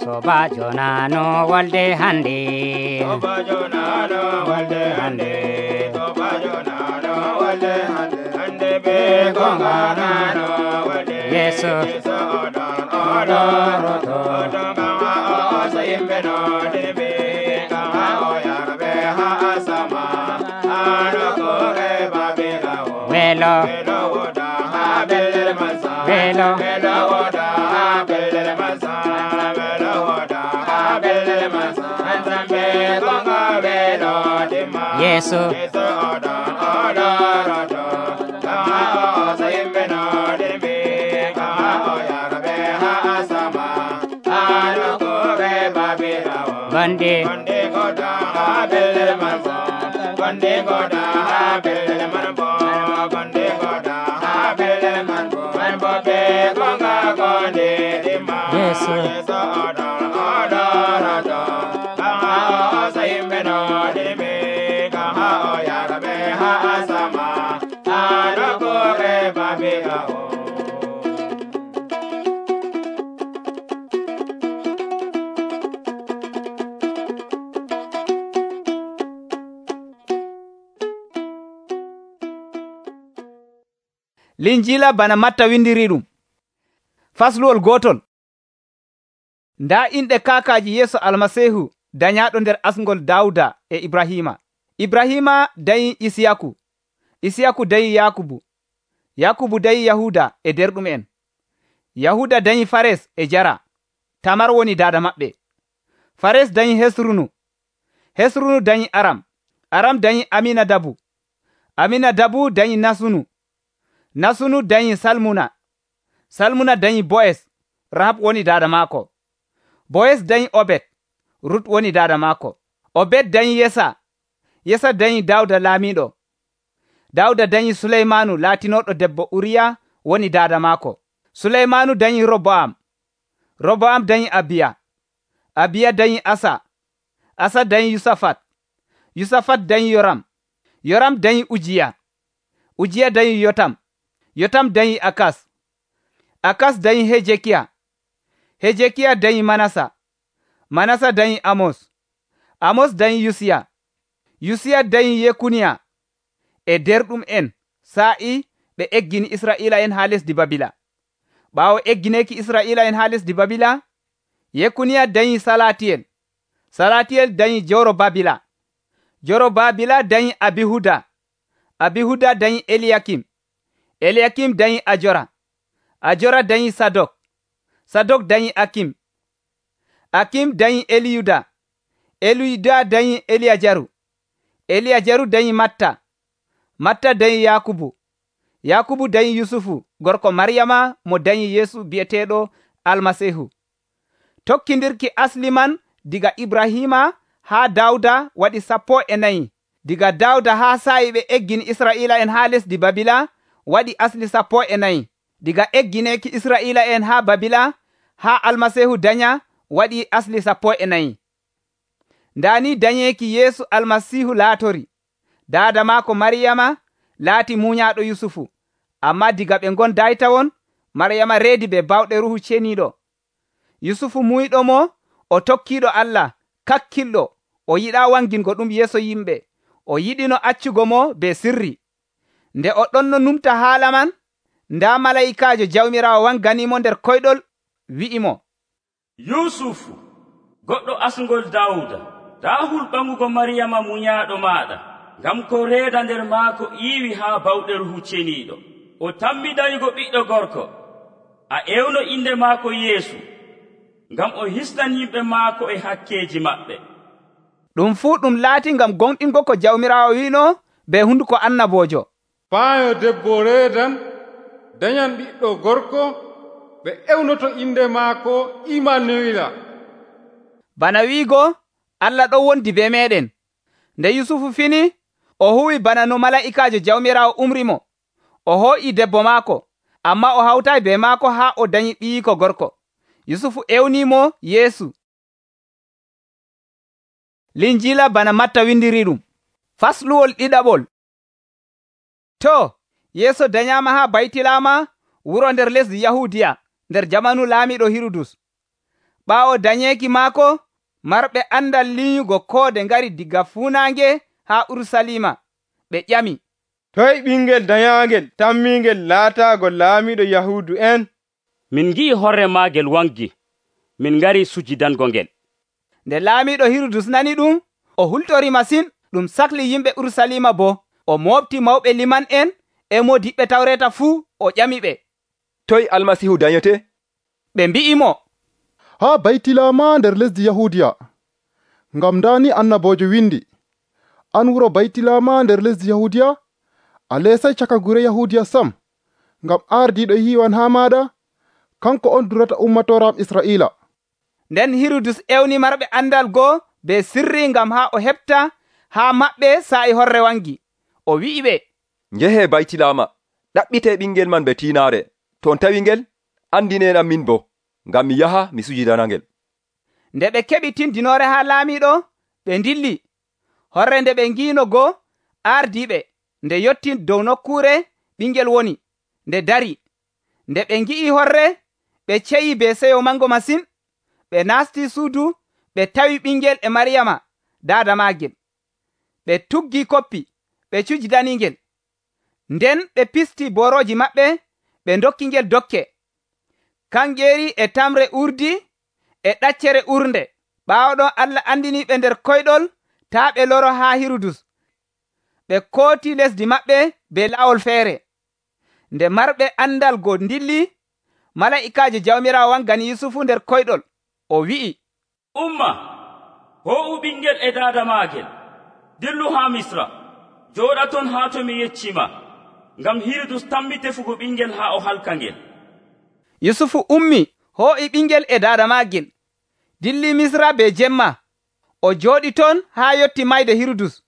Sobajo nano walde hande, sobajo nano walde hande, sobajo nano walde hande, hande be gonga nano walde Yesu odoroto kama o sayimbe no debe kama o yarbe ha asama ano kore babela welo woda ha bel masa welo woda ha bel masa woda ha bel masa antambe gonga belo dima Yesu odoroto kama o sayimbe no debe kama o yarbe ha asama ano kore babela gonde goda ha bel masa gonde goda ha bel manbo gonde goda ha bel manbo be gonga gonde dima Yesu odoroto kama o sayimbe no debe kama o yarbe ha asama ano kore babela Linjila bana Matta windiri ɗum. Fasluwol gotol. Nda inɗe kaakaji Yesu Almasihu dañaɗo nder asngol Dawda e Ibrahima. Ibrahima dañi Isiyaku, Isiyaku dañi Yakubu, Yakubu dañi Yahuda e derɗum'en. Yahuda dañi Fares e Jara, Tamar woni dada maɓɓe. Fares dañi Hesrunu, Hesrunu dañi Aram, Aram dañi Aminadabu, Aminadabu dañi Nasunu, Nasunu dañi Salmuna, Salmuna dañi Boes, Rahab woni dada maako. Boes dañi Obed, Rut woni dada maako. Obed dañi Yesa, Yesa dañi Dawda laamiɗo. Dawda dañi Suleymanu laatinoɗo debbo Uriya woni dada maako. Suleymanu dañi Roboam, Roboam dañi Abiya, Abiya dañi Asa, Asa dañi Yusafat, Yusafat dañi Yoram, Yoram dañi Ujiya, Ujiya dañi Yotam, Yotam dañi Akas, Akas dañi Hejekiya, Hejekiya dañi Manasa, Manasa dañi Amos, Amos dañi Yusiya, Yusiya dañi Yekuniya. E derɗum en sa'i ɓe eggini Israila en ha lesdi Babila. Ɓaawo eggineki Israila en ha lesdi Babila, Yekuniya dañi Salatiyel, Salatiyel dañi Jorobabila, Jorobabila dañi Abihuda, Abihuda dañi Eliyakim, Eliyakim dañi Ajora, Ajora dañi Sadok, Sadok dañi Akim, Akim dañi Eliyuda, Eliyuda dañi Eliyajaru, Eliyajaru dañi Matta, Matta dañi Yakubu, Yakubu dañi Yusufu gorko Maryama mo dañi Yesu bi'eteɗo Almasihu. Tokkindirki asli man diga Ibrahima ha Dawda waɗi 14. Diga Dawda ha sa'i ɓe eggini Israila en ha lesdi Babila waɗi asli 14. Diga eggineki Israila en ha Babila ha Almasihu daña waɗi asli 14. Ndani dañeki Yesu Almasihu laatori. Dada maako Maryama laati muñaaɗo Yusufu, amma diga ɓe gondaytawon Maryama reedi be bawɗe Ruhu Ceniiɗo. Yusufu muyɗo mo o tokkiiɗo Allah kakkilɗo, o yiɗa wangingo ɗum yeeso yimɓe, o yiɗino accugo mo be sirri. Nde o ɗonno numta haala man, nda malayikaajo Jawmiraawo wanganimo nder koyɗol wi'imo, Yusufu goɗɗo asngol Dawda, ta hulɓangugo Maryama muñaaɗo maɗa, ngam ko reeda nder maako iiwi haa bawɗe Ruhu Ceniiɗo. O tammidaygo ɓiɗɗo gorko, a ewno inde maako Yeesu, ngam o hisnan yimɓe maako e hakkeeji maɓɓe. Ɗum fuu ɗum laati ngam gonɗingo ko Jawmiraawo wiino be hunduko annaboojo. Faayo debbo reedan dañan ɓiɗɗo gorko, ɓe ewnoto inde maako Imanuila. Bana wiigo Allah ɗon wondi be meɗen. Nde Yusufu fini, o huwi bana no mala'ikaajo Jawmiraawo umrimo. O hoo'i debbo maako, amma o hawtay be maako haa o dañi ɓiyiko gorko. Yusufu ewnimo Yeesu. Linjila bana Matta windiri ɗum. Fasluwol ɗiɗaɓol. To, Yeesu danyama ha Baytilama wuro nder lesdi Yahudiya nder jamanu laamiɗo Hirudus. Ɓaawo danyeeki maako, marɓe andal linyugo koode ngari diga fuunaange ha Urusalima. Ɓe ƴami, toy ɓingel danyangel tammingel laataago laamiɗo Yahudu en? Min ngi'i horre maagel wangi, min ngari sujidango ngel. Nde laamiɗo Hirudus nani ɗum, o hultori masin. Ɗum sahli yimɓe Urusalima bo. O moofti mawɓe liman'en e modiɓɓe Tawreeta fuu, o ƴamiɓe, toy Almasihu danyete? ɓe mbi'imo, haa Baytilama nder lesdi Yahudiya. Ngam ndani annabojo windi, an wuro Baytilama nder lesdi Yahudiya, a leesay caka gure Yahudiya sam, ngam ardiiɗo yiiwan haa maaɗa, kanko on durata ummatoram Israa'iila. Nden Hirudus ewni marɓe andal goo be sirri ngam haa o heɓta haa maɓɓe saa'i horre wangi. O wi'iɓe, njehe Baytilama, ɗaɓɓite ɓingel man be tiinaare. To on tawi ngel, andinenam min bo, ngam mi yaha mi sujidanangel. Nde ɓe keɓi tindinoore haa laamiɗo, ɓe ndilli. Horre nde ɓe ngiino goo ardiiɓe nde yotti dow nokkuure ɓingel woni, nde dari. Nde ɓe ngi'i horre, ɓe ceyi be seyo mango masin. Ɓe naasti suudu, ɓe tawi ɓingel e Mariyama daada maagel. Ɓe tuggi koppi, ɓe cujidaningel. Nden ɓe pisti borooji maɓɓe, ɓe dokkingel dokke, kangeeri e tamre urdi e ɗaccere urnde. Ɓaawo ɗon Allah andiniɓe nder koyɗol taa ɓe loro haa Hirudus. Ɓe kooti lesdi maɓɓe be laawol feere. Nde marɓe andal go ndilli, mala'ikaajo Jawmiraawo wangani Yusufu nder koyɗol. O wi'i, umma, ho'u ɓingel e daada maagel, dillu haa Misra, jooɗa ton haa to mi yeccima, ngam Hirudus tammi tefugo ɓingel haa o halka ngel. Yusufu ummi, ho'i ɓingel e daada maagel, dilli Misra be jemma. O jooɗi ton haa yotti mayde Hirudus,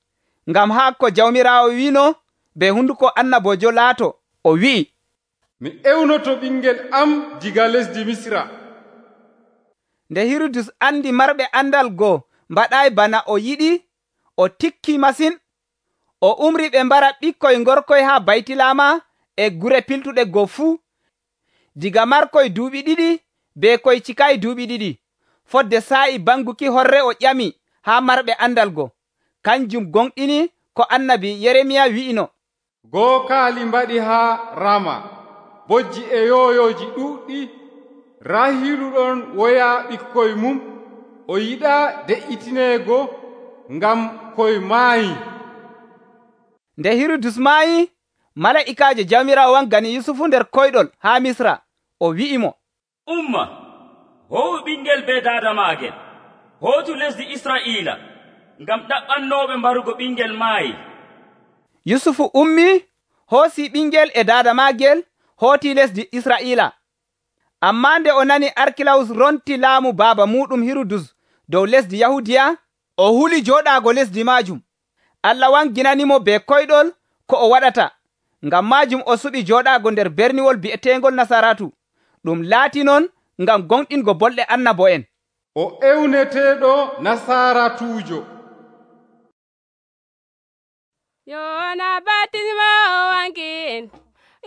ngam haa ko Jawmiraawo wiino be hunduko annabojo laato. O wi'i, mi ewnoto ɓingel am diga lesdi Misra. Nde Hirudus andi marɓe andal goo mbaɗay bana o yiɗi, o tikki masin. O umri ɓe mbara ɓikkoy ngorkoy haa Baytilama e gure piltuɗe goo fuu, diga markoy duuɓi 2 be koy cikayi duuɓi 2. Fodde saa'i banguki horre o ƴami haa marɓe andal goo. Kanjum gonɗini ko annabi Yeremiya wi'ino, gookaali mbaɗi haa Rama, bojji e yoyoji ɗuuɗɗi. Rahiilu ɗon woya ɓikkoy mum, o yiɗaa de'itineego ngam koy maayi. Nde Hirudus maayi, mala'ikaajo Jawmiraawo wangani Yusufu nder koyɗol haa Misra. O wi'imo, umma, ho'u ɓingel be daada maagel, hootu lesdi Israa'iila, ngam ɗaɓɓannooɓe mbarugo ɓingel maayi. Yusufu ummi, hoosi ɓingel e daada maagel, hooti lesdi Israa'iila. Ammaa nde o nani Arkilawus ronti laamu baaba muɗum Hirudus dow lesdi Yahudiya, o huli jooɗaago lesdi maajum. Allah wanginanimo be koyɗol ko o waɗata. Ngam maajum o suɓi jooɗaago nder berniwol bi'eteengol Nasaratu. Ɗum laati non ngam gonɗingo bolɗe annabo'en. O ewneteeɗo Nasaratuujo. Yohana baptisma o wankin,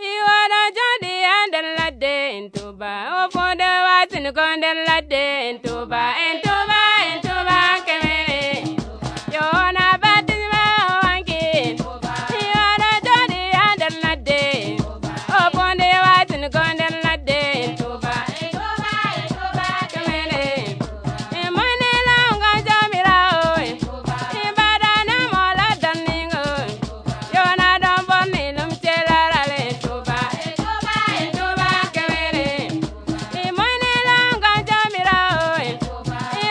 iwono joɗi ha nder ladde en tuba, o fonde watini ko nder ladde en tuba, en tuba, en tuba kemere. Yohana baptisma o wankin, iwono joɗi ha nder ladde, o fonde watini ko nder ladde en tuba, en tuba, en tuba kemere. E mone longa Jawmiraawo, e badana mola danningo. Yona don bonni lum celarale tuba, en tuba, en tuba kemere. E mone longa Jawmiraawo, e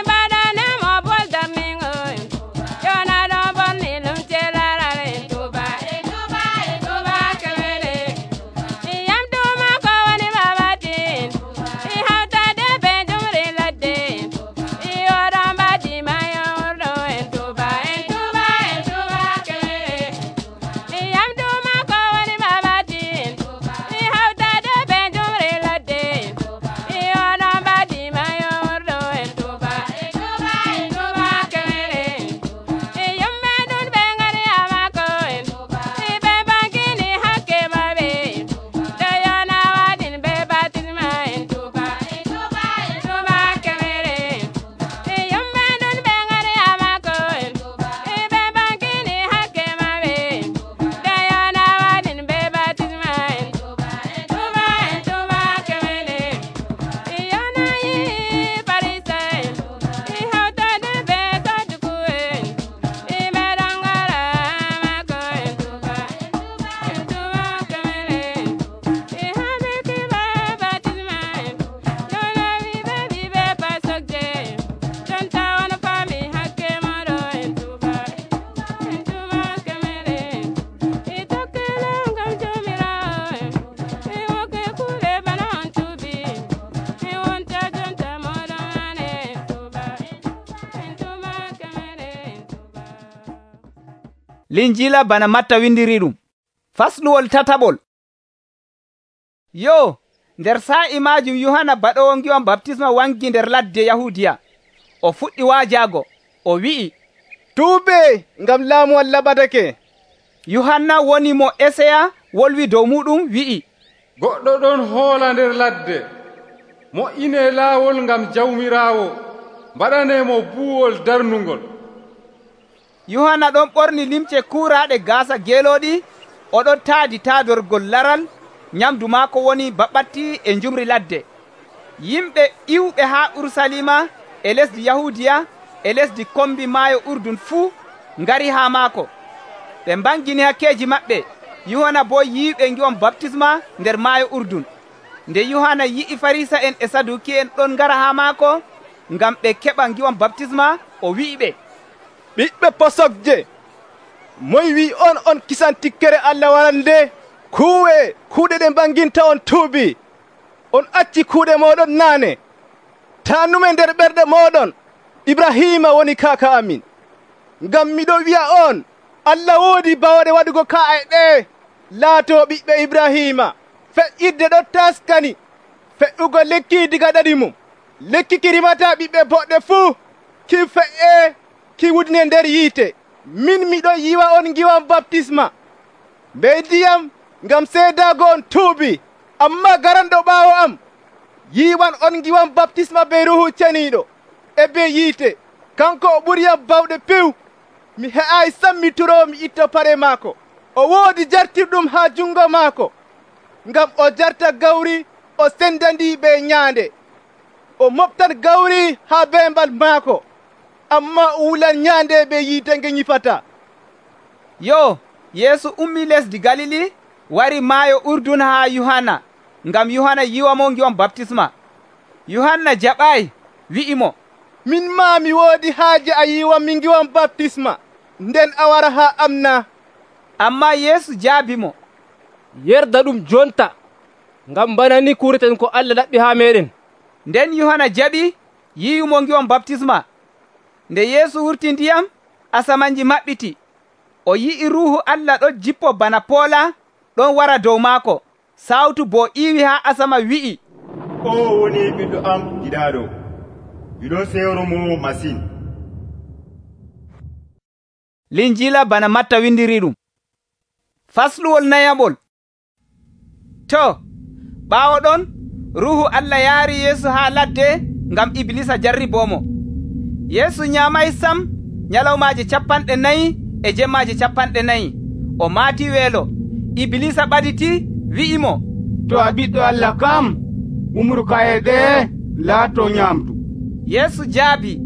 Linjila bana Matta windiri ɗum. Fasluwol tataɓol. Yo, nder sa'i majum Yohana baɗowo ngiwam baptisma wangi nder ladde Yahudiya. O fuɗɗi waajaago, o wi'i, tuube, ngam laamu Allah ɓadake. Yohanna woni mo Esaya wolwi dow muɗum wi'i, goɗɗo ɗon hoola nder ladde, mo'ine laawol ngam jawmiraawo, mbaɗanemo buuwol darnugol. Yohanna ɗon ɓorni limce kuuraaɗe gaasa geelooɗi, oɗon taadi taadorgol laral, nyamdu maako woni baɓɓatti e njumri ladde. Yimɓe iwɓe haa Urusalima e lesdi Yahudiya e lesdi kombi maayo Urdun fuu ngari haa maako. Ɓe mbangini hakkeeji maɓɓe. Yohana boo yiiɓe ngiwam baptisma nder maayo Urdun. Nde Yohana yi'i Farisa'en e Saduki'en ɗon ngara haa maako ngam ɓe keɓa ngiwam baptisma, o wi'iɓe, ɓiɓɓe posokje, moy wi on kisan tikkere Allah warande? Kuuɗe ɗe mbanginta on tuubi. On acci kuuɗe moɗon naane. Tanume nder ɓerɗe moɗon Ibrahima woni kaaka amin. Ngam miɗo wi'a on, Allah woodi bawɗe waɗugo ka'e ɗe laato ɓiɓɓe Ibrahima. Feƴƴirde ɗon taskani, fe'ugo lekki diga ɗaɗi mum. Lekki ki rimata ɓiɓɓe boɗɗe fuu, ki fe'e ki wudne nder yiite. Min miɗo yiwa on ngiwam baptisma be ndiyam ngam seedaago on tuubi, amma garanɗo ɓaawo am yiwan on ngiwam baptisma be Ruhu Ceniiɗo e be yiite. Kanko o ɓuriyam bawɗe piw. Mi he'aayi sammitoro mi itta pare maako. O woodi jartirɗum haa jungo maako, ngam o jarta gawri o sendandi be nyaande. O moftan gawri haa beembal maako, amma o wulan nyaande be yiite nge nyifata. Yo, Yeesu ummi lesdi Galili wari maayo Urdun haa Yohana, ngam Yohana yiwamo ngiwam baptisma. Yohanna jaɓaayi, wi'imo, min maa mi woodi haaje a yiwam mi ngiwam baptisma, nden a wara haa am na? Amma Yeesu jaabimo, yerda ɗum jonta, ngam bana ni kureten ko Allah laɓɓi haa meɗen. Nden Yohana jaɓi yiwimo ngiwam baptisma. Nde Yeesu wurti ndiyam, asamanji maɓɓiti. O yi'i Ruuhu Allah ɗon jippo bana poola ɗon wara dow maako. Sawtu boo iiwi haa asama wi'i, o woni ɓiɗɗo am giɗaaɗo, miɗon sewromo masin. Linjila bana Matta windiri ɗum. Fasluwol nayaɓol. To, ɓaawo ɗon, Ruuhu Allah yaari Yeesu haa ladde ngam Iblisa jarribomo. Yeesu nyaamay sam nyalawmaaje 40 e jemmaaje 40. O maati weelo. Iblisa ɓaditi wi'imo, to a ɓiɗɗo Allah kam, umru ka'e ɗe laato nyamdu. Yeesu jaabi,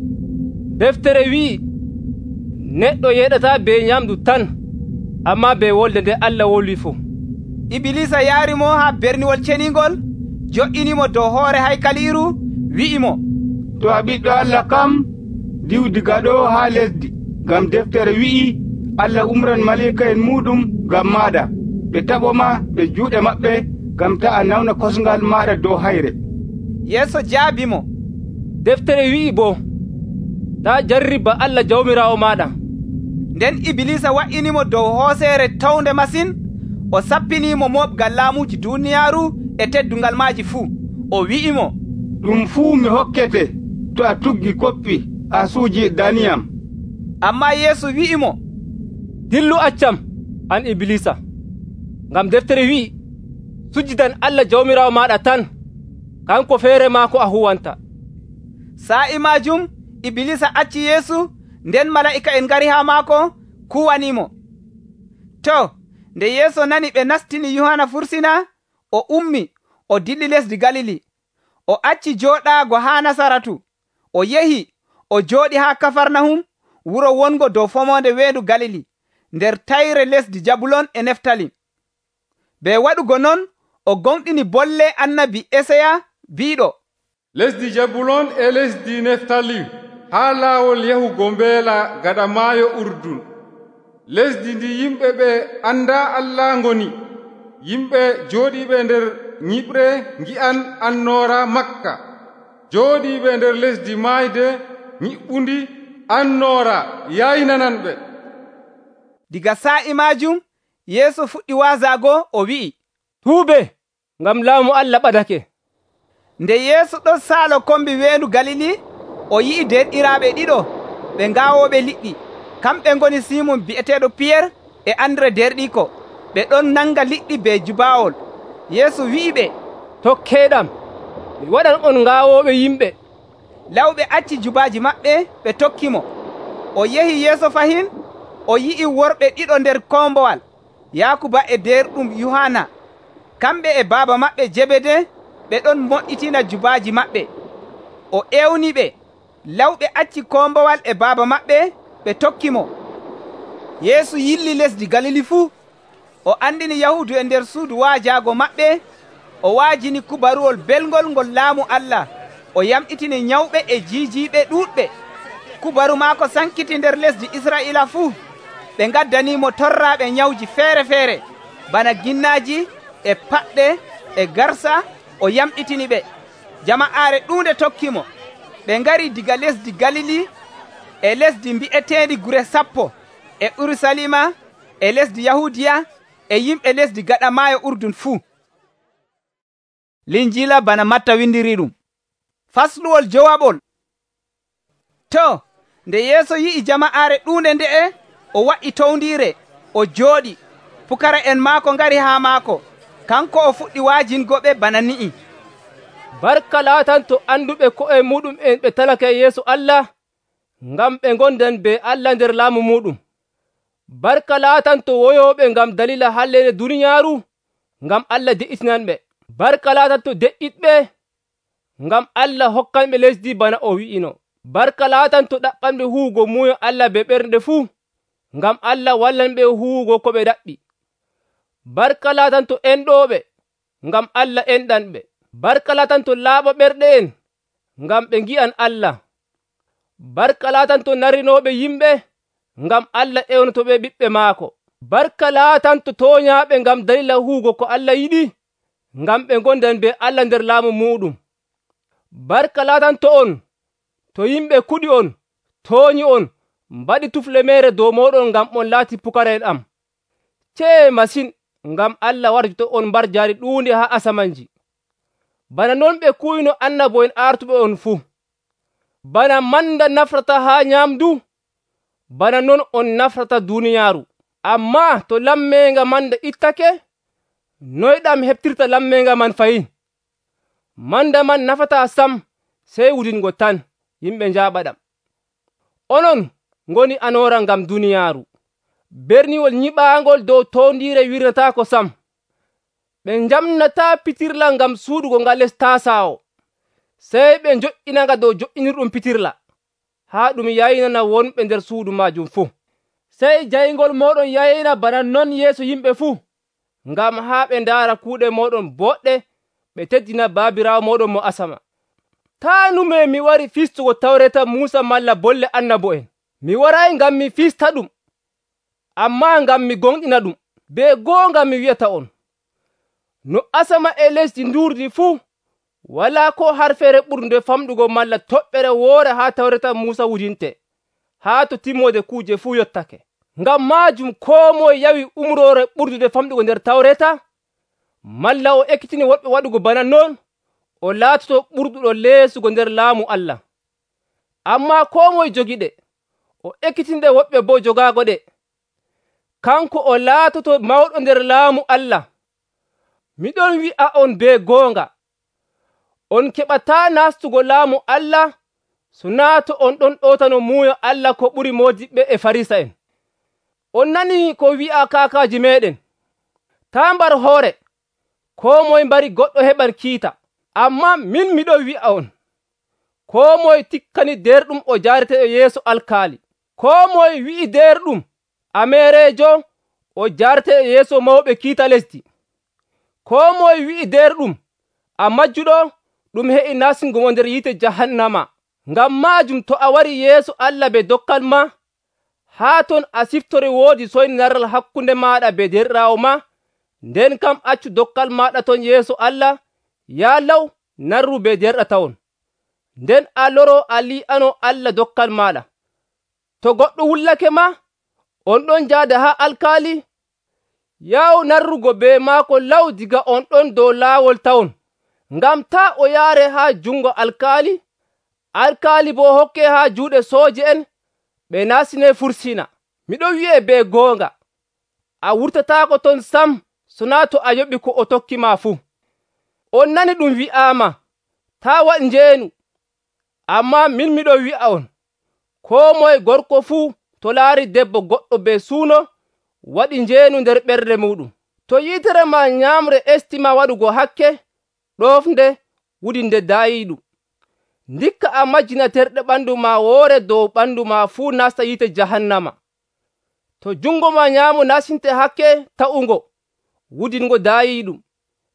deftere wi'i, neɗɗo yeɗata be nyamdu tan, amma be wolde nde Allah wolwi fuu. Iblisa yaarimo haa berniwol ceningol, jo'inimo dow hoore haykaliiru, wi'imo, to a ɓiɗɗo Allah kam, diw diga ɗo haa lesdi, ngam deftere wi'i, Allah umran malika en muɗum ngam maɗa, ɓe taɓoma ɓe juuɗe maɓɓe, ngam ta a nawna kosngal maɗa dow hayre. Yeesu jaabimo, deftere wi'i bo, ta jarriba Allah jawmiraawo maɗa. Nden Iblisa wa'inimo dow hooseere tawnde masin, o sappinimo moɓgal laamuji duniyaaru e teddungal maaji fuu. O wi'imo, ɗum fuu mi hokkete to a tuggi koppi a suuji daniyam. Amma Yeesu wi'imo, dillu accam an Iblisa, ngam deftere wi'i, sujjidan Allah jawmiraawo maɗa tan, kanko feere maako a huwanta. Sa'i majum Iblisa acci Yeesu, nden mala'ika en ngari haa maako kuwanimo. To, nde Yeesu nani ɓe nastini Yohana fursina, o ummi, o dilli lesdi Galili. O acci jooɗaago haa Nasaratu. O yehi, o jooɗi haa Kafarnahum, wuro wongo dow fomonde weendu Galili, nder tayre lesdi Jabulon e Neftalim. Be waɗugo non, o gonɗini bolle annabi Esaya biiɗo, lesdi Jabulon e lesdi Neftalim, haa laawol yahugo mbeela gaɗa maayo Urdun, lesdi ndi yimɓe ɓe anda Allah ngoni, yimɓe jooɗiiɓe nder nyiɓre ngi'an annoora Makka, jooɗiiɓe nder lesdi maayde nyiɓɓundi annoora yaynananɓe. Diga sa'i maajum Yeesu fuɗɗi waazago o wi'i, tuube, ngam laamu Allah ɓadake. Nde Yeesu ɗon saalo kombi weendu Galili, o yi'i derɗiraaɓe ɗiɗo ɓe ngaawooɓe liɗɗi. Kamɓe ngoni Simon bi'eteeɗo Piyer e Andre derɗiiko. Ɓe ɗon nanga liɗɗi be jubaawol. Yeesu wi'iɓe, tokkeeɗam, mi waɗan on ngaawooɓe yimɓe. Lawɓe acci jubaaji maɓɓe ɓe tokkimo. O yehi yeeso fahin, o yi'i worɓe ɗiɗo nder kombowal, Yaakuba e derɗum Yohanna. Kamɓe e baaba maɓɓe Jebede ɓe ɗon moƴƴitina jubaaji maɓɓe. O ewniɓe. Lawɓe acci kombowal e baaba maɓɓe ɓe tokkimo. Yeesu yilli lesdi Galili fuu. O andini Yahudu e nder suudu waajaago maɓɓe. O waajini kubaruwol belngol ngol laamu Allah. O yamɗitini nyawɓe e jiijiiɓe ɗuuɗɓe. Kubaru maako sankiti nder lesdi Israa'iila fuu. Ɓe ngaddanimo torraaɓe nyawji feere-feere, bana ginnaaji e paɗɗe e garsa. O yamɗitini ɓe. Jama'aare ɗuunde tokkimo. Ɓe ngari diga lesdi Galili e lesdi mbi'eteendi Gure Sappo e Urusalima e lesdi Yahudiya e yimɓe lesdi gaɗa maayo Urdun fuu. Linjiila bana Matta windiri ɗum. Fasluwol jowaɓol. To, nde Yeesu yi'i jama'aare ɗuunde nde'e, o wa'i towndiire, o jooɗi. Pukara'en maako ngari haa maako. Kanko o fuɗɗi waajingoɓe bana ni'i. Barka laatanto anduɓe ko'e muɗum en ɓe talake yeeso Allah, ngam ɓe ngondan be Allah nder laamu muɗum. Barka laatanto woyoɓe ngam dalila halleende duniyaaru, ngam Allah de'itinanɓe. Barka laatanto deƴƴiɗɓe, ngam Allah hokkanɓe lesdi bana o wi'ino. Barka laatanto ɗaɓɓanɓe huwugo muuyo Allah be ɓernde fuu, ngam Allah wallanɓe huwugo ko ɓe ɗaɓɓi. Barka laatanto enɗooɓe, ngam Allah enɗanɓe. Barka laatanto laaɓa ɓerɗe en, ngam ɓe ngi'an Allah. Barka laatanto narinooɓe yimɓe, ngam Allah ewnotoɓe ɓiɓɓe maako. Barka laatanto tooñaaɓe ngam dalila huwugo ko Allah yiɗi, ngam ɓe ngondan be Allah nder laamu muɗum. Barka laatanto on, to yimɓe kuɗi on, tooñi on, mbaɗi tufle meere dow mooɗon ngam on laati pukara'en am. Cee masin, ngam Allah warjoto on mbar jaari ɗuunde haa asamanji. Bana non ɓe kuwino annabo'en artuɓe on fuu. Bana manda nafrata haa nyaamdu, bana non on nafrata duniyaaru. Ammaa to lammeenga manda ittake, noy ɗam heɓtirta lammeenga man fayin? Manda man nafataa sam, sey wudingo tan, yimɓe njaaɓa ɗam. Onon ngoni anoora ngam duniyaaru. Berniwol nyiɓaangol dow towndiire wirnataako sam. Ɓe njamnataa pitirla ngam suuɗugo nga les taasaawo, sey ɓe njo'inanga dow jo'inirɗum pitirla, haa ɗum yaynana wonɓe nder suudu maajum fuu. Sey jayngol mooɗon yayna bana non yeeso yimɓe fuu, ngam haa ɓe ndaara kuuɗe mooɗon boɗɗe, ɓe teddina baabiraawo mooɗon mo asama. Taa nume mi wari fistugo tawreta Muusa malla bolle annabo'en. Mi waray ngam mi fista ɗum, ammaa ngam mi gonɗina ɗum. Be goonga mi wi'ata on, no asama e lesdi ndurdi fuu, walaa ko harfere ɓurnde famɗugo malla toɓɓere woore haa tawreta Muusa wujinte, haa to timmode kuuje fuu yottake. Ngam maajum koo moye yawi umroore ɓurdude famɗugo nder tawreta, malla o ekkitini woɓɓe waɗugo bana non, o laatoto ɓurduɗo leesugo nder laamu Allah. Ammaa koo moye jogiɗe, o ekkitinɗe woɓɓe boo jogaago ɗe, kanko o laatoto mawɗo nder laamu Allah. Miɗon wi'a on be goonga, on keɓataa nastugo laamu Allah so naa to on ɗon ɗootano muuyo Allah ko ɓuri moodiɓɓe e Farisa'en. On nanii ko wi'a kaakaaji meeɗen, taa mbar hoore, koo moye mbari goɗɗo heɓan kiita. Ammaa min miɗon wi'a on, koo moye tikkani derɗum o jaarete e yeeso alkaali. Koo moye wi'i derɗum ameereejo o jaarete e yeeso mawɓe kiita lesdi. Koo moye wi'i derɗum a majjuɗo ɗum he'i nasingo mo nder yiite jahannama. Ngam maajum to a wari yeeso Allah be dokkal ma, haa ton a siftore woodi soynaral hakkunde maaɗa be derɗiraawo ma, nden kam accu dokkal maaɗa ton yeeso Allah, yaa law narru be derɗatawon. Nden a loro a li'ano Allah dokkal maaɗa. To goɗɗo wullake ma, on ɗon jaada haa alkaali yaw narrugo be maako law diga on ɗon dow laawol tawon, ngam taa o yaare haa jungo alkaali boo hokke haa juuɗe sooje'en ɓe naasine fursina. Miɗon wi'e be goonga, a wurtataako ton sam sonaa to a yoɓi ko o tokki ma fuu. On nani ɗum wi'aama, taa waɗ njeenu. Ammaa min miɗon wi'a on, koo moye gorko fuu to laari debbo goɗɗo be suuno waɗi njeenu nder ɓernde muuɗum. To yiitere ma nyaamre estima waɗugo hakke, ɗofnde wudi nde daayiiɗum. Ndikka a majjina terɗe ɓandu ma woore dow ɓandu ma fuu nasta yiite jahannama. To jungo ma nyaamo nasinte hakke ta'ungo wudingo daayiiɗum.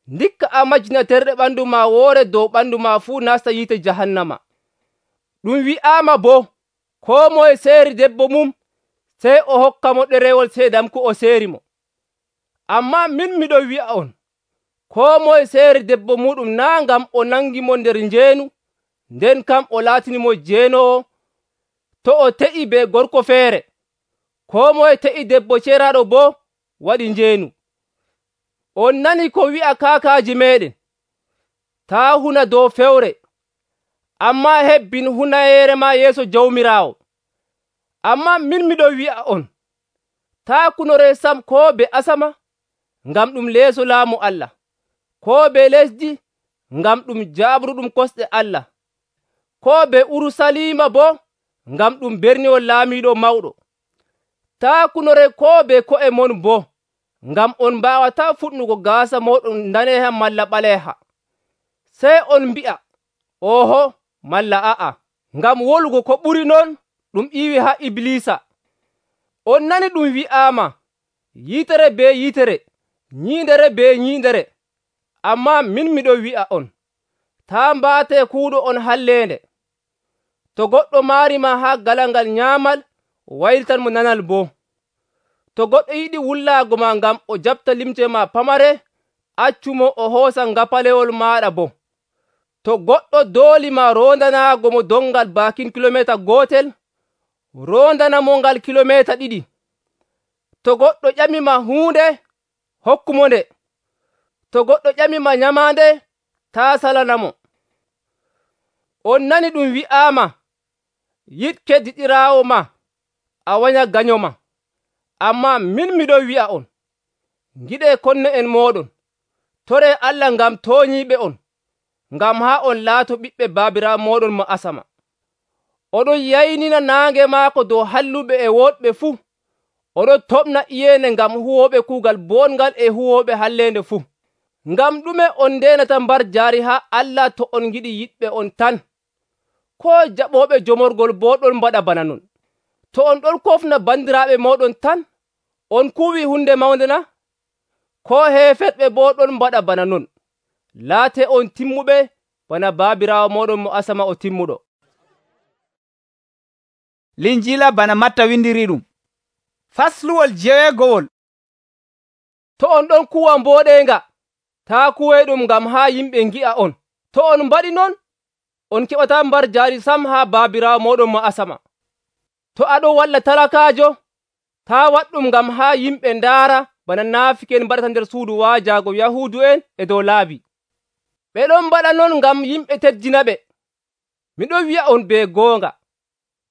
Ndikka a majjina terɗe ɓandu ma woore dow ɓandu ma fuu nasta yiite jahannama. Ɗum wi'aama boo, koo moye seeri debbo mum sey o hokka mo ɗerewol seedam ko o seeri mo. Ammaa min miɗon wi'a on, koo moye seeri debbo muɗum naa ngam o nangi mo nder njeenu, nden kam o laatinimo jeenoowo to o te'i be gorko feere. Koo moye te'i debbo ceeraaɗo boo waɗi njeenu. On nani ko wi'a kaakaaji meeɗen, taa huna dow fewre, ammaa hebbin hunayeere ma yeeso Jawmiraawo. Ammaa min miɗon wi'a on, taa kunoree sam koo be asama, ngam ɗum leeso laamu Allah, koo be lesdi, ngam ɗum jaaɓruɗum kosɗe Allah, koo be Urusalima boo, ngam ɗum berniwol laamiiɗo mawɗo. Taa kunoree koo be ko'e mon boo, ngam on mbaawataa fuɗnugo gaasa mooɗon daneeha malla ɓaleeha. Sey on mbi'a, oho malla a'a, ngam wolugo ko ɓuri non ɗum ƴiiwi haa Ibliisa. On nani ɗum wi'aama, yiitere be yiitere, nyiindere be nyiindere. Ammaa min miɗon wi'a on, taa mbaatee kuuɗo on halleende. To goɗɗo maarima haa galangal nyaamal, waylitan mo nanal boo. To goɗɗo yiɗi wullaago ma ngam o jaɓta limce ma pamare, accumo o hoosa ngapalewol maaɗa boo. To goɗɗo dooli ma rondanaago mo dongal baakin kilomeeta gootel, rondanamo ngal kilomeeta 2. To goɗɗo ƴamima huunde, hokkumo nde. To goɗɗo ƴamima nyamaande, taa salanamo. On nani ɗum wi'aama, yiɗ keddiɗiraawo ma, a wanya ganyoma. Ammaa min miɗon wi'a on, ngiɗee konne'en mooɗon, toree Allah ngam tooñiiɓe on, ngam haa on laato ɓiɓɓe baabiraawo mooɗon mo asama. Oɗon yaynina naange maako dow halluɓe e woɗɓe fuu. Oɗon toɓna iyeende ngam huwooɓe kuugal boongal e huwooɓe halleende fuu. Ngam ɗume on ndeenata mbar jaari haa Allah to on ngiɗi yiɗɓe on tan? Koo jaɓooɓe jomorgol boo ɗon mbaɗa bana non. To on ɗon kofna bandiraaɓe mooɗon tan, on kuwii hunde mawnde na? Koo heefeɓɓe boo ɗon mbaɗa bana non. Laatee on timmuɓe bana baabiraawo mooɗon mo asama o timmuɗo. Linjiila bana Matta windiri ɗum. Fasluwol 9. To on ɗon kuwa mbooɗeenga, taa kuwoyɗum ngam haa yimɓe ngi'a on. To on mbaɗi non, on keɓataa mbar jaari sam haa baabiraawo mooɗon mo asama. To aɗon walla talakaajo, taa waɗɗum ngam haa yimɓe ndaara bana naafiken mbaɗata nder suudu waajaago Yahuudu'en e dow laabi. Ɓe ɗon mbaɗa non ngam yimɓe teddina ɓe. Miɗon wi'a on be goonga,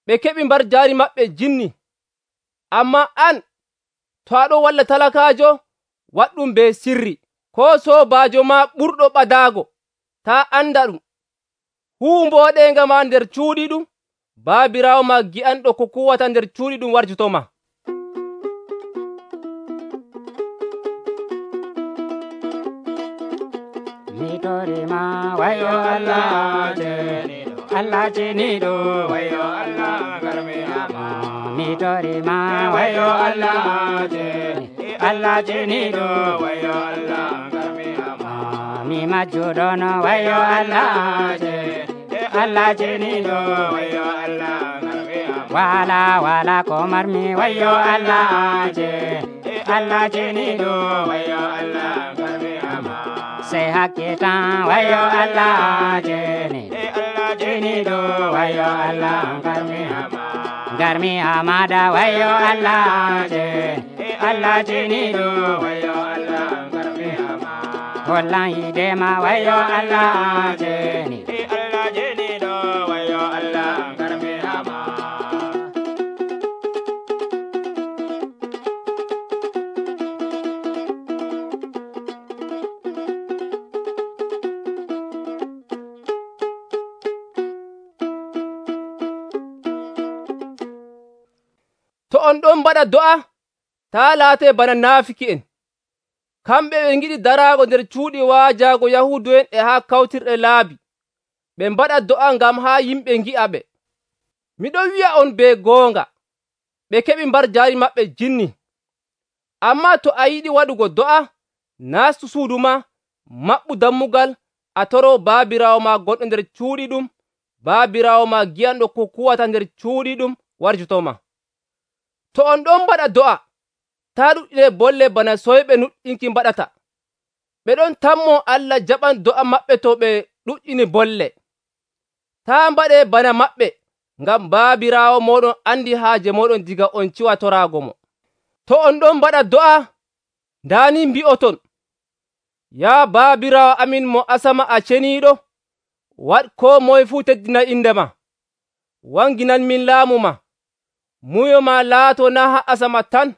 ɓe keɓi mbar jaari maɓɓe jinni. Ammaa an, to aɗon walla talakaajo, waɗɗum be sirri. Koo soobaajo ma ɓurɗo ɓadaago, taa anda ɗum. Huu mbooɗeenga ma nder cuuɗi ɗum, baabiraawo ma gi'anɗo ko kuwata nder cuuɗi ɗum warjutoma. Mitorima wayo Allah jenido, Allah jenido wayo Allah garmiyama. Mitorima wayo Allah jenido, Allah jenido wayo Allah garmiyama. Mi majudono wayo Allah jenido, Allah jenido wayo Allah garmiyama. Wala komarmi wayo Allah jenido, Allah jenido wayo Allah garmiyama. Say hakita wayo Allah jeni, Allah jeni do wayo Allah garmi ama. garmi amada wayo Allah jeni Allah jeniɗo wayo Allah garmi ama hollan yidema wayo Allah jeni Allah jeniɗo wayo Allah garmi ama to on ɗon mbaɗa do'a taa laatee bana naafiki'en kamɓe ɓe ngiɗi daraago nder cuuɗi waajaago yahuudu'en e haa kawtirɗe laabi ɓe mbaɗa do'a ngam haa yimɓe ngi'a ɓe. Miɗon wi'a on be goonga ɓe keɓi mbar jaari maɓɓe jinni. Ammaa to a yiɗi waɗugo do'a naastu suudu ma maɓɓu dammugal a toroo baabiraawo ma gonɗo nder cuuɗi ɗum baabiraawo ma gi'anɗo ko kuwata nder cuuɗi ɗum warjotoma. To on ɗon mbaɗa do'a taa ɗuɗɗine bolle bana soyɓe nuɗɗinki mbaɗata. Ɓe ɗon tammo Allah jaɓan do'a maɓɓe to ɓe ɗuɗɗini bolle. Taa mbaɗee bana maɓɓe ngam baabiraawo mooɗon andi haaje mooɗon diga on ciwa toraago mo. To on ɗon mbaɗa do'a ndaani mbi'oton, yaa baabiraawo amin mo asama a ceniiɗo, waɗ koo moye fuu teddina inde ma. Wanginan min laamu ma. Muyo ma laato naa haa asama tan,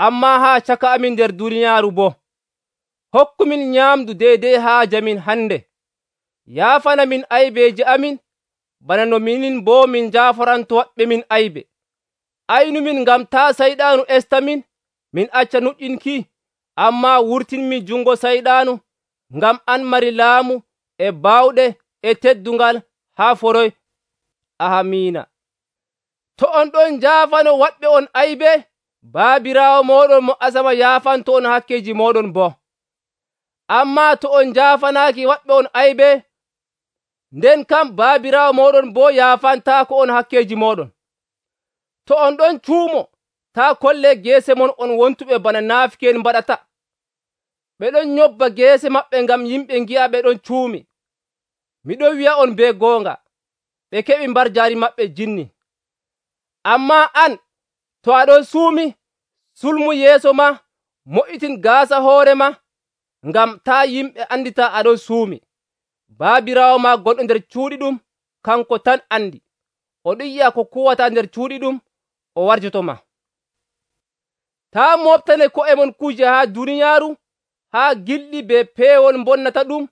ammaa haa caka amin nder duniyaaru boo. Hokkumin nyaamdu deydey haaje min hande. Yaafana min aybeeji amin, bana no minin boo min njaaforanto waɗɓe min aybe. Aynumin ngam taa sayɗaanu estamin, min acca nuɗɗinki, ammaa wurtinmi jungo sayɗaanu, ngam an mari laamu e baawɗe e teddungal haa foroy. Ahamiina. To on ɗon njaafano waɗɓe on aybe, baabiraawo mooɗon mo asama yaafanto on hakkeeji mooɗon boo. Ammaa to on njaafanaaki waɗɓe on aybe, nden kam baabiraawo mooɗon boo yaafantaako on hakkeeji mooɗon. To on ɗon cuumo, taa kollee geese mon on wontuɓe bana naafiki'en mbaɗata. Ɓe ɗon nyobba geese maɓɓe ngam yimɓe ngi'a ɓe ɗon cuumi. Miɗon wi'a on be goonga, ɓe keɓi mbar jaari maɓɓe jinni. Ammaa an, to aɗon suumi, sulmu yeeso ma, mo'itin gaasa hoore ma, ngam taa yimɓe andita aɗon suumi. Baabiraawo ma gonɗo nder cuuɗi ɗum, kanko tan andi. Oɗon yi'a ko kuwata nder cuuɗi ɗum, o warjotoma. Taa moftane ko'e mon kuje haa duniyaaru, haa gilɗi be peewol bonnata ɗum,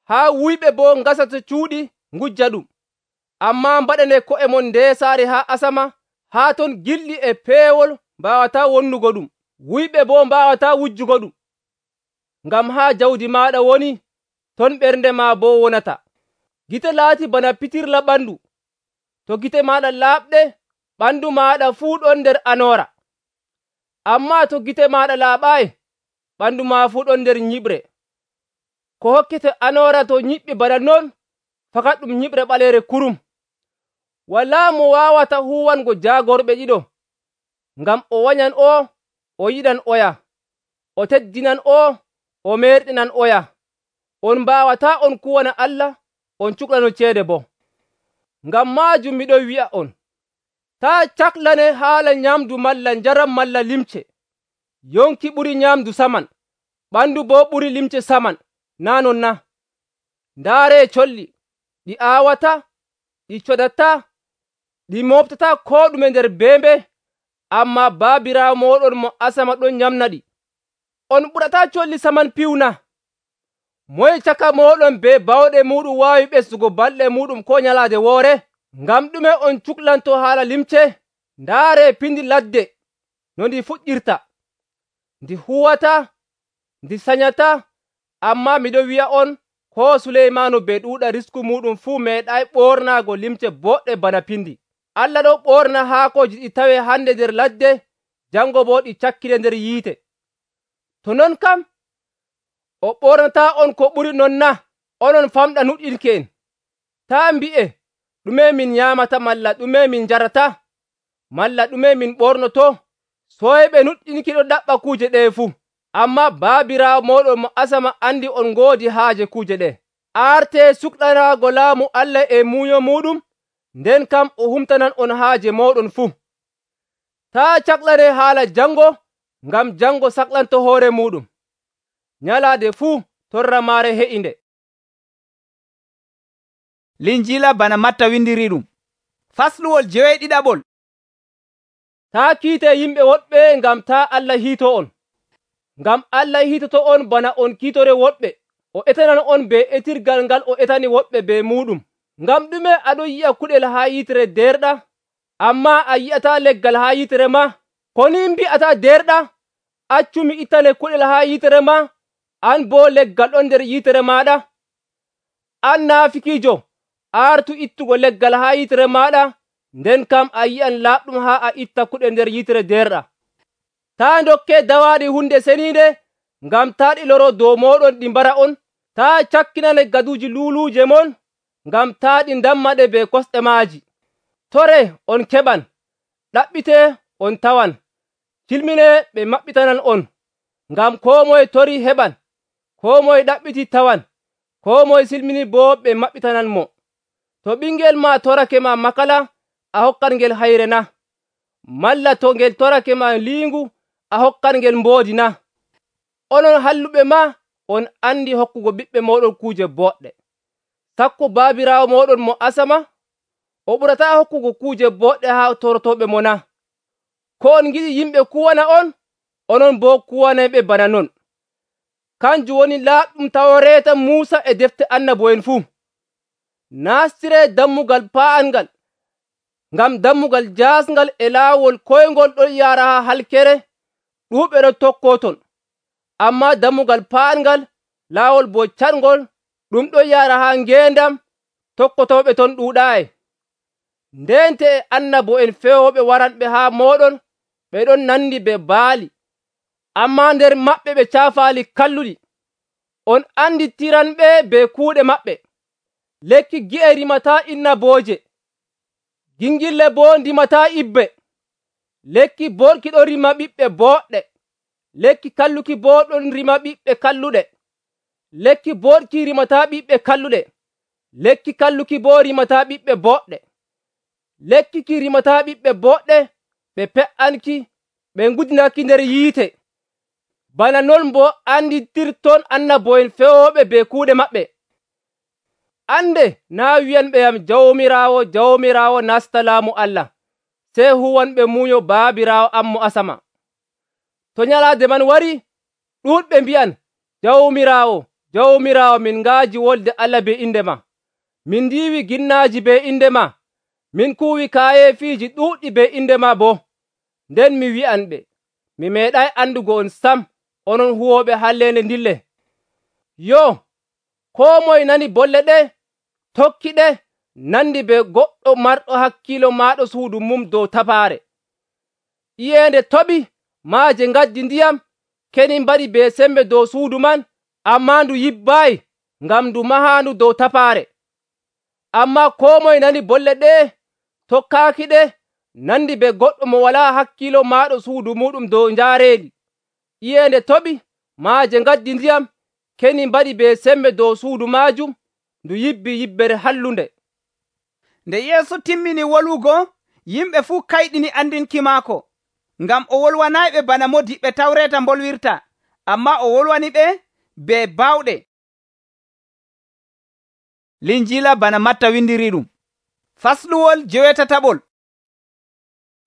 haa wuyɓe boo ngasata cuuɗi ngujja ɗum. Ammaa mbaɗane ko'e mon ndeesaare haa asama, haa ton gilɗi e peewol mbaawataa wonnugo ɗum, wuyɓe boo mbaawataa wujjugo ɗum. Ngam haa jawdi maaɗa woni, ton ɓernde maa boo wonata. Gite laati bana pitirla ɓandu. To gite maaɗa laaɓɗe, ɓandu maaɗa fuu ɗon nder anoora. Ammaa to gite maaɗa laaɓaayi, ɓandu maa fuu ɗon nder nyiɓre. Ko hokkete anoora to nyiɓɓi bana non, fakat ɗum nyiɓre ɓaleere kurum. Walaa mo waawata huwango jaagorɓe ɗiɗo, ngam o wanyan o, o yiɗan oya, o teddinan o meerɗinan oya. On mbaawataa on kuwana Allah, on cuklano ceede boo. Ngam maajum miɗon wi'a on, taa caklane haala nyamdu malla njaram malla limce. Yonki ɓuri nyamdu saman, ɓandu boo ɓuri limce saman, naa non na? Ndaaree colli, ɗi aawata, ɗi codataa, ɗi mooftataa koo ɗume nder beembe, ammaa baabiraawo mooɗon mo asama ɗon nyamna ɗi. On ɓurataa colli saman piwna? Moye caka mooɗon be bawɗe muɗum waawi ɓesdugo balɗe muɗum ko nyalaade woore? Ngam ɗume on cuklanto haala limce? Ndaaree pindi ladde no ndi fuɗɗirta. Ndi huwataa, ndi sanyataa, ammaa miɗon wi'a on, ko Suleymaanu be ɗuuɗa risku muɗum fuu meeɗay ɓoornaago limce boɗɗe bana pindi. Allah ɗon ɓoorna haakooji ɗi tawe hande nder ladde, jango boo ɗi cakkine nder yiite. To non kam, o ɓoornataa on ko ɓuri non na, onon famɗa nuɗɗinke'en. Taa mbi'e, ɗume min nyaamata malla ɗume min njarata, malla ɗume min ɓornoto. Soyɓe nuɗɗinki ɗo ɗaɓɓa kuuje ɗe fuu. Ammaa baabiraawo mooɗon mo asama andi on ngoodi haaje kuuje ɗe. Aartee suklanaago laamu Allah e muuyo muɗum, nden kam o humtanan on haaje mooɗon fuu. Taa caklane haala jango, ngam jango saklanto hoore muɗum. Nyalaade fuu torra maare he'inde. Linjila bana Matta windiriɗum. Fasluwol 7. Taa kiite yimɓe woɗɓe ngam taa Allah hiito on. Ngam Allah hiitoto on bana on kiitore woɗɓe. O etanan on be etirgal ngal o etani woɓɓe be muɗum. Ngam ɗume aɗon yi'a kuɗel haa yitere derɗa, amma a yi'ataa leggal haa yitere ma? Ko ni mbi'ataa derɗa, accu mi ittane kuɗel haa yitere ma, an boo leggal ɗon nder yitere maɗa? An naafikiijo, artu ittugo leggal haa yitere maɗa, nden kam a yi'an laaɓɗum haa a itta kuɗel nder yitere derɗa. Taa ndokke dawaaɗi hunde seniinde, ngam taa ɗi loro dow mooɗon ɗi mbara on. Taa cakkinane gaduuji luuluuje mon, ngam taa ɗi ndammaɗe be kosɗe maaji. Tore on keɓan, ɗaɓɓite on tawan, cilmine ɓe maɓɓitanan on. Ngam koo moye tori heɓan, koo moye ɗaɓɓiti tawan, koo moye silmini boo ɓe maɓɓitanan mo. To ɓingel ma torake ma makala, a hokkan ngel hayre na? Malla to ngel torake ma liingu, a hokkan ngel mboodi na? Onon halluɓe ma, on andi hokkugo ɓiɓɓe mooɗon kuuje boɗɗe. Sakko baabiraawo mooɗon mo asama, o ɓurataa hokkugo kuuje boɗɗe haa torotooɓe mo na? Ko on ngiɗi yimɓe kuwana on, onon boo kuwanayɓe bana non. Kanjum woni laaɓɗum tawo reeta Muusa e defte annabo'en fuu. Nastiree dammugal paa'angal, ngam dammugal jaasngal e laawol koyngol ɗon yaara haa halkere, ɗuuɓɓe ɗon tokkoo ton. Ammaa dammugal paa'angal, laawol boo catngol, ɗum ɗon yaara haa ngeendam, tokkotooɓe ton ɗuuɗaayi. Ndente e annabo'en fewooɓe waranɓe haa mooɗon, ɓe ɗon nandi be baali, ammaa nder maɓɓe ɓe caafaali kalluɗi. On anditiranɓe be kuuɗe maɓɓe. Lekki gi'e rimataa innabooje, gingille boo ndimataa ibbe. Lekki boɗki ɗon rima ɓiɓɓe boɗɗe, lekki kalluki boo ɗon rima ɓiɓɓe kalluɗe. Lekki boɗki rimataa ɓiɓɓe kalluɗe, lekki kalluki boo rimataa ɓiɓɓe boɗɗe. Lekki ki rimataa ɓiɓɓe boɗɗe, ɓe pe'anki, ɓe ngudinaki nder yiite. Bana non boo anditirton annabo'en fewooɓe be kuuɗe maɓɓe. Ande naa wi'anɓeyam Jawmiraawo, Jawmiraawo nasta laamu Allah, sey huwanɓe munyo Baabiraawo am mo asama. To nyalaade man wari, ɗuuɗɓe mbi'an, Jawmiraawo, Jawmiraawo, min ngaaji wolde Allah be inde ma. Min ndiiwi ginnaaji be inde ma. Min kuuwi kaayeefiiji ɗuuɗɗi be inde ma boo. Nden mi wi'anɓe, mi meeɗay andugo on sam, onon huwooɓe halleende ndille. Yo, koo moye nani bolle ɗe, tokkiɗe, nandi be goɗɗo marɗo hakkiilo maaɗo suudu mum dow tapaare. Iyeende toɓi, maaje ngaddi ndiyam, keni mbaɗi be sembe dow suudu man, ammaa ndu yibbaayi, ngam ndu mahaandu dow tapaare. Ammaa koo moye nani bolle ɗe, tokkaaki ɗe, nandi be goɗɗo mo walaa hakkiilo maaɗo suudu muɗum dow njaareeli. Iyeende toɓi, maaje ngaddi ndiyam, keni mbaɗi be sembe dow suudu maajum, ndu yibbi yibbere hallunde. Nde Yeesu timmini wolwugo, yimɓe fuu kayɗini andinki maako, ngam o wolwanayɓe bana modiɓɓe Tawreeta mbolwirta, ammaa o wolwani ɓe be baawɗe. Linjila bana Matta windiriɗum. Fasluwol 7.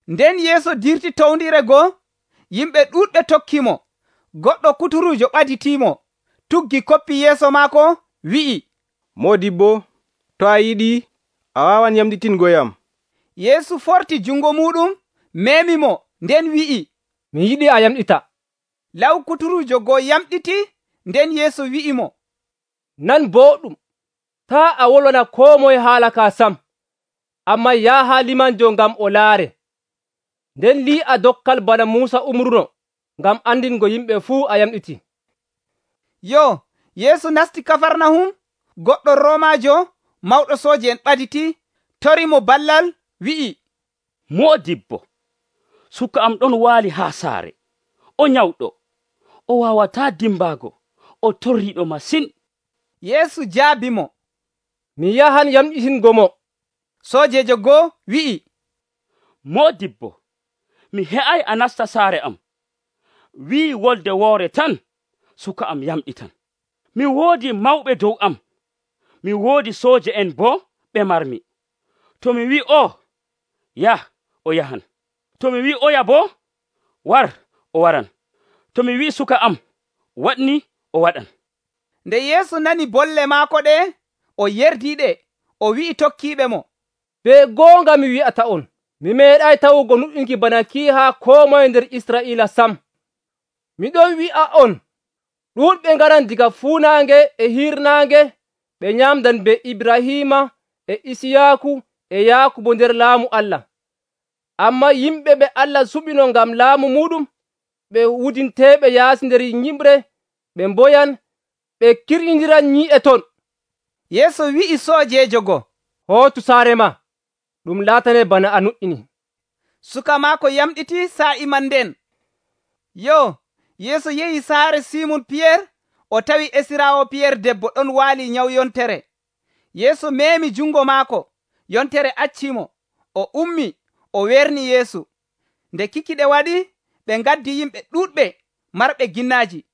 Nden Yeesu dirti towndire goo, yimɓe ɗuuɗɓe tokkimo. Goɗɗo kuturujo ɓaditiimo, tuggi koppi yeeso maako, wi'i, Modibbo, to a yiɗi, a waawan yamɗitingoyam. Yeesu forti jungo muɗum, memi mo, nden wi'i, mi yiɗi a yamɗita. Law kuturujo goo yamɗiti, nden Yeesu wi'i mo, nan boɗɗum, taa a wolwana koo moye haala ka sam, amma yaha limanjo ngam o laare. Nden li'a dokkal bana Muusa umruno, ngam andingo yimɓe fuu a yamɗiti. Yo, Yeesu nasti Kafarnahum, goɗɗo Romajo mawɗo sooji'en ɓaditi, tori mo ballal, wi'i, Moodibbo, suka am ɗon waali haa saare, o nyawɗo, o waawataa dimbaago, o torriiɗo masin. Yeesu jaabi mo, mi yahan yamɗitingo mo. Soojejo goo wi'i, Moodibbo, mi he'ay a nasta saare am. Wi'i wolde woore tan, suka am yamɗitan. Mi woodi mawɓe dow am. Mi woodi sooje en boo ɓe marmi. To mi wi'i o, yah, o yahan. To mi wi'i oya boo, war, o waran. To mi wi'i suka am, waɗni, o waɗan. Nde Yeesu nani bolle maako ɗe, o yerdiiɗe, o wi'i tokkiiɓe mo, Be goonga mi wi'ata'on, mi meeɗay tawugo nuɗɗinki bana ki haa koo moye nder Israa'iila sam. Miɗon wi'a'on, ɗuuɗɓe ngaran diga fuunaange e hirnaange ɓe nyamdan be Ibrahiima e Isiyaaku e Yaakubo nder laamu Allah. Ammaa yimɓe ɓe Allah suɓino ngam laamu muɗum, ɓe wudinteeɓe yaasi nder nyiɓre, ɓe mboyan, ɓe kirƴindiran nyi'e ton. Yeesu wi'i soojejo go, Hootu saare ma, ɗum laatane bana a nuɗɗini. Suka maako yamɗiti saa'i man nden. Yeesu yehi saare Simun Piyeer, o tawi esiraawo Piyeer debbo ɗon waali nyawu yontere. Yeesu meemi jungo maako, yontere accimo, o ummi, o werni Yeesu. Nde kikiɗe waɗi, ɓe ngaddi yimɓe ɗuuɗɓe marɓe ginnaaji.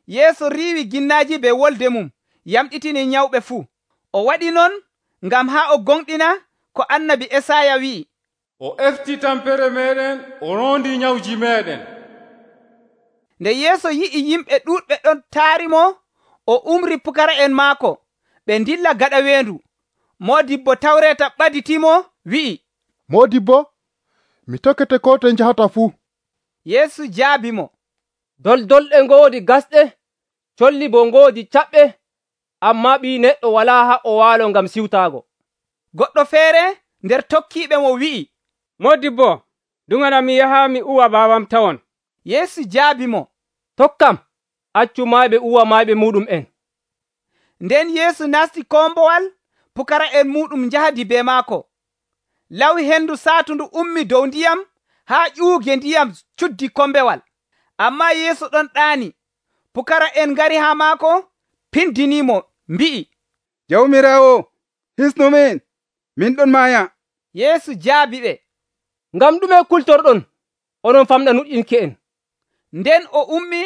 Yeesu riiwi ginnaaji be wolde mum, yamɗitini nyawɓe fuu. O waɗi non ngam haa o gonɗina ko annabi Esaya wi'i, O efti tampere meɗen, o rondi nyawji meɗen. Nde Yeesu yi'i yimɓe ɗuuɗɓe ɗon taarimo, o umri pukara'en maako, ɓe ndilla gaɗa weendu. Moodibbo Tawreeta ɓaditimo wi'i, Moodibbo, mi tokkete ko to njahata fuu. Yeesu jaabi mo, Doldolɗe ngoodi gasɗe, colli bo ngoodi caɓɓe, ammaa Ɓii Neɗɗo walaa haa o waalo ngam siwtaago. Goɗɗo feere nder tokkiiɓe mo wi'i, Moodibbo, ɗumanam mi yaha mi uwa baawam tawon. Yeesu jaabi mo, Tokkam, accu mayɓe uwa mayɓe muɗum en. Nden Yeesu nasti kombowal, pukara'en muɗum njahdi be maako. Lawi hendu saatundu ummi dow ndiyam haa ƴuuge ndiyam cuddi kombewal. Ammaa Yeesu ɗon ɗaani. Pukara'en ngari haa maako, pindinimo, mbi'i, Jawmiraawo, hisnumin, min ɗon maaya. Yeesu jaabi ɓe, Ngam ɗume kultorɗon, onon famɗa nuɗɗinki en? Nden o ummi,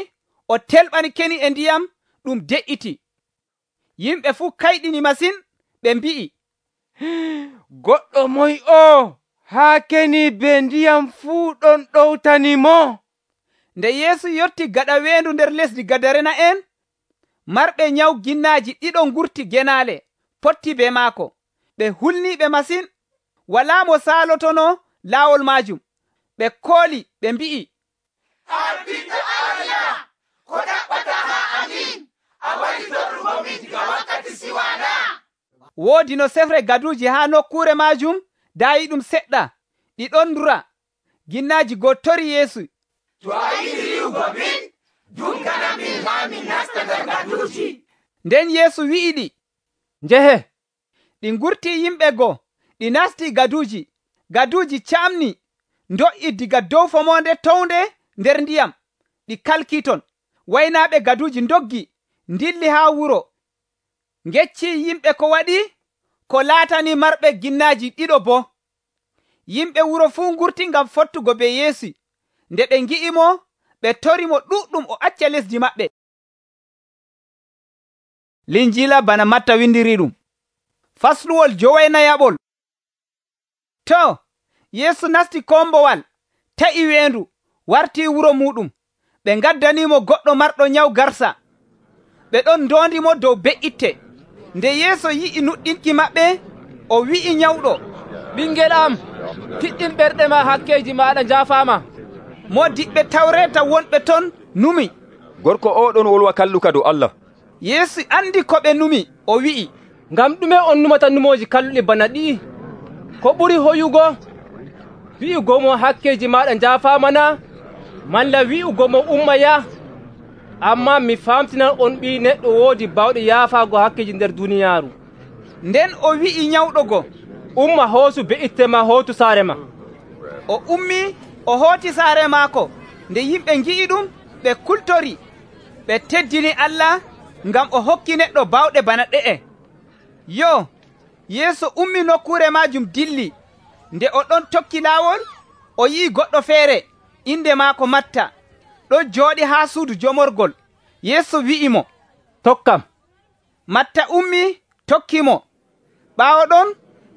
o telɓani keni e ndiyam, ɗum de'iti. Yimɓe fuu kayɗini masin, ɓe mbi'i, Goɗɗo moy o, haa keni be ndiyam fuu ɗon ɗowtanimo? Nde Yeesu yotti gaɗa weendu nder lesdi Gadarena'en, marɓe nyawu ginnaaji ɗiɗo ngurti genaale, potti be maako. Ɓe hulniiɓe masin, walaa mo saalotono laawol maajum. Ɓe kooli, ɓe mbi'i, Ardiɗo Allah, ko ɗaɓɓata haa amin, a waɗi torrugo min diga wakkati siwana. Woodi no sefre gaduuji haa nokkuure maajum, daayi ɗum seɗɗa, ɗi ɗon ndura. Ginnaaji goo tori Yeesu. To a yiɗi riiwugo min, dunkana min haa min nasta nder gaduuji. Nden Yeesu wi'iɗi, Njehe. ɗi ngurti yimɓe goo, ɗi nasti gaduuji. Gaduuji camni, ndo'i diga dow fomonde townde nder ndiyam, ɗi kalki ton. Waynaaɓe gaduuji ndoggi, ndilli haa wuro, ngecci yimɓe ko waɗi, ko laatani marɓe ginnaaji ɗiɗo boo. Yimɓe wuro fuu ngurti ngam fottugo be Yeesu. Nde ɓe ngi'imo, ɓe torimo ɗuɗɗum o acca lesdi maɓɓe. Linjiila bana Matta windiri ɗum. Fasluwol jowenayaɓol. To, Yeesu nasti kombowal, ta'i weendu, warti wuro muɗum. Ɓe ngaddanimo goɗɗo marɗo nyawu garsa. Ɓe ɗon ndondimo dow be'itte. Nde Yeesu yi'i nuɗɗinki maɓɓe, o wi'i nyawɗo, Ɓingel am, piɗɗin ɓerɗe ma, hakkeji maɗa njaafaama. Moodiɓɓe Tawreeta wonɓe ton numi. Gorko o ɗon wolwa kalluka dow Allah. Yeesu andi ko ɓe numi, o wi'i, Ngam ɗume on numata numooji kalluɗi bana ɗi'i? Ko ɓuri hoyugo? Wi'ugo mo hakkeji maɗa njaafaamana, malla wi'ugo mo umma ya? Ammaa mi famtinan on Ɓii Neɗɗo woodi bawɗe yaafaago hakkeji nder duniyaaru. Nden o wi'i nyawɗo go, Umma hoosu be'itte ma hootu saare ma. O ummi, o hooti saare maako. Nde yimɓe ngi'i ɗum, ɓe kultori. Ɓe teddini Allah ngam o hokki neɗɗo bawɗe bana ɗe'e. Yeesu ummi nokkure maajum dilli. Nde o ɗon tokki laawol, o yi'i goɗɗo feere inde maako Matta ɗon jooɗi haa suudu jomorgol. Yeesu wi'imo, tokkam. Matta ummi tokkimo. Ɓaawo ɗon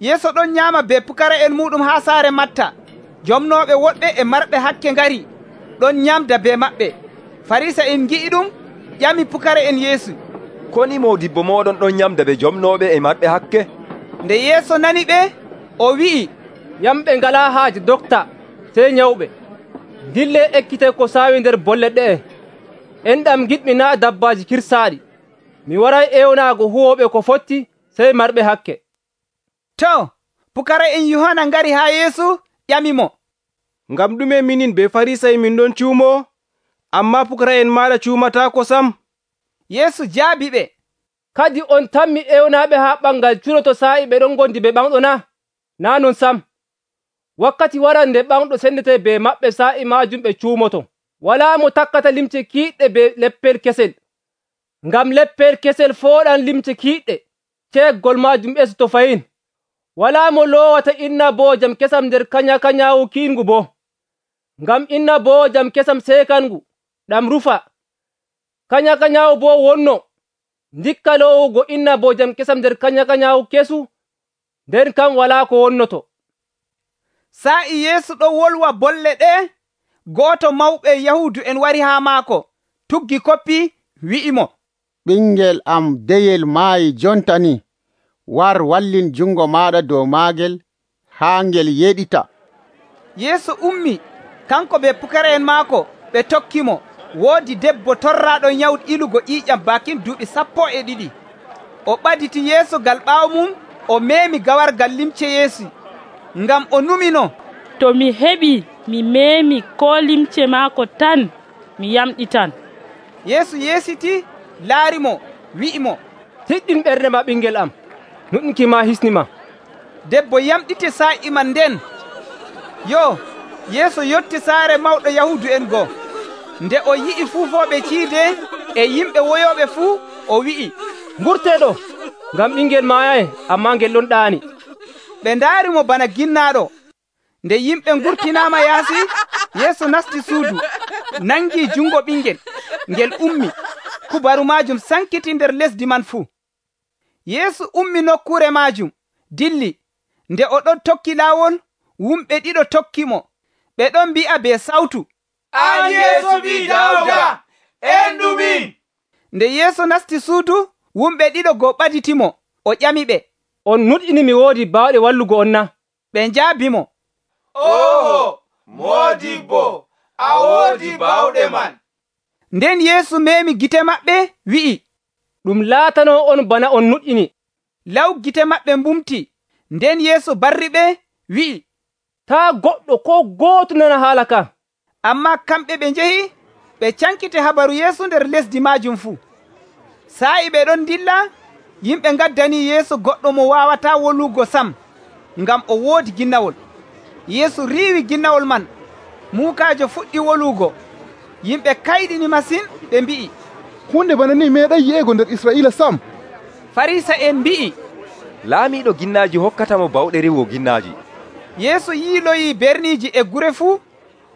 Yeesu ɗon nyaama be pukara'en muɗum haa saare Matta. Jomnooɓe woɗɓe e marɓe hakke ngari ɗon nyamda be maɓɓe. Farisa'en ngi'i ɗum, ƴami pukara'en Yeesu, koni moodibbo moɗon ɗon nyamda be jomnooɓe e marɓe hakke? Nde Yeesu nani ɓe, o wi'i, Yamɓe ngalaa haaje dokta, sey nyawɓe. Dille ekkite ko saawi nder bolle ɗe'e. Enɗam giɗmi naa dabbaaji kirsaaɗi. Mi waray ewnaago huwooɓe ko fotti, sey marɓe hakke. To, pukara'en Yohana ngari haa Yeesu ƴamimo, ngam ɗume minin be Farisa'en min ɗon cuumoo, ammaa pukara'en maaɗa cuumataako sam? Yeesu jaabi ɓe, Kadi on tammi ewnaaɓe haa ɓangal curoto saa'i ɓe ɗon ngondi be ɓamɗo na? Naa non sam. Wakkati waran nde ɓamɗo sendete be maɓɓe saa'i maajum ɓe cuumoto. Walaa mo takkata limce kiiɗɗe be leppel kesel, ngam leppel kesel fooɗan limce kiiɗɗe, ceeggol maajum ɓesoto fayin. Walaa mo loowata innaboojam kesam nder kanya-kanyaawu kiingu boo, ngam innaboojam kesam seekangu ɗam rufa. Kanya-kanyaawu boo wonno, ndikka loowugo innaboojam kesam nder kanya-kanyaawu kesu, nden kam walaa ko wonnoto. Sa'i Yeesu ɗon wolwa bolle ɗe, gooto mawɓe Yahuudu'en wari haa maako, tuggi koppi, wi'imo, ɓingel am deyel maayi jonta ni. War wallin jungo maaɗa dow maagel haa ngel yeɗita. Yeesu ummi, kanko be pukara'en maako ɓe tokkimo. Woodi debbo torraaɗo nyawɗo ilugo ƴiiƴam bakin duuɓi 12. O ɓaditi Yeesu gal ɓaawo mum, o meemi gawargal limce Yeesu, ngam o numino, to mi heɓi mi meemi ko limce maako tan, mi yamɗitan. Yeesu yeesiti, laarimo, wi'imo, Tiɗɗin ɓernde ma ɓingel am, nuɗɗinki ma hisnima. Debbo yamɗiti saa'i man nden. Yo, Yeesu yotti saare mawɗo Yahuudu'en goo. Nde o yi'i fuufooɓe ciide e yimɓe woyooɓe fuu, o wi'i, Ngurtee ɗo, ngam ɓingel maayay, ammaa ngel ɗon ɗaani. Ɓe ndaarimo bana ginnaaɗo. Nde yimɓe ngurtinaama yaasi, Yeesu nasti suudu, nangii jungo ɓingel, ngel ummi. Kubaru maajum sankiti nder lesdi man fuu. Yeesu ummi nokkure maajum, dilli. Nde o ɗon tokki laawol, wumɓe ɗiɗo tokkimo. Ɓe ɗon mbi'a be sawtu, An Yeesu ɓii Dawda, endumin. Nde Yeesu nasti suudu, wumɓe ɗiɗo goo ɓaditimo. O ƴami ɓe, On nuɗɗini mi woodi baawɗe wallugo on na? Ɓe njaabimo, Oho, moodibbo, a woodi baawɗe man. Nden Yeesu meemi gite maɓɓe, wi'i, Ɗum laatanoo on bana on nuɗɗini. Law gite maɓɓe mbumti. Nden Yeesu barri ɓe, wi'i, Taa goɗɗo ko gooto nana haala ka. Ammaa kamɓe ɓe njehi, ɓe cankiti habaru Yeesu nder lesdi maajum fuu. Sa'i ɓe ɗon dilla, yimɓe ngaddanii Yeesu goɗɗo mo waawataa wolugo sam, ngam o woodi ginnawol. Yeesu riiwi ginnawol man, muukaajo fuɗɗi wolugo. Yimɓe kayɗini masin, ɓe mbi'i, hunde bana ni meeɗay yi'ego nder Isra'iila sam. Farisa'en mbi'i, laamiiɗo ginnaaji hokkatamo bawɗe rewo ginnaaji. Yeesu yiiloyi berniiji e gure fuu,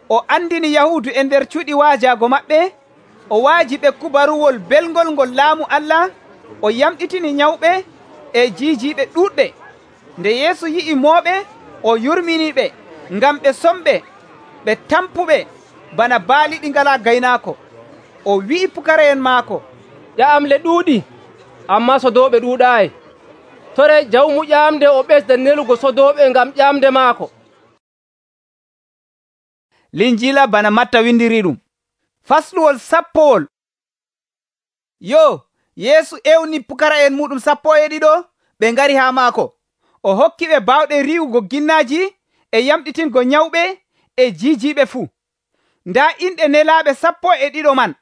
o andini Yahuudu e nder cuuɗi waajaago maɓɓe, o waaji ɓe kubaruwol belngol ngol laamu Allah, o yamɗitini nyawɓe e jiijiiɓe ɗuuɗɓe. Nde Yeesu yi'i mooɓe, o yurminiɓe, ngam ɓe somɓe, ɓe tampuɓe bana baali ɗi ngalaa gaynaako. O wi'i pukara'en maako, Ƴaamle ɗuuɗi, ammaa sodooɓe ɗuuɗaayi. Tore jawmu ƴaamde o ɓesda nelugo sodooɓe ngam ƴaamde maako. Linjiila bana Matta windiri ɗum. Fasluwol 10. Yo, Yeesu ewni pukara'en muɗum 12 ɓe ngari haa maako. O hokki ɓe baawɗe riiwugo ginnaaji e yamɗitingo nyawɓe e jiijiiɓe fuu. Ndaa inɗe nelaaɓe 12 man,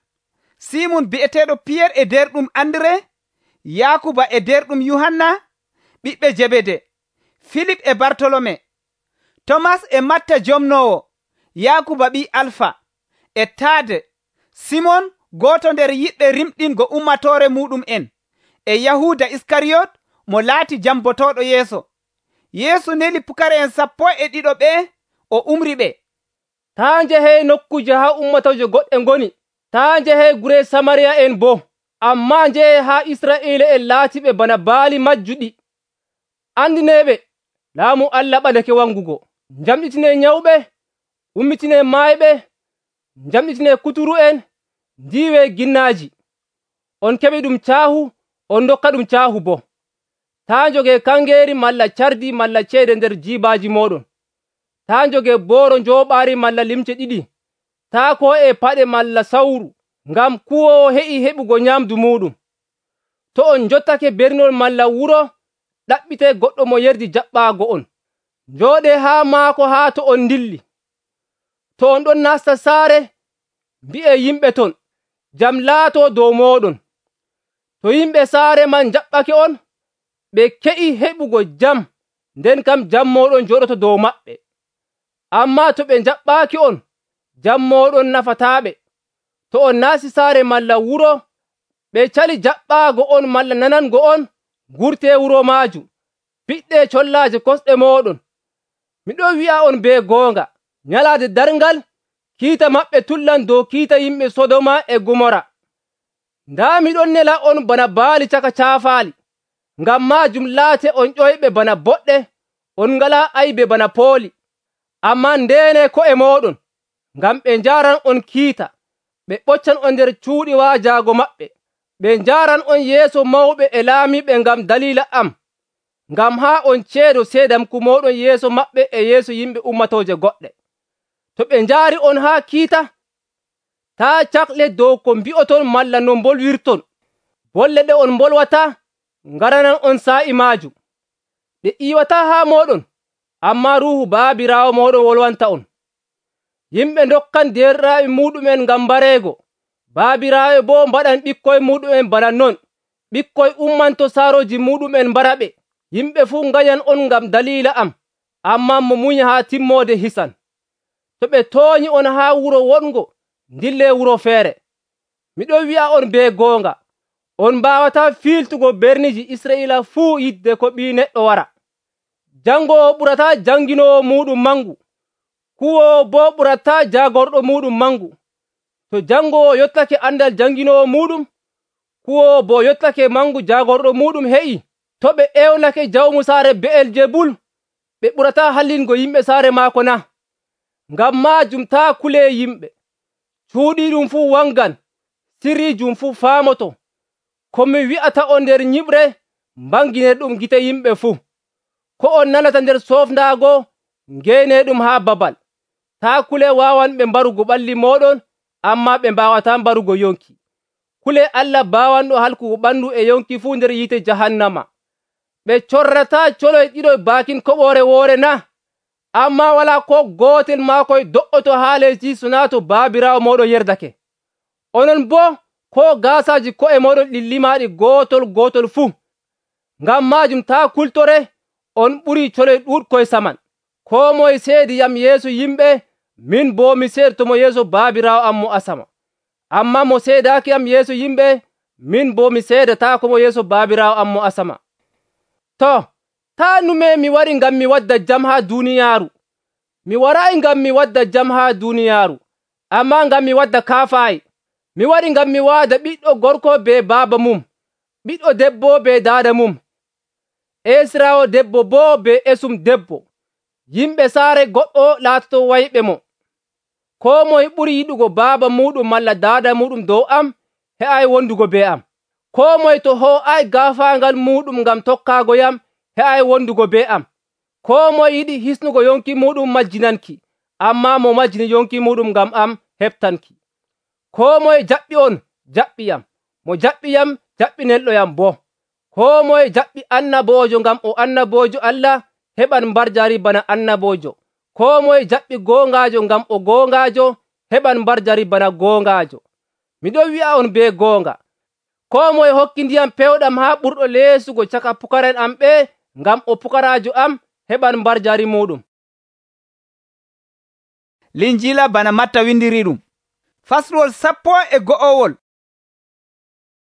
Simun bi'eteeɗo Piyer e derɗum Andre, Yaakuba e derɗum Yuhanna, ɓiɓɓe Jebede, Filip e Bartolome, Tomas e Matta jomnoowo, Yaakuba ɓii Alfa, e Taade, Simon gooto nder yiɗɓe rimɗingo ummatoore muɗum en, e Yahuuda Iskariyot mo laati jambotoɗo yeeso. Yeesu neli pukara'en 12 ɓe o umri ɓe. taa njehee nokkuje haa ummatoje goɗɗe ngoni, taa njehee gure Samariya en boo, ammaa njehee haa Israa'iila'en laatiɓe bana baali majjuɗi. Andineeɓe laamu Allah ɓadake wangugo. Njamɗitinee nyawɓe, ummitinee maayɓe, njamɗitinee kuturu'en, ndiiwee ginnaaji. On keɓi ɗum caahu, on ndokka ɗum caahu boo. Taa njogee kangeeri malla cardi malla ceede nder jiibaaji mooɗon. Taa njogee booro njooɓaari malla limce 2. Taa ko'ee paɗe malla sawru, ngam kuwoowo heƴi heɓugo nyamdu muuɗum. To on njottake bernol malla wuro, ɗaɓɓitee goɗɗo mo yerdi jaɓɓaago on. Njooɗee haa maako haa to on ndilli. To on ɗon nasta saare, mbi'ee yimɓe ton, jam laatoo dow mooɗon. To yimɓe saare man jaɓɓake on, ɓe ke'i heɓugo jam, nden kam jam mooɗon jooɗoto dow maɓɓe. Ammaa to ɓe jaɓɓaaki on, jam mooɗon nafataaɓe. To on naasti saare malla wuro, ɓe cali jaɓɓaago on malla nanango on, ngurtee wuro maajum, piɗɗee collaaje kosɗe mooɗon. Miɗon wi'a on bee goonga, nyalaade darngal, kiita maɓɓe tullan dow kiita yimɓe Sodoma e Gomora. Ndaa miɗon nela on bana baali caka caafaali. Ngam maajum laate on ƴoyɓe bana boɗɗe, on ngalaa aybe bana pooli. Ammaa ndeenee ko'e mooɗon, ngam ɓe njaaran on kiita, ɓe ɓoccan on nder cuuɗi waajaago maɓɓe. Ɓe njaaran on yeeso mawɓe e laamiiɓe ngam daliila am, ngam haa on ceedo seedamku mooɗon yeeso maɓɓe e yeeso yimɓe ummatooje goɗɗe. To ɓe njaari on haa kiita, taa cakle dow ko mbi'oton malla no mbolwirton. Bolle ɗe on mbolwataa ngaranan on saa'i maajum. Ɗe iiwataa haa mooɗon, ammaa Ruuhu Baabiraawo mooɗon wolwanta on. Yimɓe ndokkan derɗiraaɓe muuɗumen ngam mbareego. Baabiraaɓe boo mbaɗan ɓikkoye muuɗumen bana non. Ɓikkoye ummanto saarooji muuɗumen mbara ɓe. Yimɓe fuu ngañan on ngam daliila am, ammaa mo munya haa timmoode hisan. To ɓe tooñi on haa wuro wongo, ndillee wuro feere. Miɗon wi'a on bee goonga, on mbaawataa fiiltugo berniji Israa'iila fuu yidde ko Ɓii Neɗɗo wara. Jangoowo ɓurataa janginoowo muuɗum mangu, kuwoowo boo ɓurataa jaagorɗo muuɗum mangu. To jangoowo yottake andal janginoowo muuɗum, kuwoowo boo yottake mangu jaagorɗo muuɗum heƴi, to ɓe ewnake jawmu saare Be'eljebul, ɓe ɓurataa hallingo yimɓe saare maako na? Ngam maajum taa kulee yimɓe. Cuuɗiiɗum fuu wangan, sirriijum fuu faamoto. Ko mi wi'ata on nder nyiɓre, mbanginer ɗum gite yimɓe fuu. Ko on nanata nder soofndaago, ngeenee ɗum haa babal. Taa kule waawanɓe mbarugo ɓalli mooɗon, ammaa ɓe mbaawataa mbarugo yonki. Kule Allah baawanɗo halkugo ɓandu e yonki fuu nder yiite jahannama. Ɓe corrataa coloy ɗiɗoy baakin koɓoore woore na? Ammaa walaa ko gootel maakoy do'oto haa lesdi so naa to Baabiraawo mooɗon yerdake. Onon boo ko gaasaaji ko'e mooɗon ɗi limaaɗi gootol fuu. Ngam maajum taa kultore, on ɓurii coloy ɗuuɗkoy saman. Koo moye seediyam yeeso yimɓe, min boo mi seedotomo yeeso Baabiraawo am mo asama. Ammaa mo seedaaki am yeeso yimɓe, min boo mi seedataako mo yeeso Baabiraawo am mo asama. To, taa nume mi wari ngam mi wadda jam haa duuniyaaru. Mi waraayi ngam mi wadda jam haa duuniyaaru, ammaa ngam mi wadda kaafaayi. Mi wari ngam mi waada ɓiɗɗo gorko bee baaba mum, ɓiɗɗo debbo bee daada mum, esiraawo debbo boo bee esum debbo. Yimɓe saare goɗɗo laatoto wayɓe mo. Koo moye ɓuri yiɗugo baaba muɗum malla daada muɗum dow am, he'ay wondugo bee am. Koo moye to hoo'ay gaafaangal muɗum ngam tokkaago yam, he'ay wondugo bee am. Koo moye yiɗi hisnugo yonki muɗum majjinanki, ammaa mo majjini yonki muɗum ngam am heɓtanki. Koo moye jaɓɓi on, jaɓɓiyam. Mo jaɓɓiyam, jaɓɓinelɗoyam boo. Koo moye jaɓɓi annaboojo ngam o annaboojo Allah, heɓan mbarjari bana annaboojo. Koo moye jaɓɓi goongaajo ngam o goongaajo, heɓan mbarjari bana goongaajo. Miɗon wi'a on bee goonga, koo moye hokki ndiyam pewɗam haa ɓurɗo leesugo caka pukara'en am ɓe, ngam o pukaraajo am, heɓan mbarjari muɗum. Linjiila bana Matta windiri ɗum. Fasluwol 12.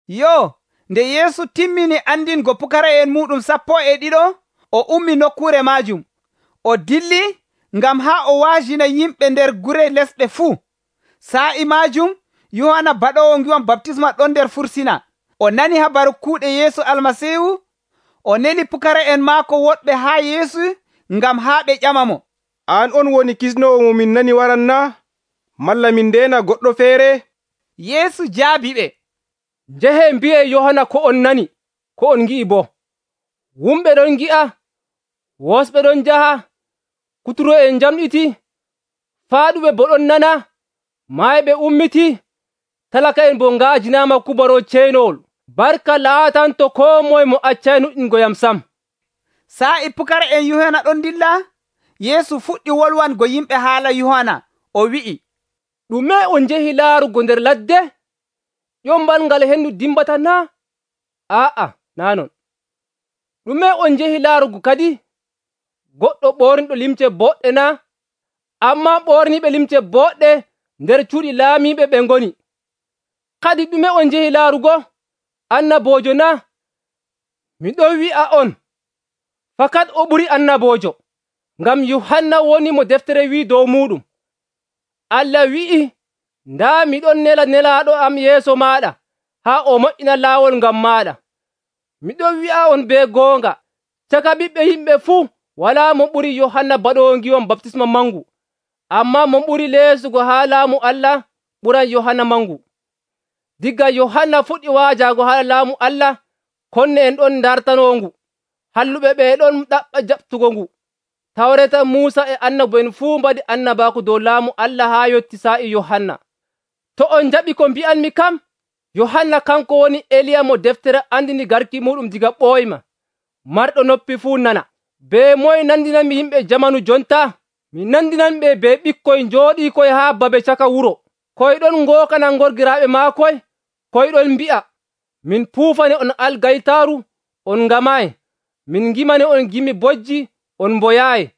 Yo, Nde Yeesu timmini andingo pukara'en muɗum 12 o ummi nokkure maajum o dilli ngam haa o waajina yimɓe nder gure lesɗe fuu. Sa'i maajum Yohana baɗowo ngiwam baptisma ɗon nder fursina. O nani habaru kuuɗe Yeesu Almasiihu. O neli pukara'en maako woɗɓe haa Yeesu ngam haa ɓe ƴama mo, an on woni kisnowo mo min nani waran na? Malla min ndeena goɗɗo feere? Yeesu jaabi ɓe, njehe mbi'e Yohana ko on nani, ko on ngi'i bo. Wumɓe ɗon ngi'a, wosɓe ɗon njaha, kuturo'en njamɗiti, faaɗuɓe bo ɗon nana, maayɓe ummiti, talaka'en bo ngaajinaama kubaro ceenowol. Barka laatanto koo moye mo accay nuɗɗingoyam sam. Sa'i pukara'en Yohana ɗon dilla, Yeesu fuɗɗi wolwango yimɓe haala Yohana. O wi'i, ɗume on njehi laarugo nder ladde? ƴombal ngal hendu dimbata na? Aa'a, naa non. Ɗume on njehi laarugo kadi? Goɗɗo ɓorniɗo limce boɗɗe na? Ammaa ɓorniɓe limce boɗɗe nder cuuɗi laamiiɓe ɓe ngoni. Kadi ɗume on njehi laarugo? Annaboojo na? Mi ɗon wi'a on, fakat o ɓuri annaboojo, ngam Yuhanna woni mo deftere wi'i dow muɗum. Allah wi'i, ndaa miɗon nela nelaaɗo am yeeso maaɗa, haa o moƴƴina laawol ngam maaɗa. Miɗon wi'a on be goonga, caka ɓiɓɓe yimɓe fuu walaa mo ɓuri Yohanna baɗowo ngiwam baptisma mangu, ammaa mo ɓuri leesugo haa laamu Allah ɓuran Yohanna mangu. Diga Yohanna fuɗɗi waajaago haa laamu Allah, konne en ɗon ndartanongu, halluɓe ɓe ɗon ɗaɓɓa jaɓtugo ngu. Tawreta Muusa e annabo'en fuu mbaɗi annabaaku dow laamu Allah haa yotti sa'i Yohanna. To on njaɓi ko mbi'anmi kam, Yohanna kanko woni Eliya mo deftere andini garki muɗum diga ɓooyma. Marɗo noppi fuu nana. Be moye nandinanmi yimɓe jamanu jonta? Mi nandinanɓe be ɓikkoy njooɗiikoy haa babe caka wuro, koyɗon ngookana ngorgiraaɓe maakoy, koyɗon mbi'a, min puufane on algaytaaru, on ngamaayi, min ngimane on gimi bojji, on mboyaayi.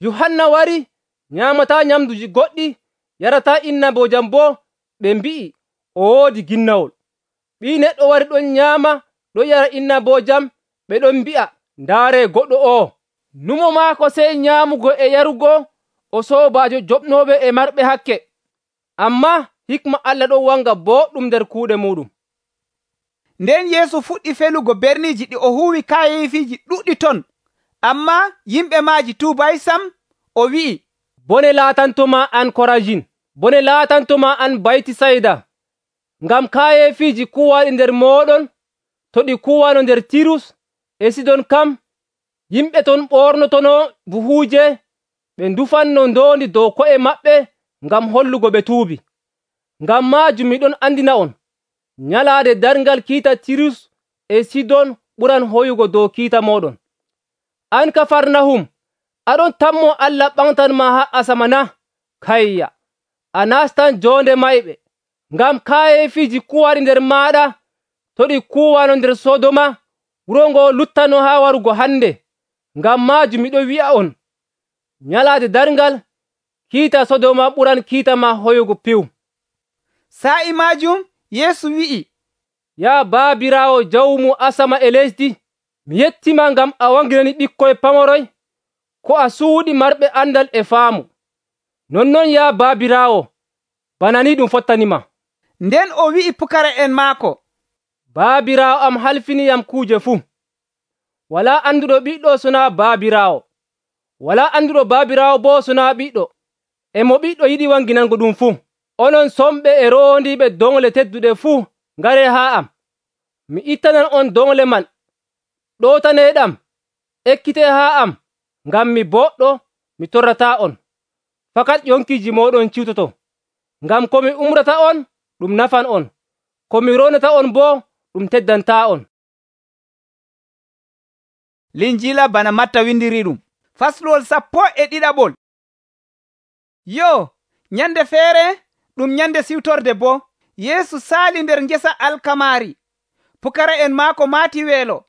Yohanna wari, nyaamataa nyamduji goɗɗi, yarataa innaboojam boo, ɓe mbi'i, o woodi ginnawol. Ɓii Neɗɗo wari ɗon nyaama, ɗon yara innaboojam, ɓe ɗon mbi'a, ndaaree goɗɗo o'o. Numo maako sey nyaamugo e yarugo, o soobaajo joɓnooɓe e marɓe hakke. Ammaa hikma Allah ɗon wanga boɗɗum nder kuuɗe muɗum. Nden Yeesu fuɗɗi felugo berniiji ɗi o huuwi kaayeefiiji ɗuɗɗi ton, ammaa yimɓe maaji tuubay sam. O wi'i, bone laatantoma an Korajin, bone laatantoma an Baytisayda, ngam kaayeefiiji kuwaaɗi nder mooɗon to ɗi kuwaano nder Tirus e Sidon kam, yimɓe ton ɓornotono buhuuje, ɓe ndufanno ndoondi dow ko'e maɓɓe ngam hollugo ɓe tuubi. Ngam maajum miɗon andina on, nyalaade darngal kiita Tirus e Sidon ɓuran hoyugo dow kiita mooɗon. An Kafarnahum, aɗon tammo Allah ɓamtanma haa asama na? Kayya, a nastan joonde mayɓe, ngam kaayeefiiji kuwaaɗi nder maaɗa to ɗi kuwaano nder Sodoma, wuro ngo luttano haa warugo hande. Ngam maajum miɗo wi'a on, nyalaade darngal kiita Sodoma ɓuran kiita ma hoyugo piw. Sa'i maajum Yeesu wi'i, yaa baabiraawo jawmu asama e lesdi, mi yettima ngam a wanginani ɓikkoy pamoroy ko a suuɗi marɓe andal e faamu. Nonnon yaa baabiraawo, bana ni ɗum fottanima. Nden o wi'i pukara'en maako, baabiraawo am halfiniyam kuuje fuu. Walaa anduɗo ɓiɗɗo sonaa baabiraawo, walaa anduɗo baabiraawo boo sonaa ɓiɗɗo, e mo ɓiɗɗo yiɗi wanginango ɗum fuu. Onon somɓe e roondiiɓe dongle tedduɗe fuu, ngaree haa am. Mi ittanan on dongle man. Ɗootaneeɗam, ekkitee haa am, ngam mi boɗɗo, mi torrataa on. Fakat ƴonkiiji mooɗon ciwtoto. Ngam ko mi umrata on, ɗum nafan on. Ko mi roonata on boo, ɗum teddantaa on. Linjiila bana Matta windiri ɗum. Fasluwol 12. Yo, nyande feere ɗum nyande siwtorde bo, Yeesu saali nder ngesa alkamaari. Pukara'en maako maati weelo,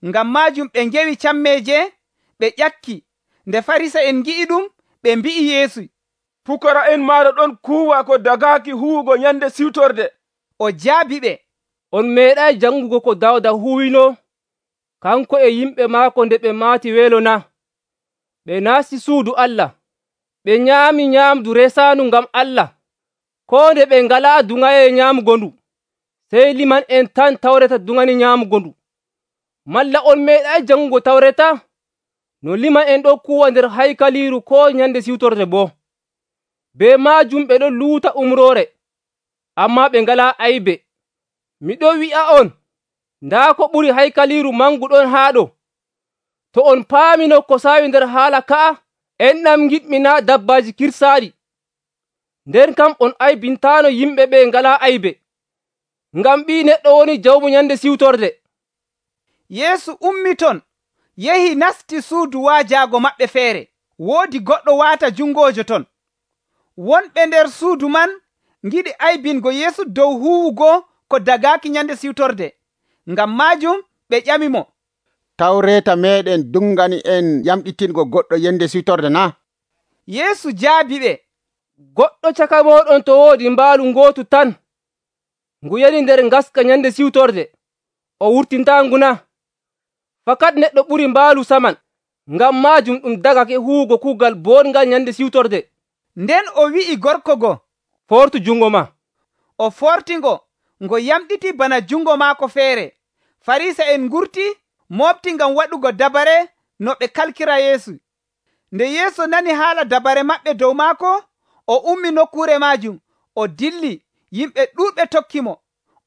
ngam maajum ɓe ngewi cammeeje, ɓe ƴakki. Nde Farisa'en ngi'i ɗum, ɓe mbi'i Yeesu, pukara'en maaɗa ɗon kuuwa ko dagaaki huwugo nyande siwtorde. O jaabi ɓe, on meeɗay jangugo ko Dawda huwino kanko e yimɓe maako nde ɓe maati weelo na? Ɓe naasti suudu Allah, ɓe nyaami nyaamdu resaandu ngam Allah, koo nde ɓe ngalaa duŋayee nyaamugo ndu, sey liman'en tan Tawreta duŋani nyaamugo ndu. Malla on meeɗay jangugo Tawreta? No liman'en ɗon kuwa nder haykaliiru koo nyande siwtorde boo. Bee maajum ɓe ɗon luuta umroore, ammaa ɓe ngalaa aybe. Miɗon wi'a'on, ndaa ko ɓuri haykaliiru mangu ɗon haa ɗo. To on paamino ko saawi nder haala ka'a, enɗam giɗmi naa' dabbaaji kirsaaɗi. Nden kam on aybintaano yimɓe ɓe ngalaa aybe, ngam Ɓii Neɗɗo woni jawmu nyande siwtorde. Yeesu ummi ton, yehi nasti suudu waajaago maɓɓe feere. Woodi goɗɗo waata jungojo ton. Wonɓe nder suudu man ngiɗi aybingo Yeesu dow huwugo ko dagaaki nyande siwtorde. Ngam maajum ɓe ƴamimo, Tawreeta meeɗen dungani en yamɗitingo goɗɗo yende siwtorde na? Yeesu jaabi ɓe, Goɗɗo caka mooɗon to woodi mbaalu ngootu tan, ngu yani nder ngaska nyande siwtorde, o wurtintaangu na? Fakat neɗɗo ɓuri mbaalu saman, ngam maajum ɗum dagake huwugo kuugal boongal nyande siwtorde. Nden o wi'i gorko go, Fortu jungo ma. O fortingo, ngo yamɗiti bana jungo maako feere. Farisa'en ngurti moofti ngam waɗugo dabare no ɓe kalkira Yeesu. Nde Yeesu nani haala dabare maɓɓe dow maako, o ummi nokkuure maajum, o dilli, yimɓe ɗuuɗɓe tokkimo.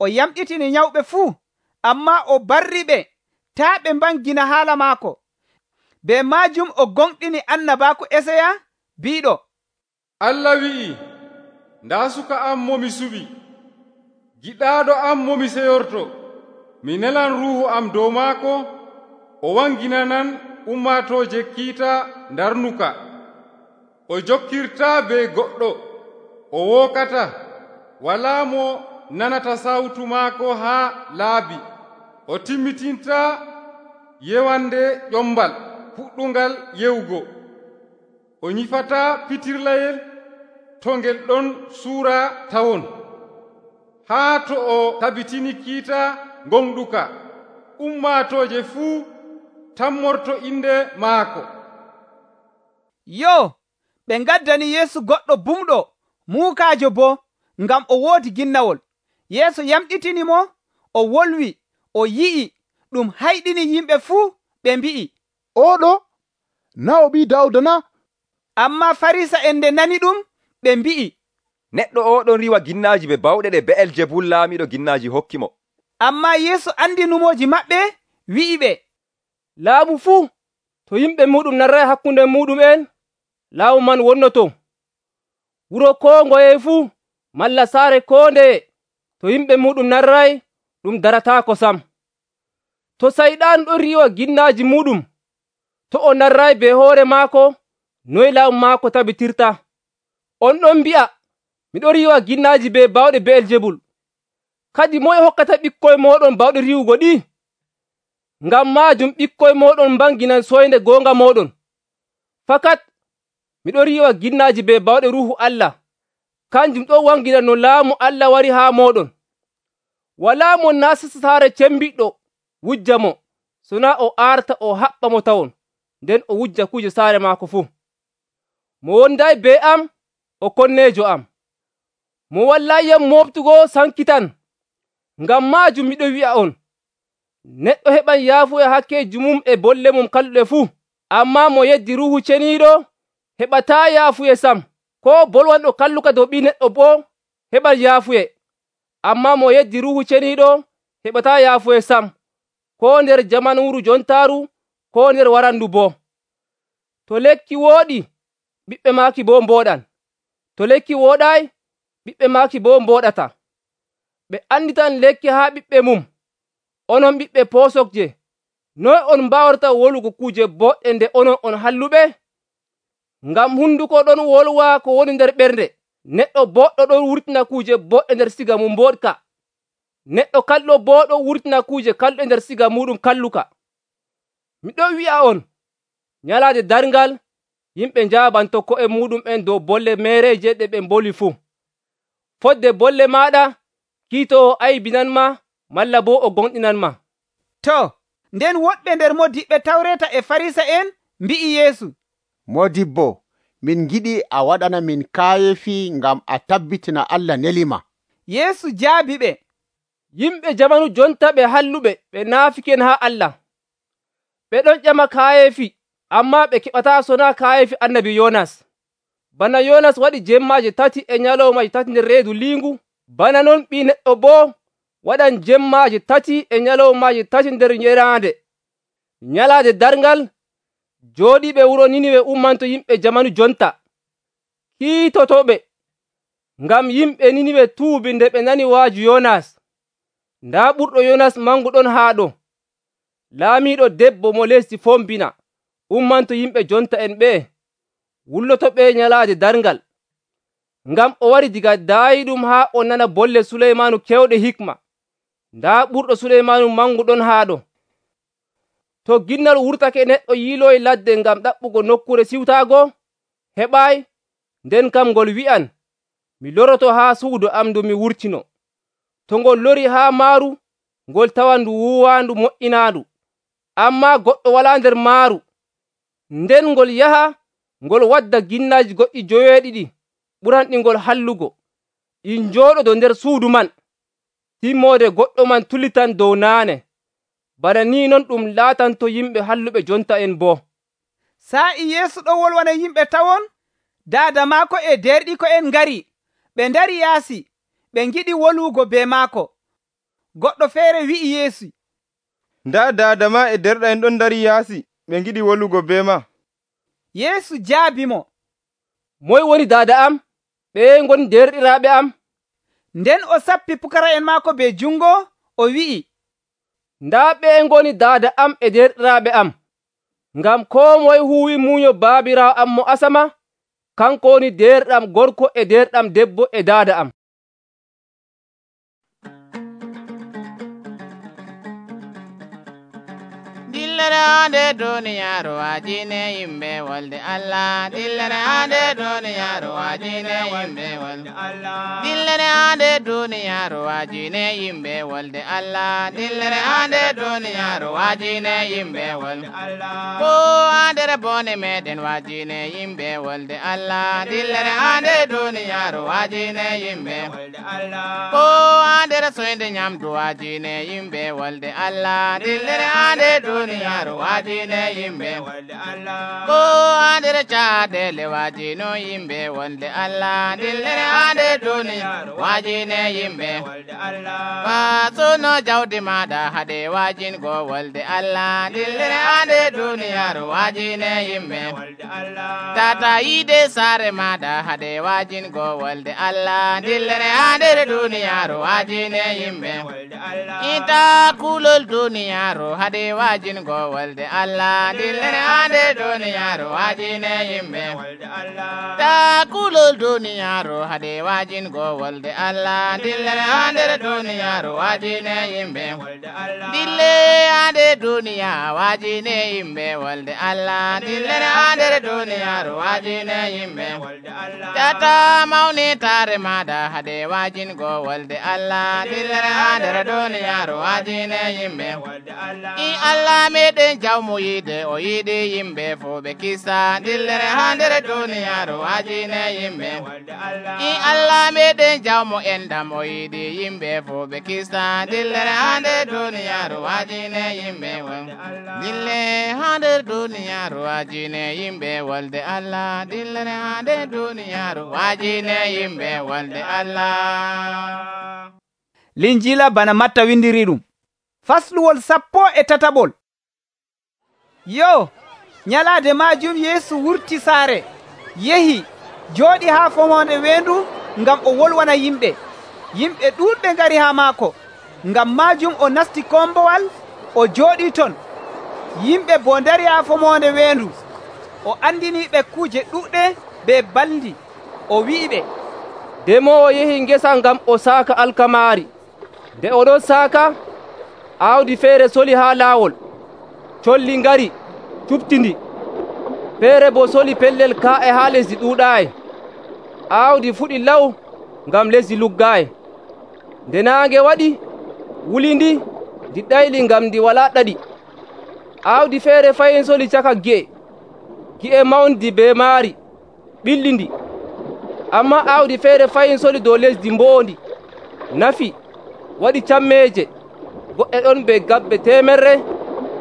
O yamɗitini nyawɓe fuu, ammaa o barriɓe taa ɓe mbangina haala maako. Bee maajum o gonɗini annabaaku Esaaya biiɗo, Allah wi'i, ndaa suka am mo mi suɓi, giɗaaɗo am mo mi seyorto. Mi nelan ruuhu am dow maako, o wanginanan ummaatooje kiita ndarnuka. O jokkirtaa be goɗɗo, o wookata, walaa mo nanata sawtu maako haa laabi. O timmitintaa yewande ƴombal puɗɗungal yewugo. O nyifataa pitirlayel to ngel ɗon suura tawon, haa to o tabitini kiita gonɗuka, ummaatooje fuu tammorto inde maako. Yo, ɓe ngaddani Yeesu goɗɗo bumɗo, muukaajo boo, ngam o woodi ginnawol. Yeesu yamɗitini mo, o wolwi, o yi'i, ɗum hayɗini yimɓe fuu, ɓe mbi'i, Oɗo, naa o ɓii Dawda na? Ammaa Farisa'en nde nani ɗum, ɓe mbi'i, Neɗɗo oɗon riwa ginnaaji be bawɗe ɗe Be'eljebul laamiɗo ginnaaji hokki mo. Ammaa Yeesu andi numoji maɓɓe, wi'i ɓe, Laamu fuu, to yimɓe muɗum narray hakkunde muɗum'en, laamu man wonnoto. Wuro koo ngoye fuu, malla saare koo ndeye, to yimɓe muɗum narray, ɗum darataako sam. To sayɗaanu ɗon riiwa ginnaaji muɗum, to o narray be hoore maako, noy laamu maako tabitirta? On ɗon mbi'a, miɗo riiwa ginnaaji be bawɗe Be'eljebul. Kadi moye hokkata ɓikkoy mooɗon bawɗe riiwugo ɗi? Ngam maajum ɓikkoy mooɗon mbanginan soynde goonga mooɗon. Fakat miɗo riiwa ginnaaji be bawɗe Ruuhu Allah, kanjum ɗon wangina no laamu Allah wari haa mooɗon. Walaa mo naastata saare cembiɗɗo wujja mo, sonaa o arta o haɓɓa mo tawon, nden o wujja kuje saare maako fuu. Mo wonday be am, o konneejo am. Mo wallayyam mooftugo sankitan. Ngam maajum miɗo wi'a on, neɗɗo heɓan yaafuya hakkeeji mum e bolle mum kalluɗe fuu, ammaa mo yeddi Ruuhu Ceniiɗo heɓataa yaafuye sam. Koo bolwanɗo kalluka dow Ɓii Neɗɗo boo heɓan yaafuye, ammaa mo yeddi Ruuhu Ceniiɗo heɓataa yaafuye sam, koo nder jamanuuru jontaaru, koo nder warandu boo. To lekki wooɗi, ɓiɓɓe maaki boo mbooɗan. To lekki wooɗaay, ɓiɓɓe maaki boo mbooɗata. Ɓe anditan lekki haa ɓiɓɓe mum. Onon ɓiɓɓe poosokje, noy on mbaawrata wolugo kuje boɗɗe nde onon on halluɓe? Ngam hunduko ɗon wolwa ko woni nder ɓernde. Neɗɗo boɗɗo ɗon wurtina kuje boɗɗe nder siga mum mboɗka. Neɗɗo kalluɗo boo ɗon wurtina kuje kalluɗe nder siga muɗum kalluka. Miɗon wi'a on, nyalaade darngal, yimɓe njaabanto ko'e muɗum'en dow bolle meereeje ɗe ɓe mboli fuu. Fodde bolle maaɗa, kiitoowo aybinanma, malla boo o gonɗinanmaa. To, nden woɗɓe nder modiɓɓe Tawreeta e Farisa'en mbi'i Yeesu, Modibbo, min giɗi a waɗana min kaayefi ngam a tabbitina Allah nelima. Yeesu jaabi ɓe, Yimɓe jamanu jonta ɓe halluɓe ɓe naafiken haa Allah. Ɓe ɗon ƴama kaayefi, ammaa ɓe keɓataa sonaa kaayefi annabi Yoonas. Bana Yoonas waɗi jemmaaje 3 e nyalawmaaje 3 nder reedu liingu, bana non Ɓii Neɗɗo boo waɗan jemmaaje 3 e nyalawmaaje 3 nder yeraande. Nyalaade darngal, jooɗiiɓe wuro Niniwe ummanto yimɓe jamanu jonta. Kiitotoɓe, ngam yimɓe Niniwe tuubi nde ɓe nani waaju Yoonas. Ndaa ɓurɗo Yoonas mangu ɗon haa ɗo. Laamiiɗo debbo mo lesdi fombina ummanto yimɓe jonta en ɓee, wullotoɓe nyalaade darngal. Ngam o wari diga daayiɗum haa o nana bolle Suleymaanu kewɗe hikma. Ndaa ɓurɗo Suleymaanu mangu ɗon haa ɗo. To ginnal wurtake neɗɗo yiiloyi ladde ngam ɗaɓɓugo nokkure siwtaago, heɓaayi, nden kam ngol wi'an, mi loroto haa suudu am ndu mi wurtino. To ngol lori haa maaru, ngol tawan ndu wuuwaandu moƴƴinaandu, ammaa goɗɗo walaa nder maaru. Nden ngol yaha, ngol wadda ginnaaji goɗɗi 7 ɓuranɗi ngol hallugo, ɗi njooɗodo nder suudu man. Timmoode goɗɗo man tulitan dow naane. Bana ni non ɗum laatanto yimɓe halluɓe jonta en boo. Sa'i Yeesu ɗo wolwana yimɓe tawon, daada maako e derɗiko'en ngari, ɓe ndari yaasi, ɓe ngiɗi wolwugo be maako. Goɗɗo feere wi'i Yeesu, ndaa daada ma e derɗa'en ɗon dari yaasi, ɓe ngiɗi wolwugo be ma. Yeesu jaabimo, moy woni daada am? Ɓeye ngoni derɗiraaɓe am? Nden o sappi pukara'en maako be jungo, o wi'i, ndaa ɓeye ngoni daada am e derɗiraaɓe am. Ngam koo moye huuwi muuyo baabiraawo am mo asama, kanko woni derɗam gorko e derɗam debbo e daada am. Dillere ande duniyaaru waajine yimɓe wolde Allah. Dillere ande duniyaaru waajine yimɓe wolde Allah. Dillere ande duniyaaru waajine yimɓe wolde Allah. Dillere ande duniyaaru waajine yimɓe wolde Allah. Ko andere bone meɗen waajine yimɓe wolde Allah. Dillere ande duniyaaru waajine yimɓe wolde Allah. Ko andere soyde nyamdu waajine yimɓe wolde Allah. Dillere ande duniyaaru waajine yimɓe wolde Allah. Ko andere caadele waajino yimɓe wolde Allah. Dillere ande duniyaaru waajine yimɓe wolde Allah. Basuno jawdi maɗa hade waajingo wolde Allah. Dillere ande duniyaaru waajine yimɓe wolde Allah. Tata yide saare maɗa hade waajingo wolde Allah. Dillere ande duniyaaru waajine yimɓe wolde Allah. Ita kulol duniyaaru hade waajingo wolde Allah. Dillere ande duniyaaru waajine yimɓe wolde Allah. Ta kulol duniyaaru hade waajingo wolde Allah. Dillere ande duniyaaru waajine yimɓe wolde Allah. Dille ande duniya waajine yimɓe wolde Allah. Dillere ande duniyaaru waajine yimɓe wolde Allah. Tata mawni taare maɗa hade waajingo wolde Allah. Dillere ande duniyaaru waajine yimɓe wolde Allah. I Allah meɗen jawmo yide o yiɗi yimɓe fo ɓe kisa. Dillere ha nder duniyaaru waajine yimɓe wolde Allah. I Allah meɗen jawmo enɗam o yiɗi yimɓe fo ɓe kisa. Dillere ha nder duniyaaru waajine yimɓe wolde Allah. Dille ha nder duniyaaru waajine yimɓe wolde Allah. Dillere ha nder duniyaaru waajine yimɓe wolde Allah. Linjila bana Matta windiri ɗum. Fasluwol 13. Yo, nyalaade majum Yeesu wurti saare, yehi, jooɗi haa fomonde weendu ngam o wolwana yimɓe. Yimɓe ɗuuɗɓe ngari haa maako, ngam majum o nasti kombowal, o jooɗi ton. Yimɓe bo ndari haa fomonde weendu. O andiniɓe kuuje ɗuɗɗe be baldi. O wi'iɓe, demowo yehi ngesa ngam o saaka alkamaari. Nde oɗon saaka, aawdi feere soli haa laawol. Colli ngari, cuɓtindi. Feere bo soli pellel kaa'e haa lesdi ɗuuɗaayi. Aawdi fuɗi law ngam lesdi luggaayi. Nde naange waɗi, wuli ndi ɗayli ngam ndi walaa ɗaɗi. Aawdi feere fayin soli caka gi'e mawndi be maari ɓillindi. Ammaa aawdi feere fayin soli dow lesdi mboondi, nafi, waɗi cammeeje, goɗɗe ɗon be gabbe 100,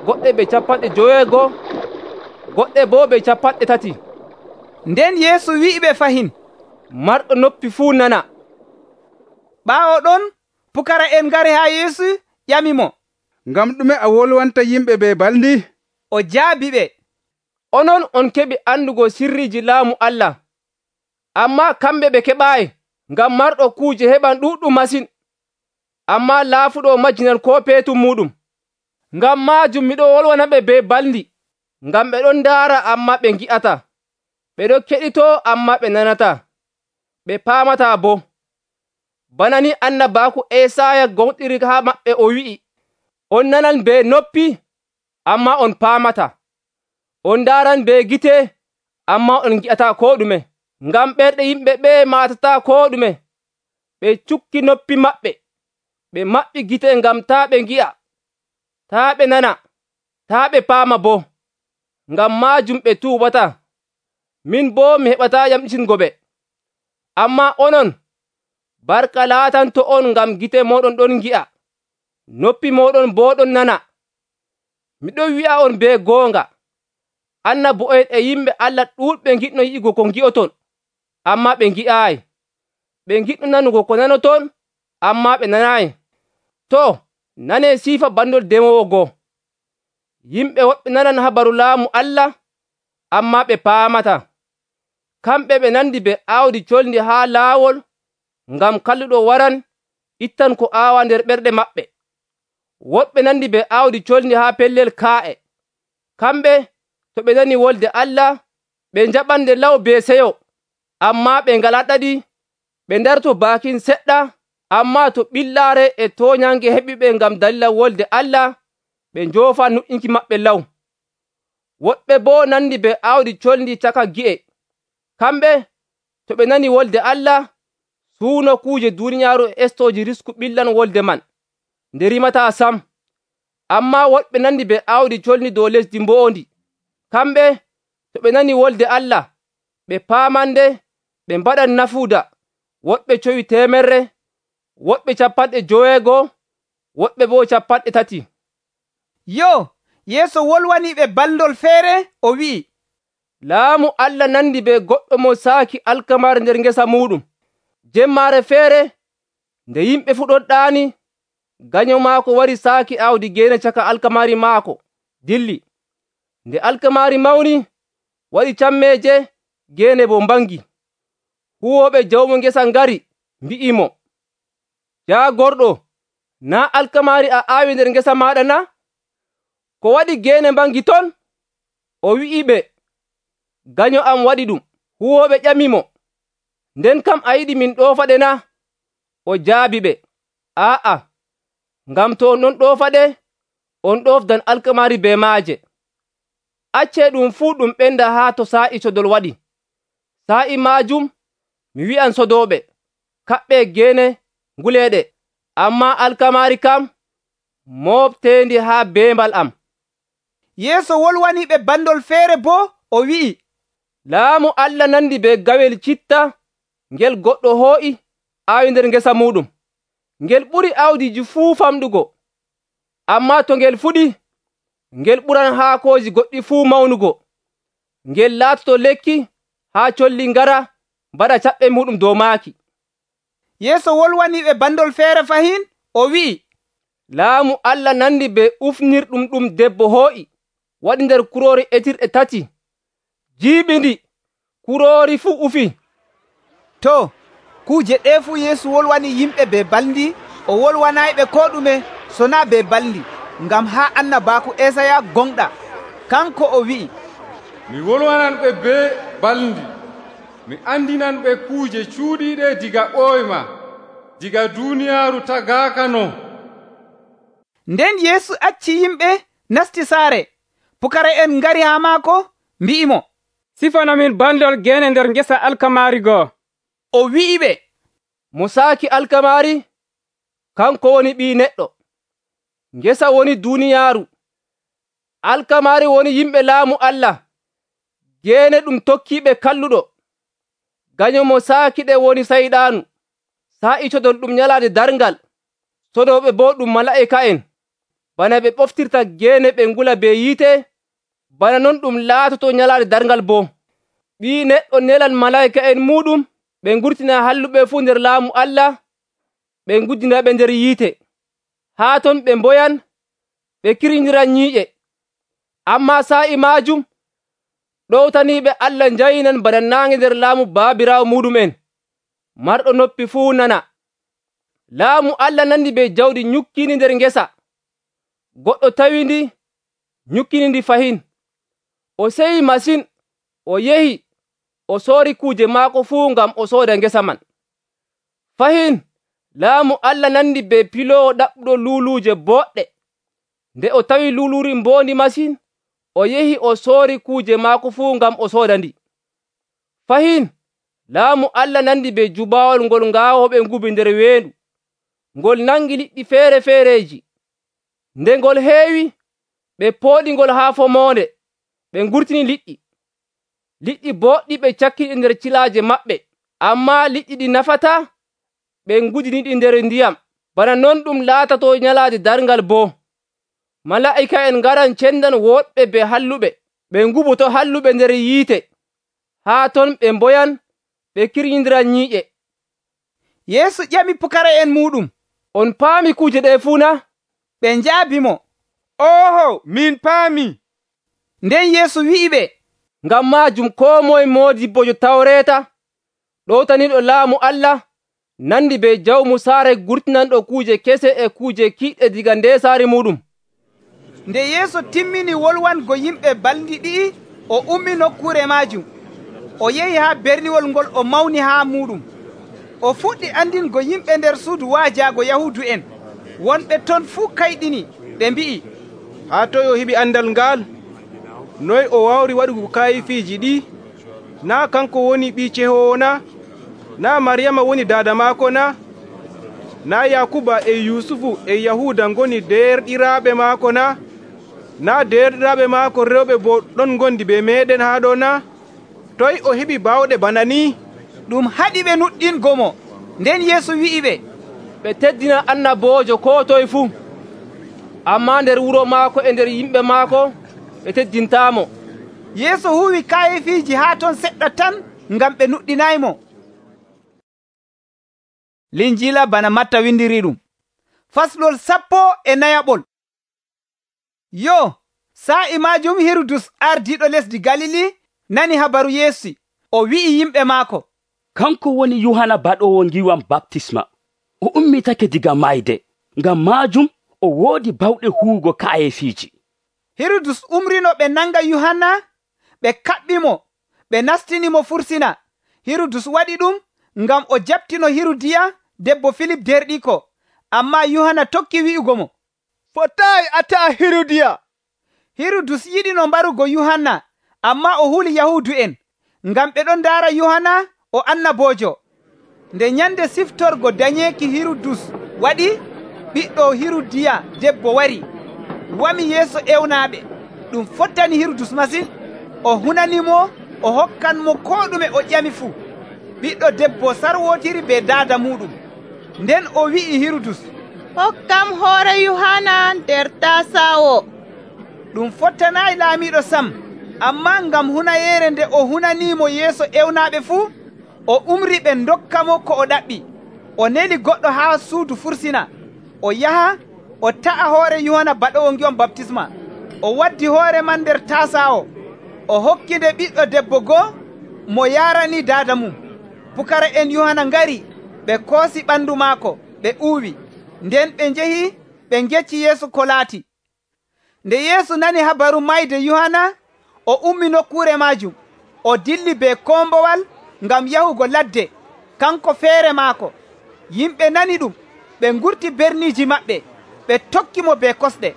goɗɗe be 50, goɗɗe boo be 30. Nden Yeesu wi'iɓe fahin, marɗo noppi fuu nana. Ɓaawo ɗon pukara'en ngari haa Yeesu ƴamimo, ngam ɗume a wolwanta yimɓe ɓe balndi? O jaabiɓe, onon on keɓi andugo sirriiji laamu Allah, ammaa kamɓe ɓe keɓaayi, ngam marɗo kuuje heɓan ɗuɗɗum masin, ammaa laafuɗo majjinan koo peetum muɗum. Ngam maajum miɗo wolwanaɓe be balndi, ngam ɓe ɗon ndaara ammaa ɓe ngi'ataa, ɓe ɗon keɗitoo ammaa ɓe nanataa, ɓe paamataa boo. Bana ni annabaaku Esaaya gonɗiri haa maɓɓe o wi'i, on nanan be noppi, ammaa on paamataa. On ndaaran be gite, ammaa on ngi'ataa koo ɗume. Ngam ɓerɗe yimɓe ɓee maatataa koo ɗume. Ɓe cukki noppi maɓɓe, ɓe maɓɓi gite ngam taa ɓe ngi'a, taa ɓe nana, taa ɓe paama boo. Ngam maajum ɓe tuubataa. Min boo mi heɓataa yamɗitingo ɓe. Ammaa onon, barka laatanto on ngam gite mooɗon ɗon ngi'a, noppi mooɗon boo ɗon nana. Miɗon wi'a on be goonga, annabo'en e yimɓe Allah ɗuuɗɓe ngiɗno yi'ugo ko ngi'oton, ammaa ɓe ngi'aayi. Ɓe ngiɗno nanugo ko nanoton, ammaa ɓe nanaayi. Too, nanee siifa bandol demowo goo. Yimɓe woɓɓe nanan habaru laamu Allah, ammaa ɓe paamataa. Kamɓe ɓe nandi be aawdi colndi haa laawol, ngam kalluɗo waran ittan ko aawa nder ɓerɗe maɓɓe. Woɗɓe nandi be aawdi colndi haa pellel kaa'e. Kamɓe to ɓe nani wolde Allah, ɓe njaɓan nde law be seyo, ammaa ɓe ngalaa ɗaɗi, ɓe ndarto baakin seɗɗa, ammaa to ɓillaare e tooñange heɓi ɓe ngam dalila wolde Allah, ɓe njoofa nuƴƴinki maɓɓe law. Woɗɓe boo nandi be aawdi colndi caka gi'e. Kamɓe to ɓe nani wolde Allah, suuno kuuje duuniyaaru e estooji risku ɓillan wolde man, nde rimataa sam. Ammaa woɗɓe nandi be aawdi colndi dow lesdi mboondi. Kamɓe to ɓe nani wolde Allah, ɓe paamande, ɓe mbaɗan nafuuda, woɗɓe cowi 100, woɗɓe 50, woɗɓe boo 30. Yo, Yeesu wolwaniɓe baldol feere, o wi'i, laamu Allah nandi be goɗɗo mo saaki alkamare nder ngesa muɗum. Jemmaare feere, nde yimɓe fu ɗon ɗaani, ganyo maako wari saaki aawdi geene caka alkamari maako, dilli. Nde alkamari mawni, waɗi cammeeje, geene bo mbangi. Huwooɓe jawmo ngesa ngari, mbi'imo, jaagorɗo, naa alkamari a aawi nder ngesa maaɗa na? Ko waɗi geene mbangi ton? O wi'iɓe, ganyo am waɗi ɗum. Huwooɓe ƴamimo, nden kam a yiɗi min ɗoofaɗe na? O jaabiɓe, aa'a, ngam to on ɗon ɗoofaɗe, on ɗoofdan alkamari be maaje. Accee ɗum fuu ɗum ɓenda haa to saa'i sodol waɗi. Saa'i maajum, mi wi'an sodooɓe, kaɓɓee geene nguleeɗe, ammaa alkamari kam, mooɓteendi haa beembal am. Yeesu wolwaniɓe bandol feere boo, o wi'i, laamu Allah nandi be gawel citta ngel goɗɗo hoo'i aawi nder ngesa muɗum. Ngel ɓuri aawdiiji fuu famɗugo, ammaa to ngel fuɗi, ngel ɓuran haakooji goɗɗi fuu mawnugo. Ngel laatoto lekki haa colli ngara mbaɗa caɓɓe muɗum dow maaki. Yeesu wolwaniɓe bandol feere fahin, o wi'i, laamu Allah nandi be ufnirɗum ɗum debbo hoo'i waɗi nder kuroori etirɗe 3, jiiɓindi, kuroori fuu ufi. To, kuuje ɗee fuu Yeesu wolwani yimɓe be balndi, o wolwanayɓe koo ɗume sonaa be balndi, ngam haa annabaaku Esaya gonɗa, kanko o wi'i, mi wolwanan ɓe be balndi, mi andinan ɓe kuuje cuuɗiiɗe diga ɓooyma, diga duuniyaaru tagaaka non. Nden Yeesu acci yimɓe nasti saare. Pukara'en ngari haa maako, mbi'imo, sifanamin bandol geene nder ngesa alkamari goo. O wi'iɓe, mo saaki alkamari, kanko woni Ɓii Neɗɗo. ngesa woni duuniyaaru, alkamaari woni yimɓe laamu Allah, geene ɗum tokkiiɓe kalluɗo, ganyomo saakiɗe woni sayɗaanu, saa'itodon ɗum nyalaade darngal, sodooɓe boo ɗum malaa'ika'en. Bana ɓe ɓoftirta geene ɓe ngula be yiite, bana non ɗum laatoto nyalaade darngal boo. Ɓii Neɗɗo nelan malaa'ika'en muuɗum ɓe ngurtina halluɓe fuu nder laamu Allah, ɓe nguddinaɓe nder yiite. Haa ton ɓe mboyan, ɓe kirñidiran nyiiƴe. Ammaa saa'i maajum ɗowtaniiɓe Allah njayinan bana naange nder laamu baabiraawo muuɗum'en. Marɗo noppi fuu nana. Laamu Allah nandi be jawdi nyukkiindi nder ngesa. Goɗɗo tawindi, nyukkini ndi fahin. O seyi masin, o yehi, o soori kuuje maako fuu ngam o sooda ngesa man. Fahin, laamu Allah nandi be piloowo ɗaɓɓuɗo luuluuje boɗɗe. Nde o tawi luuluuri mboondi masin, o yehi o soori kuuje maako fuu ngam o sooda ndi. Fahin, laamu Allah nandi be jubaawol ngol ngaawooɓe ngubi nder weendu, ngol nangi liɗɗi feere-feereeji. Nde ngol heewi, ɓe pooɗi ngol haa fomoonde, ɓe ngurtini liɗɗi. Liɗɗi boɗɗi ɓe cakkiɗi nder cilaaje maɓɓe, ammaa liɗɗi ɗi nafataa, ɓe ngudiniɗi nder ndiyam, bana non ɗum laatato nyalaade darngal boo. Malaa'ika'en ngaran cendan woɗɓe be halluɓe, ɓe nguboto halluɓe nder yiite. Haa ton ɓe mboyan, ɓe kirñidiran nyiiƴe. Yeesu ƴami pukara'en muuɗum, on paami kuuje ɗe fuu na? Ɓe njaabimo, oho, min paami. Nden Yeesu wi'iɓe, ngam maajum koo moye moodibbojo Tawreeta, ɗowtaniiɗo laamu Allah, nandi be jawmu saare gurtinanɗo kuuje kese e kuuje kiiɗɗe diga ndeesaari muɗum. Nde Yeesu timmini wolwango yimɓe balɗi ɗi'i, o ummi nokkuure maajum. O yehi haa berniwol ngol o mawni haa muɗum. O fuɗɗi andingo yimɓe nder suudu waajaago Yahuudu'en. Wonɓe ton fuu kayɗini, ɓe mbi'i, haa toy o heɓi andal ngal? Noy o wawri waɗugo kayifiiji ɗi? Naa kanko woni ɓii cehowo na? Naa Maryama woni daada maako na? Naa Yakuba e Yusufu e Yahuda ngoni derɗiraaɓe maako na? Naa derɗiraaɓe maako rewɓe bo ɗon ngondi be meeɗen haa ɗo na? Toy o heɓi baawɗe bana ni? Ɗum haɗi ɓe nuɗɗingo mo. Nden Yeesu wi'iɓe, ɓe teddina annaboojo koo toye fuu, ammaa nder wuro maako e nder yimɓe maako ɓe teddintaamo. Yeesu huwi kayefiiji haa ton seɗɗa tan ngam ɓe nuɗɗinaymo. Linjiila bana Matta windiri ɗum. Faslol 14. Yo, sa'i maajum Hirudus ardiiɗo lesdi Galili nani habaru Yeesu. O wi'i yimɓe maako, kanko woni Yohana baɗowo ngiwam baptisma. O ummitake diga mayde, ngam maajum o woodi bawɗe huugo kayefiiji. Hirudus umrino ɓe nanga Yohana, ɓe kaɓɓimo, ɓe nastinimo fursina. Hirudus waɗi ɗum ngam o jaɓtino Hirudiya, debbo Filip derɗiko. Ammaa Yohana tokki wi'ugo mo, fotayi a ta'a Hirudiya. Hirudus yiɗino mbarugo Yohana, ammaa o huli Yahuudu'en, ngam ɓe ɗon ndaara Yohana o annaboojo. Nde nyande siftorgo dañeeki Hirudus waɗi, ɓiɗɗo Hirudiya debbo wari, wami yeeso ewnaaɓe. Ɗum fottani Hirudus masin. O hunanimo, o hokkanmo koo ɗume o ƴami fuu. Ɓiɗɗo debbo sarwotiri be daada muɗum. Nden o wi'i Hirudus, hokkam hoore Yohana nder tasawo. Ɗum fottanayi laamiɗo sam, ammaa ngam hunayeere nde o hunanimo yeeso ewnaaɓe fuu, o umri ɓe dokkamo ko o ɗaɓɓi. O neli goɗɗo haa suudu fursina. O yaha o ta'a hoore Yohana baɗowo ngiwam baptisma. O waddi hoore man nder tasawo. O hokkinde ɓiɗɗo debbo goo mo yarani daada mum. Pukara'en Yohana ngari, ɓe koosi ɓandu maako, ɓe uwi. Nden ɓe njehi ɓe ngecci Yeesu ko laati. Nde Yeesu nani habaru mayde Yohana, o ummi nokkuure maajum. O dilli be kombowal ngam yahugo ladde, kanko feere maako. Yimɓe nani ɗum, ɓe ngurti berniiji maɓɓe, ɓe tokkimo be kosɗe.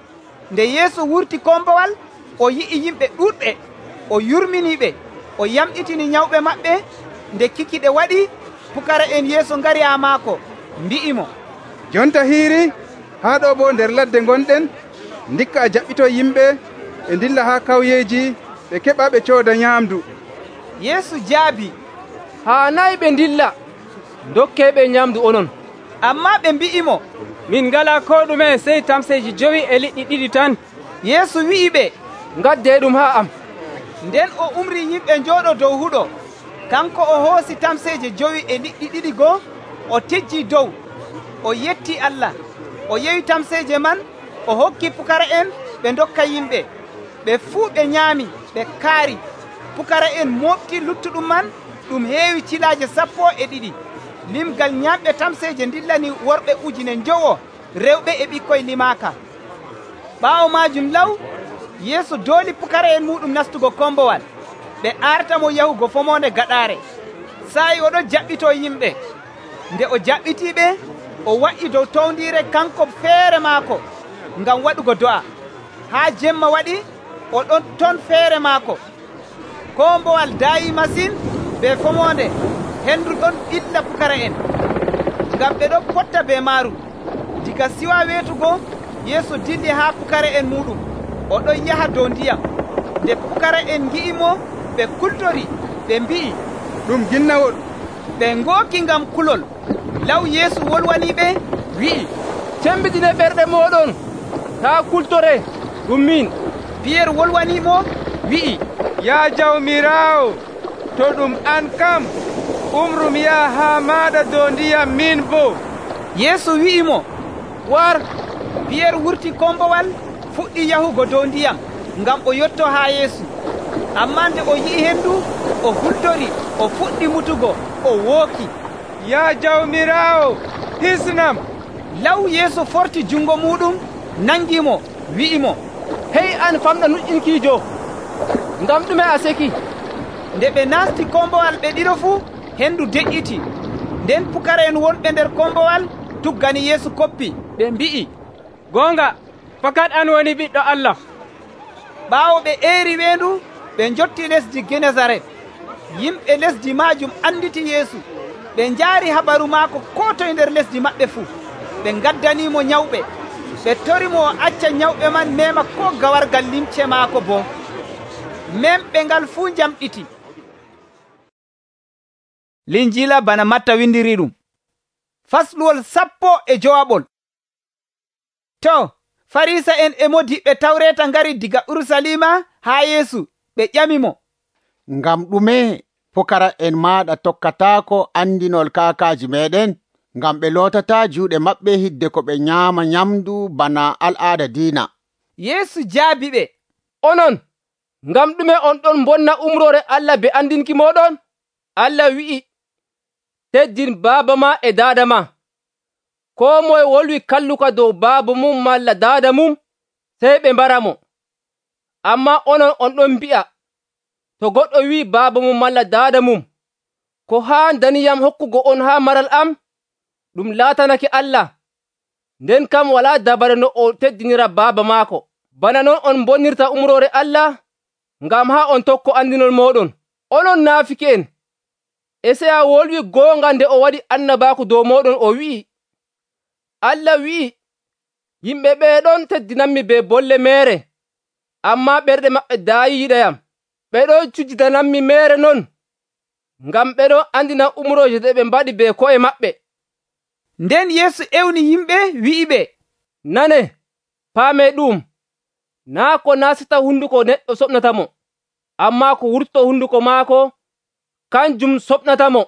Nde Yeesu wurti kombowal, o yi'i yimɓe ɗuuɗɓe, o yurminiɓe, o yamɗitini nyawɓe maɓɓe. Nde kikiɗe waɗi, pukara'en Yeesu ngari haa maako, mbi'imo, jonta hiiri, haa ɗo bo nder ladde gonɗen? Ndikka a jaɓɓitoy yimɓe ɓe ndilla haa kawyeeji ɓe keɓa ɓe cooda nyaamdu. Yeesu jaabi, haanayi ɓe ndilla dokkeeɓe nyaamdu onon. Ammaa ɓe mbi'imo, min ngalaa ko ɗume sey tamseeji 5 e liɗɗi 2 tan. Yeesu wi'i ɓe, ngaddee ɗum haa am. Nden o umri yimɓe njooɗo dow huɗo. Kanko o hoosi tamseeje 5 e liɗɗi 2 goo, o tejjii dow, o yetti Allah, o yewi tamseeje man, o hokki pukara'en ɓe ndokka yimɓe. Ɓe fuu ɓe nyaami, ɓe kaari. Pukara'en mooɓti luttuɗum man ɗum heewi cilaaje 12. Limgal nyamɓe tamseeje ndillani worɓe 9,000, rewɓe e ɓikkoy limaaka. Ɓaawo maajum law, Yeesu dooli pukara'en muɗum nastugo kombowal. Ɓe artamo yahugo fomonde gaɗaare. Saayi oɗon jaɓɓito yimɓe. Nde o jaɓɓitiiɓe, o wa'i dow towndiire kanko feere maako ngam waɗugo do'a. Haa jemma waɗi, o ɗon ton feere maako. Kombowal daayi masin be fomonde, hendu ɗon ɓilla pukara'en, ngam ɓe ɗon potta be maaru. Diga siwa weetugo, Yeesu dilli haa pukara'en muɗum, o ɗon yaha dow ndiyam. Nde pukara'en ngi'imo, ɓe kultori, ɓe mbi'i, ɗum ginnawol. Ɓe ngooki ngam kulol. Law Yeesu wolwaniɓe, wi'i, cembitine ɓerɗe mooɗon, taa kultore, ɗum min. Piyeer wolwanimo, wi'i, yaa Jawmiraawo, to ɗum an kam, umrum yaha haa maaɗa dow ndiyam min boo. Yeesu wi'imo, war. Piyeer wurti kombowal, fuɗɗi yahugo dow ndiyam ngam o yotto haa Yeesu. Ammaa nde o yi'i hendu, o hultori, o fuɗɗi mutugo, o wooki, yaa Jawmiraawo, hisnam. Law Yeesu forti jungo muɗum, nangimo, wi'imo, hey an famɗa nuƴƴinkiijo, ngam ɗume a seki? Nde ɓe naasti kombowal ɓe ɗiɗo fuu, hendu deƴƴiti. Nden pukara'en wonɓe nder kombowal tuggani Yeesu koppi, ɓe mbi'i, goonga, fakat an woni Ɓiɗɗo Allah. Ɓaawo ɓe eeri weendu, ɓe njotti lesdi Genesaret. Yimɓe lesdi maajum anditi Yeesu. Ɓe njaari habaru maako koo toye nder lesdi maɓɓe fuu. Ɓe ngaddaniimo nyawɓe. Ɓe torimo o acca nyawɓe man mema koo gawargal limce maako boo. Memɓe ngal fuu njamɗiti. Linjiila bana Matta windiri ɗum. Fasluwol 15. To, Farisa'en e modiɓɓe Tawreeta ngari diga Urusalima haa Yeesu, ɓe ƴamimo, ngam ɗume pukara'en maaɗa tokkataako andinol kaakaaji meɗen, ngam ɓe lootataa juuɗe maɓɓe hidde ko ɓe nyaama nyamdu bana al'aada diina. Yeesu jaabi ɓe, onon, ngam ɗume on ɗon bonna umrore Allah be andinki moɗon? Allah wi'i, teddin baaba ma e daada ma. Koo moye wolwi kalluka dow baaba mum malla daada mum, sey ɓe mbara mo. Ammaa onon on ɗon mbi'a, to goɗɗo wi'i baaba mum malla daada mum, ko haandaniyam hokkugo on haa maral am, ɗum laatanake Allah. Nden kam walaa dabare no o teddinira baaba maako. Bana non on bonnirta umrore Allah, ngam haa on tokko andinol mooɗon. Onon naafiki'en, Esaaya wolwi goonga nde o waɗi annabaaku dow mooɗon, o wi'i, Allah wi'i, yimɓe ɓeeɗon teddinanmi be bolle meere, ammaa ɓerɗe maɓɓe daayi yiɗayam. Ɓeɗon cujjidananmi meere non, ngam ɓeɗon andina umrooje ɗe ɓe mbaɗi be ko'e maɓɓe. Nden Yeesu ewni yimɓe wi'iɓe, nane, paame ɗum, naa ko naasata hunduko neɗɗo soɓnatamo, ammaa ko wurto hunduko maako, kanjum soɓnatamo.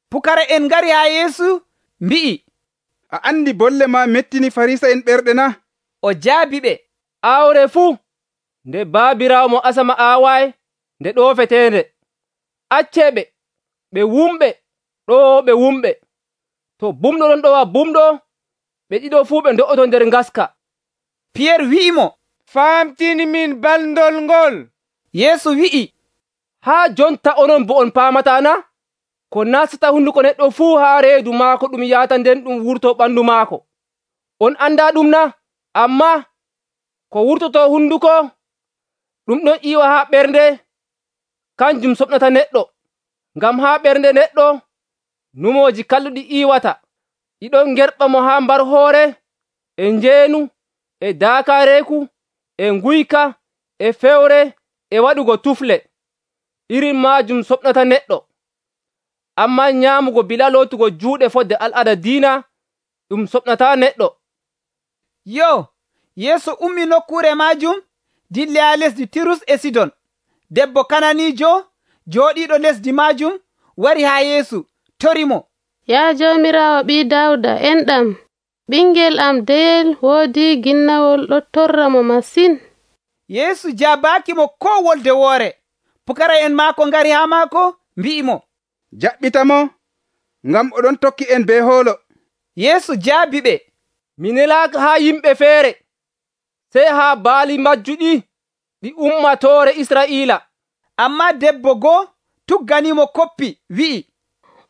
Pukara'en ngari haa Yeesu mbi'i, a andi bolle ma mettini Farisa'en ɓerɗe na? O jaabi ɓe, aawre fuu nde baabiraawo mo asama aawaay nde ɗoofeteende. Acceeɓe, ɓe wumɓe ɗo ɓe wumɓe. To bumɗo ɗon ɗowa bumɗo, ɓe ɗiɗo fuu ɓe ndo'oto nder ngaska. Piyeer wi'imo, famtini min balndol ngol. Yeesu wi'i, haa jonta onon bo on paamataa na? Ko nastata hunduko neɗɗo fuu haa reedu maako ɗum yahata nden ɗum wurto ɓandu maako. On andaa ɗum na? Ammaa ko wurtoto hunduko, ɗum ɗon iiwa haa ɓernde, kanjum soɓnata neɗɗo. Ngam haa ɓernde neɗɗo numooji kalluɗi iiwata, ɗiɗon ngerɓa mo haa mbar hoore, e njeenu, e daakaareeku, e nguyka, e fewre, e waɗugo tufle. Irin maajum soɓnata neɗɗo. Ammaa nyaamugo bila lootugo juuɗe fodde al'ada diina ɗum soɓnataa neɗɗo. Yo, Yeesu ummi nokkuure maajum dilli haa lesdi Tirus e Sidon. Debbo Kananiijo jooɗiiɗo lesdi maajum wari haa Yeesu torimo. Yaa Joomiraawo ɓii Dawda, enɗam, ɓingel am deyel woodi ginnawol ɗo torra mo masin. Yeesu jaabaaki mo koo wolde woore. Pukara'en maako ngari haa maako mbi'imo, jaɓɓitamo, ngam oɗon tokki en be hoolo. Yeesu jaabi ɓe, mi nelaaka haa yimɓe feere, sey haa baali majjuɗi ɗi ummatoore Israa'iila. Ammaa debbo goo tugganimo koppi wi'i,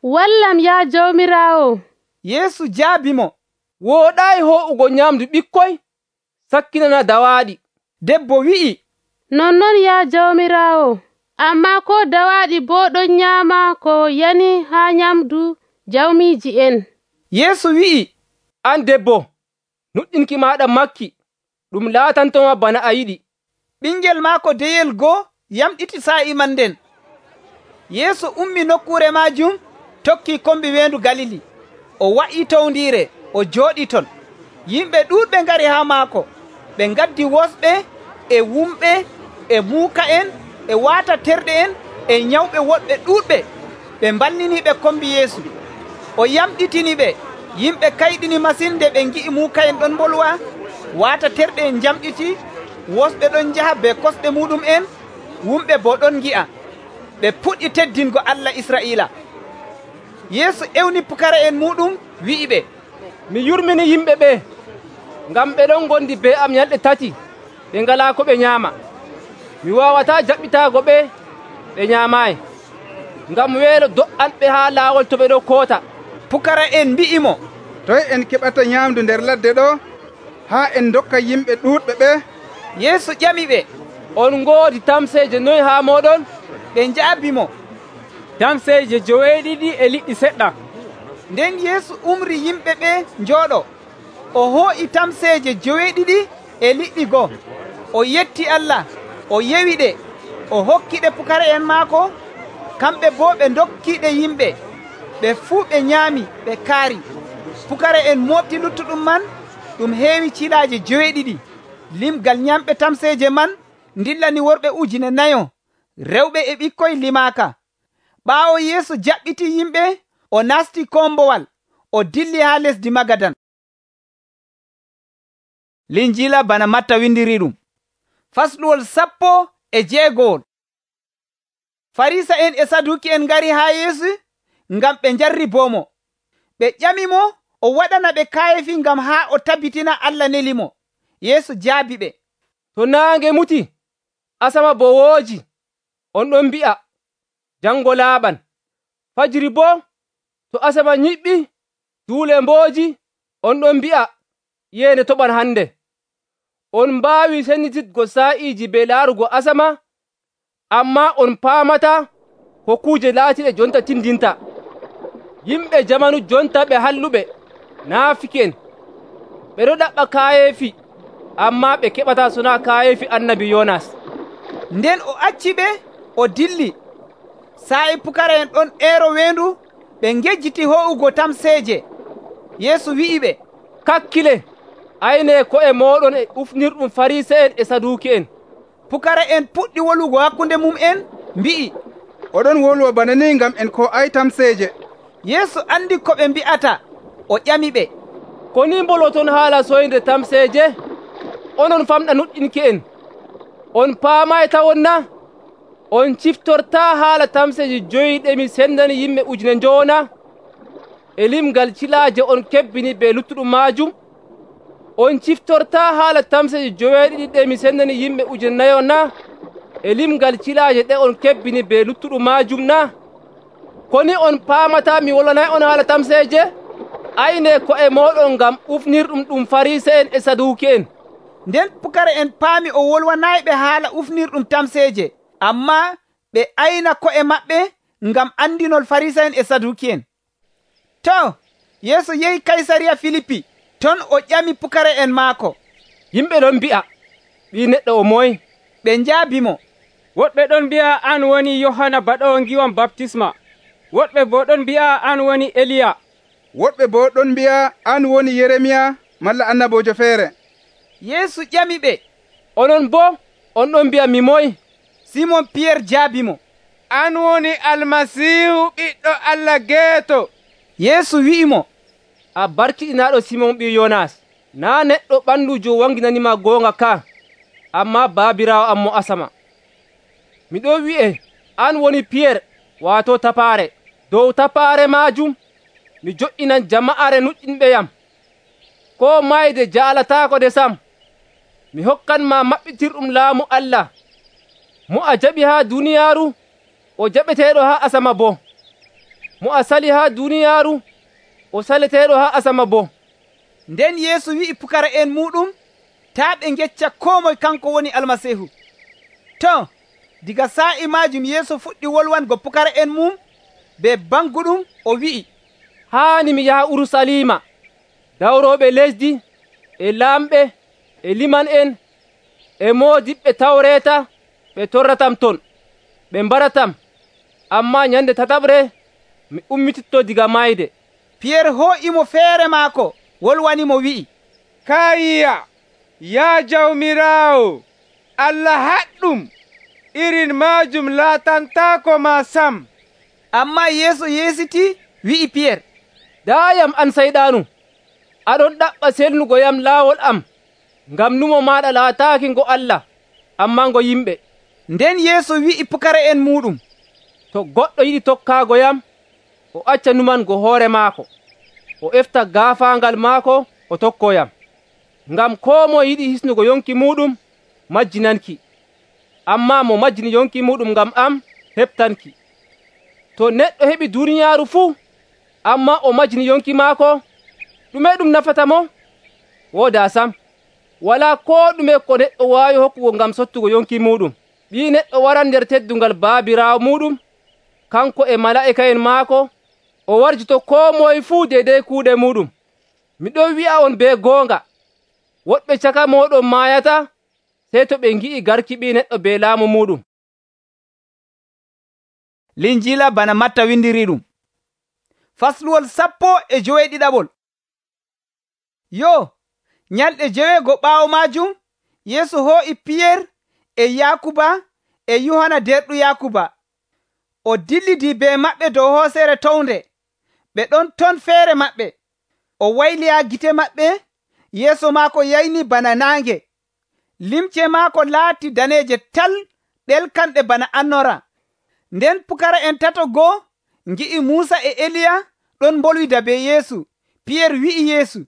wallam yaa Joomiraawo. Yeesu jaabi mo, wooɗaayi ho'ugo nyamdu ɓikkoy, sakkinana dawaaɗi. Debbo wi'i, nonnon yaa Joomiraawo, ammaa ko dawaaɗi boo ɗon nyaama ko yani haa nyamdu jawmiiji en. Yeesu wi'i, an debbo, nuɗɗinki maaɗa makki, ɗum laatantoma bana a yiɗi. Ɓingel maako deyel goo yamɗiti saa'i man nden. Yeesu ummi nokkuure maajum tokki kombi weendu Galili. O wa'i towndiire, o jooɗi ton. Yimɓe ɗuuɗɓe ngari haa maako. Ɓe ngaddi wosɓe, e wumɓe, e muuka'en, e waata terɗe en, e nyawɓe woɗɓe ɗuuɗɓe. Ɓe mballiniɓe kombi Yeesu. O yamɗitiniɓe. Yimɓe kayɗini masin nde ɓe ngi'i muuka'en ɗon mbolwa, waata terɗe en jamɗiti, wosɓe ɗon njaha be kosɗe muɗum en, wumɓe boo ɗon ngi'a. Ɓe puɗɗi teddingo Allah Israa'iila. Yeesu ewni pukara'en muɗum wi'iɓe, mi yurmini yimɓe ɓe, ngam ɓe ɗon ngondi be am nyalɗe tati, ɓe ngalaa ko ɓe nyaama. Mi waawataa jaɓɓitaago ɓe, ɓe nyaamaayi, ngam weelo do'anɓe haa laawol to ɓe ɗo koota. Pukara'en mbi'imo, toye en keɓata nyaamdu nder ladde ɗo, haa en dokka yimɓe ɗuuɗɓe ɓe? Yeesu ƴamiɓe, on ngoodi tamseeje noy haa mooɗon? Ɓe njaabimo, tamseeje 9 e liɗɗi seɗɗa. Nden Yeesu umri yimɓe ɓe njooɗo. O hoo'i tamseeje 9 e liɗɗi 1. O yetti Allah, o yewi ɗe, o hokkiɗe pukara'en maako, kamɓe boo ɓe ndokkiiɗe yimɓe. Ɓe fuu ɓe nyaami, ɓe kaari. Pukara'en mooɓti luttuɗum man, ɗum heewi cilaaje 9. Limgal nyamɓe tamseeje man ndillani worɓe 4,000, rewɓe e ɓikkoy limaaka. Ɓaawo Yeesu jaɓɓiti yimɓe, o nasti kombowal, o dilli haa lesdi Magadan. Linjiila bana Matta windiri ɗum. Fasluwol 16. Farisa'en e Saduki'en ngari haa Yeesu ngam ɓe njarribomo. Ɓe ƴamimo o waɗana ɓe kaayefi ngam haa o tabbitina Allah nelimo. Yeesu jaabi ɓe, to naange muti, asama bo wooji, on ɗon mbi'a, jango laaɓan. Fajiri boo, to asama nyiɓɓi, duule mbooji, on ɗon mbi'a, yeende toɓan hande. On mbaawi sendititgo saa'iiji be laarugo asama, ammaa on paamata ko kuuje laatiɗe jonta tindinta. Yimɓe jamanu jonta ɓe halluɓe, naafiki'en, ɓe ɗo ɗaɓɓa kaayeefi, ammaa ɓe keɓataa sonaa kaayeefi annabi Yonas. Nden o acci ɓe, o dilli. Saa'i pukara'en ɗon eero weendu, ɓe ngejjiti ho'ugo tamseeje. Yeesu wi'iɓe, kakkile, ayne ko'e mooɗon e ufnirɗum Farise'en e Saduki'en. Pukara'en puɗɗi wolugo hakkunde mum'en, mbi'i, oɗon wolwa bana ni ngam en ko ay tamseeje. Yeesu andi ko ɓe mbi'ata, o ƴamiɓe, ko ni mboloton haala soyde tamseeje? Onon famɗa nuɗɗinki'en, on paamay tawon na? On ciftortaa haala tamseeje 5 ɗe mi sendani yimɓe 1,000 e limgal cilaaje on kebbini be luttuɗum maajum? On ciftortaa haala tamseeje 9 ɗe mi sendani yimɓe 4,000 na? E limgal cilaaje ɗe on kebbini be luttuɗum maajum na? Koni on paamataa mi wolwanay on haala tamseeje? Ayne ko'e mooɗon ngam ufnirɗum ɗum Farise'en e Saduki'en. Nden pukara'en paami o wolwanayɓe haala ufnirɗum tamseeje, ammaa ɓe ayna ko'e maɓɓe ngam andinol Farisa'en e Saduki'en. To, Yeesu yehi Kaysariya Filipi. ton o ƴami pukara'en maako, yimɓe ɗon mbi'a Ɓii Neɗɗo o moye? ɓe njaabimo, woɗɓe ɗon mbi'a an woni Yohana Baɗoowo ngiwam baptisma, woɗɓe bo ɗon mbi'a an woni Eliya, woɗɓe bo ɗon mbi'a an woni Yeremiya malla annabojo feere. Yeesu ƴami ɓe, onon bo on ɗon mbi'a mi moye? Simon Piyerre jaabimo, an woni Almasiihu ɓiɗɗo Allah geeto. Yeesu wi'imo, a barkiɗinaaɗo Simon ɓii Yonas, naa neɗɗo ɓandujo wanginanima goonga ka, amma baabiraawo am mo asama. Miɗo wi'e an woni Piyerre, waato tapaare. Dow tapaare maajum mi jo'inan jama'are nuɗɗinɓe yam. Koo mayde jaalataako de sam. Mi hokkanma maɓɓitirɗum laamu Allah. Mo a jaɓi haa duniyaaru, o jaɓeteeɗo haa asama bo. Mo a sali haa duniyaaru, o saleteeɗo haa asama bo. Nden Yeesu wi'i pukara'en muɗum taa ɓe ngecca koo moye kanko woni Almasiihu. To, diga saa'i maajum Yeesu fuɗɗi wolwango pukara'en mum be banguɗum o wi'i, haani mi yaha Urusalima, dawrooɓe lesdi, e laamɓe, e liman'en, e moodiɓɓe Tawreeta, ɓe torratam ton, ɓe mbaratam, ammaa nyande tataɓre mi ummititto diga mayde. Piyerre hoo'imo feere maako wolwanimo wi'i, Kayya, yaa Jawmiraawo, Allah haɗɗum, irin maajum laatantaako ma sam. Ammaa Yeesu yeesiti wi'i Piyerre, daayam an sayɗaanu, aɗon ɗaɓɓa selnugo yam laawol am, ngam numo maaɗa laataaki ngo Allah, ammaa ngo yimɓe. Nden Yeesu wi'i pukara'en muɗum, to goɗɗo yiɗi tokkaago yam, o acca numango hoore maako, o efta gaafaangal maako, o tokkoyam. Ngam koo mo yiɗi hisnugo yonki muɗum, majjinanki, ammaa mo majjini yonki muɗum ngam am, heɓtanki. To neɗɗo heɓi duniyaaru fuu, ammaa o majjini yonki maako, ɗume ɗum nafata mo? Woodaa sam, walaa koo ɗume ko neɗɗo waawi hokkugo ngam sottugo yonki muɗum. Ɓii Neɗɗo waran nder teddungal baabiraawo muɗum, kanko e malaa'ika'en maako, o warjito koo moye fuu deydey kuuɗe muɗum. Miɗo wi'a on be goonga, woɗɓe caka mooɗon maayata, sey to ɓe ngi'i garki Ɓii Neɗɗo be laamu muɗum. Linjiila bana Matta windiri ɗum. Fasluwol 17. Yo, nyalɗe 9 ɓaawo maajum, Yeesu hoo'i Piyerre e Yaakuba e Yohana derɗu Yaakuba. O dillidi be maɓɓe dow hooseere townde, ɓe ɗon ton feere maɓɓe. O wayliyaa gite maɓɓe, yeeso maako yayni bana naange. Limce maako laati daneeje tal, ɗelkanɗe bana annora. Nden pukara'en tato goo ngi'i Muusa e Eliya ɗon mbolwida be Yeesu. Piyerre wi'i Yeesu,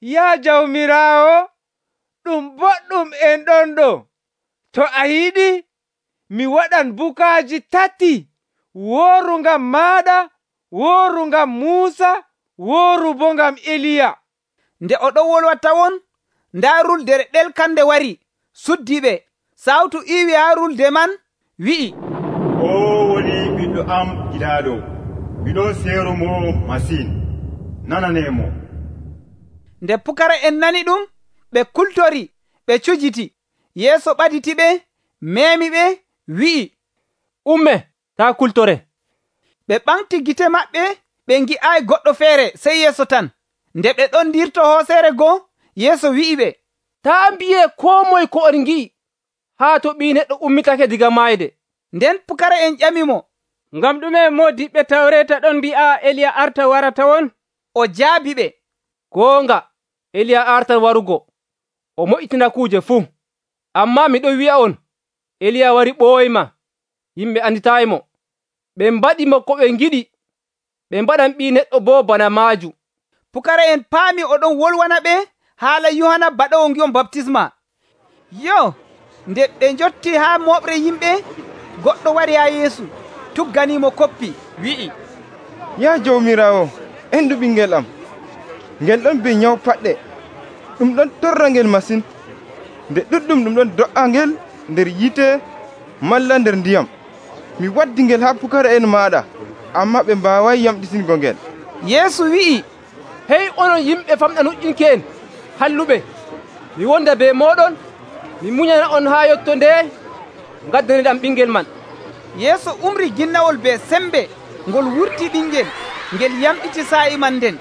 yaa Jawmiraawo, ɗum boɗɗum en ɗon ɗo. To a yiɗi, mi waɗan bukaaji 3, wooru ngam maaɗa, wooru ngam Muusa, wooru bo ngam Eliya. Nde o ɗon wolwa tawon, ndaa ruldere ɗelkande wari, suddi ɓe. Sawtu iwi haa rulde man, wi'i, o woni ɓiɗɗo am giɗaaɗo, miɗon seerumo masin, nananemo. Nde pukara'en nani ɗum, ɓe kultori, ɓe cujiti. Yeesu ɓaditi ɓe, meemi ɓe, wi'i, umme, taa kultore. Ɓe ɓamti gite maɓɓe, ɓe ngi'aayi goɗɗo feere sey Yeesu tan. Nde ɓe ɗon ndirto hooseere goo, Yeesu wi'i ɓe, taa mbi'e koo moye ko on ngi'i, haa to Ɓii Neɗɗo ummitake diga maayde. Nden pukara'en ƴamimo, ngam ɗume moodiɓɓe Tawreeta ɗon mbi'a Eliya arta warata won? O jaabi ɓe, goonga, Eliya artan warugo, o moƴƴitina kuuje fuu. Ammaa miɗo wi'a on, Eliya wari ɓooyma, yimɓe anditaaymo. Ɓe mbaɗimo ko ɓe ngiɗi, ɓe mbaɗan Ɓii Neɗɗo boo bana maaju. Pukara'en paami oɗon wolwana ɓe haala Yohana Baɗoowo ngiwam baptisma. Yo, nde ɓe njotti haa moɓre yimɓe, goɗɗo wari haa Yeesu, tugganimo koppi, wi'i, yaa Jawmiraawo, endu ɓingel am, ngel ɗon be nyaw paɗɗe, ɗum ɗon torra ngel masin, nde ɗuɗɗum ɗum ɗon do'a ngel nder yite malla nder ndiyam. Mi waddi ngel haa pukara'en maaɗa, ammaa ɓe mbaaway yamɗitingo ngel. Yeesu wi'i, hey onon yimɓe famɗa nuƴƴinki en halluɓe, mi wonda be moɗon, mi muñana on haa yotto nde ngaddaniɗam ɓingel man. Yeesu umri ginnawol be sembe ngol wurti ɓingel ngel yamɗiti saa'i man nden.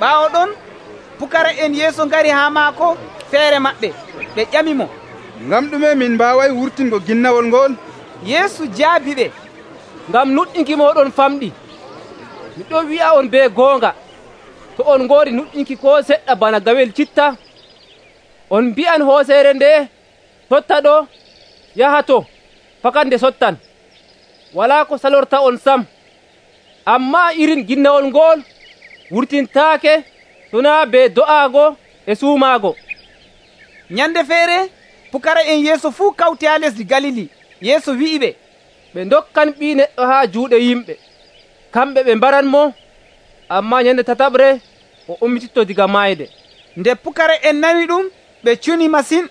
ɓaawo ɗon pukara'en Yeesu ngari haa maako feere maɓɓe, ɓe ƴamimo, ngam ɗume min mbaaway wurtingo ginnawol ngol? Yeesu jaabi ɓe, ngam nuɗɗinki moɗon famɗi. miɗo wi'a on be goonga, to on ngoodi nuɗɗinki ko seɗɗa bana gawel citta, on mbi'an hooseere nde, totta ɗo, yaha to, fakat nde sottan. walaa ko salorta on sam. Ammaa irin ginnawol ngol wurtintaake to naa be do'aago e suumaago. Nyande feere pukara'en Yeesu fuu kawti haa lesdi Galili. Yeesu wi'iɓe, ɓe ndokkan Ɓii Neɗɗo haa juuɗe yimɓe, kamɓe ɓe mbaranmo, ammaa nyande tataɓre o ummititto diga mayde. Nde pukara'en nani ɗum, ɓe cuni masin.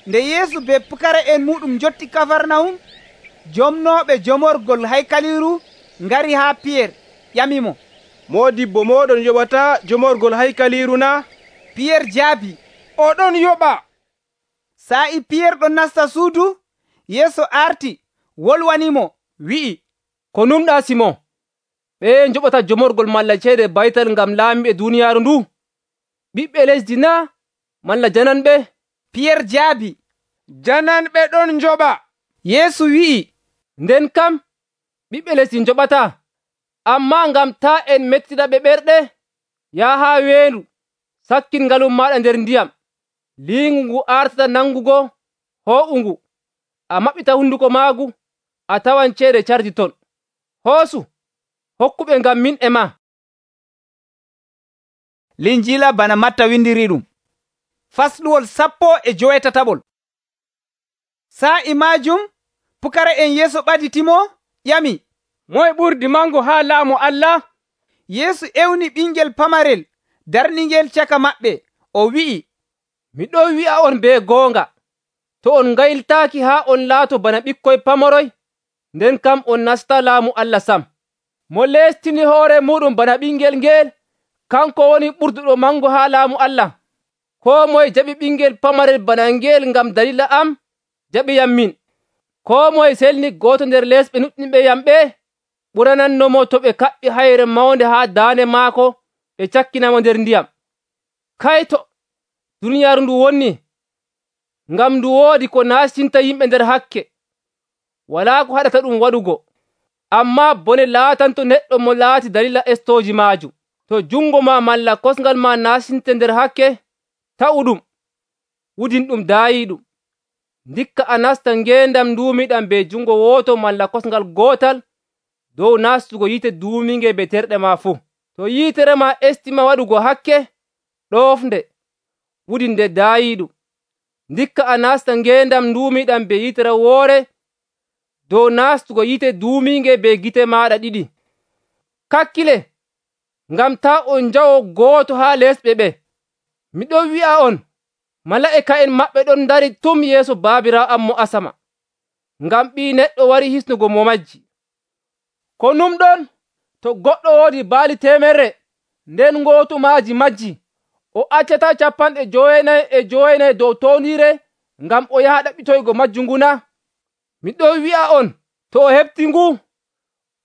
Nde Yeesu be pukara'en muɗum jotti Kafarnahum, jomnooɓe jomorgol haykaliru ngari haa Piyeer ƴamimo, Moodibbo moɗon yoɓata jomorgol haykaliru na? Piyeer jaabi, oɗon yoɓa. Saa'i Piyeer ɗon nasta suudu, Yeesu arti wolwanimo wi'i, ko numɗa Simon? ɓe njoɓata jomorgol malla ceede baytal ngam laamiɓe duniyaaru ndu? ɓiɓɓe lesdi na malla jananɓe? Piyeer jaabi, jananɓe ɗon njoɓa. Yeesu wi'i, nden kam ɓiɓɓe lesdi njoɓata, ammaa ngam taa en mettida ɓe ɓerɗe, yaha haa weendu, sakkin ngalum maaɗa nder ndiyam, liingu ngu artata nangugo hoo'ungu, a maɓɓita hunduko maagu, a tawan ceede cardi ton. Hoosu, hokkuɓe ngam min e ma. Linjiila bana Matta windiri ɗum. Fasluwol 17. Saa'i maajum pukara'en Yeesu ɓaditimo ƴami, moye ɓurdi mango haa laamu Allah? Yeesu ewni ɓingel pamarel darningel caka maɓɓe, o wi'i, miɗo wi'a on be goonga, to on ngayltaaki haa on laato bana ɓikkoy pamoroy, nden kam on nasta laamu Allah sam. Mo leestini hoore muɗum bana ɓingel ngel, kanko woni ɓurduɗo mango haa laamu Allah. Koo moye jaɓi ɓingel pamarel bana ngel ngam dalila am, jaɓiyam min. Koo moye selni gooto nder lesɓe nuɗɗinɓe yam ɓe, ɓuranannomo to ɓe kaɓɓi hayre mawnde haa daande maako ɓe cakkinamo nder ndiyam. Kayto duniyaaru ndu wonni, ngam ndu woodi ko naastinta yimɓe nder hakke, walaa ko haɗata ɗum waɗugo. Ammaa bone laatanto neɗɗo mo laati dalila estooji maajum. To jungo ma malla kosngal ma naastinte nder hakke, ta'u ɗum, wudin ɗum daayiiɗum. Ndikka a nasta ngeendam nduumiɗam be jungo wooto malla kosngal gootal dow nastugo yiite duuminge be terɗe ma fuu. To yiitere ma estima waɗugo hakke, ɗoofnde, wudinde daayiiɗum. Ndikka a nasta ngeendam nduumiɗam be yiitere woore dow nastugo yiite duuminge be gite maɗa ɗiɗi. Kakkile, ngam ta on njawo gooto haa lesɓe ɓe. Miɗo wi'a on, mala'ika'en maɓɓe ɗon dari tum yeeso Baabiraawo am mo asama, ngam Ɓii Neɗɗo wari hisnugo mo majji. Ko numɗon, to goɗɗo woodi baali 100, nden gootu maaji majji, o accata 99 dow toondiire ngam o yaha ɗaɓɓitoygo majju nguna? Miɗo wi'a on, to o heɓti ngu,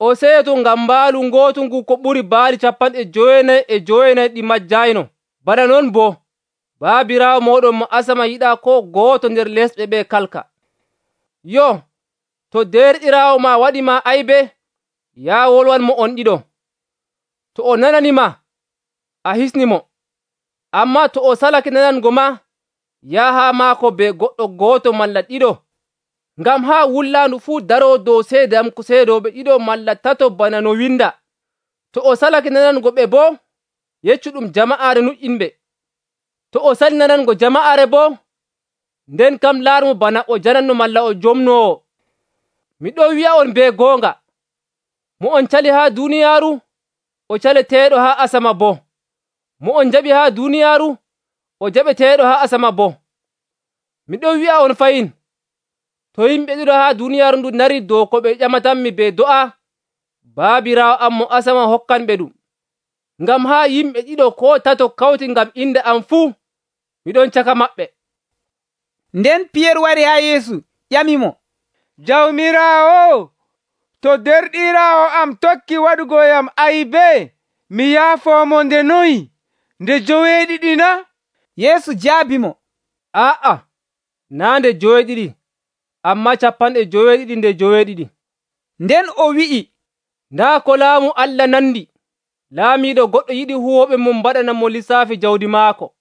o seeto ngam mbaalu ngootu ngu ko ɓuri baali 99 ɗi majjayno. Bana non boo, Baabiraawo moɗon mo asama yiɗaa ko gooto nder lesɓe ɓe kalka. Yo, to derɗiraawo ma waɗi ma aybe, yaa wolwanmo on ɗiɗo. To o nananima, a hisnimo. Ammaa to o salake nanango ma, yaha maako be goɗɗo gooto malla ɗiɗo, ngam haa wullaandu fuu daroo dow seede am ko seedooɓe ɗiɗo malla tato bana no winda. To o salake nanango ɓe boo, yeccu ɗum jama'aare nuƴƴinɓe. To o sali nanango jama'aare boo, nden kam laarmo bana o jananno malla o jomnoowo. Miɗo wi'a on be goonga, mo on cali haa duuniyaaru, o caleteeɗo haa asama boo. Mo on jaɓi haa duuniyaaru, o jaɓeteeɗo haa asama boo. Miɗo wi'a on fayin, to yimɓe ɗiɗo haa duuniyaaru ndu nari dow ko ɓe ƴamatanmi be do'a, Baabiraawo am mo asama hokkanɓe ɗum. ngam haa yimɓe ɗiɗo koo tato kawti ngam inde am fuu, miɗon caka maɓɓe. Nden Piyeer wari haa Yeesu ƴamimo, Jawmiraawo, to derɗiraawo am tokki waɗugoyam aybe, mi yaafoomo nde noyi? Nde joweeɗiɗi na? Yeesu jaabimo, aa'a, naa nde joweeɗiɗi, ammaa 72. Nden o wi'i, ndaa ko laamu Allah nandi. Laamiiɗo goɗɗo yiɗi huwooɓe mum mbaɗana mo lisaafi jawdi maako.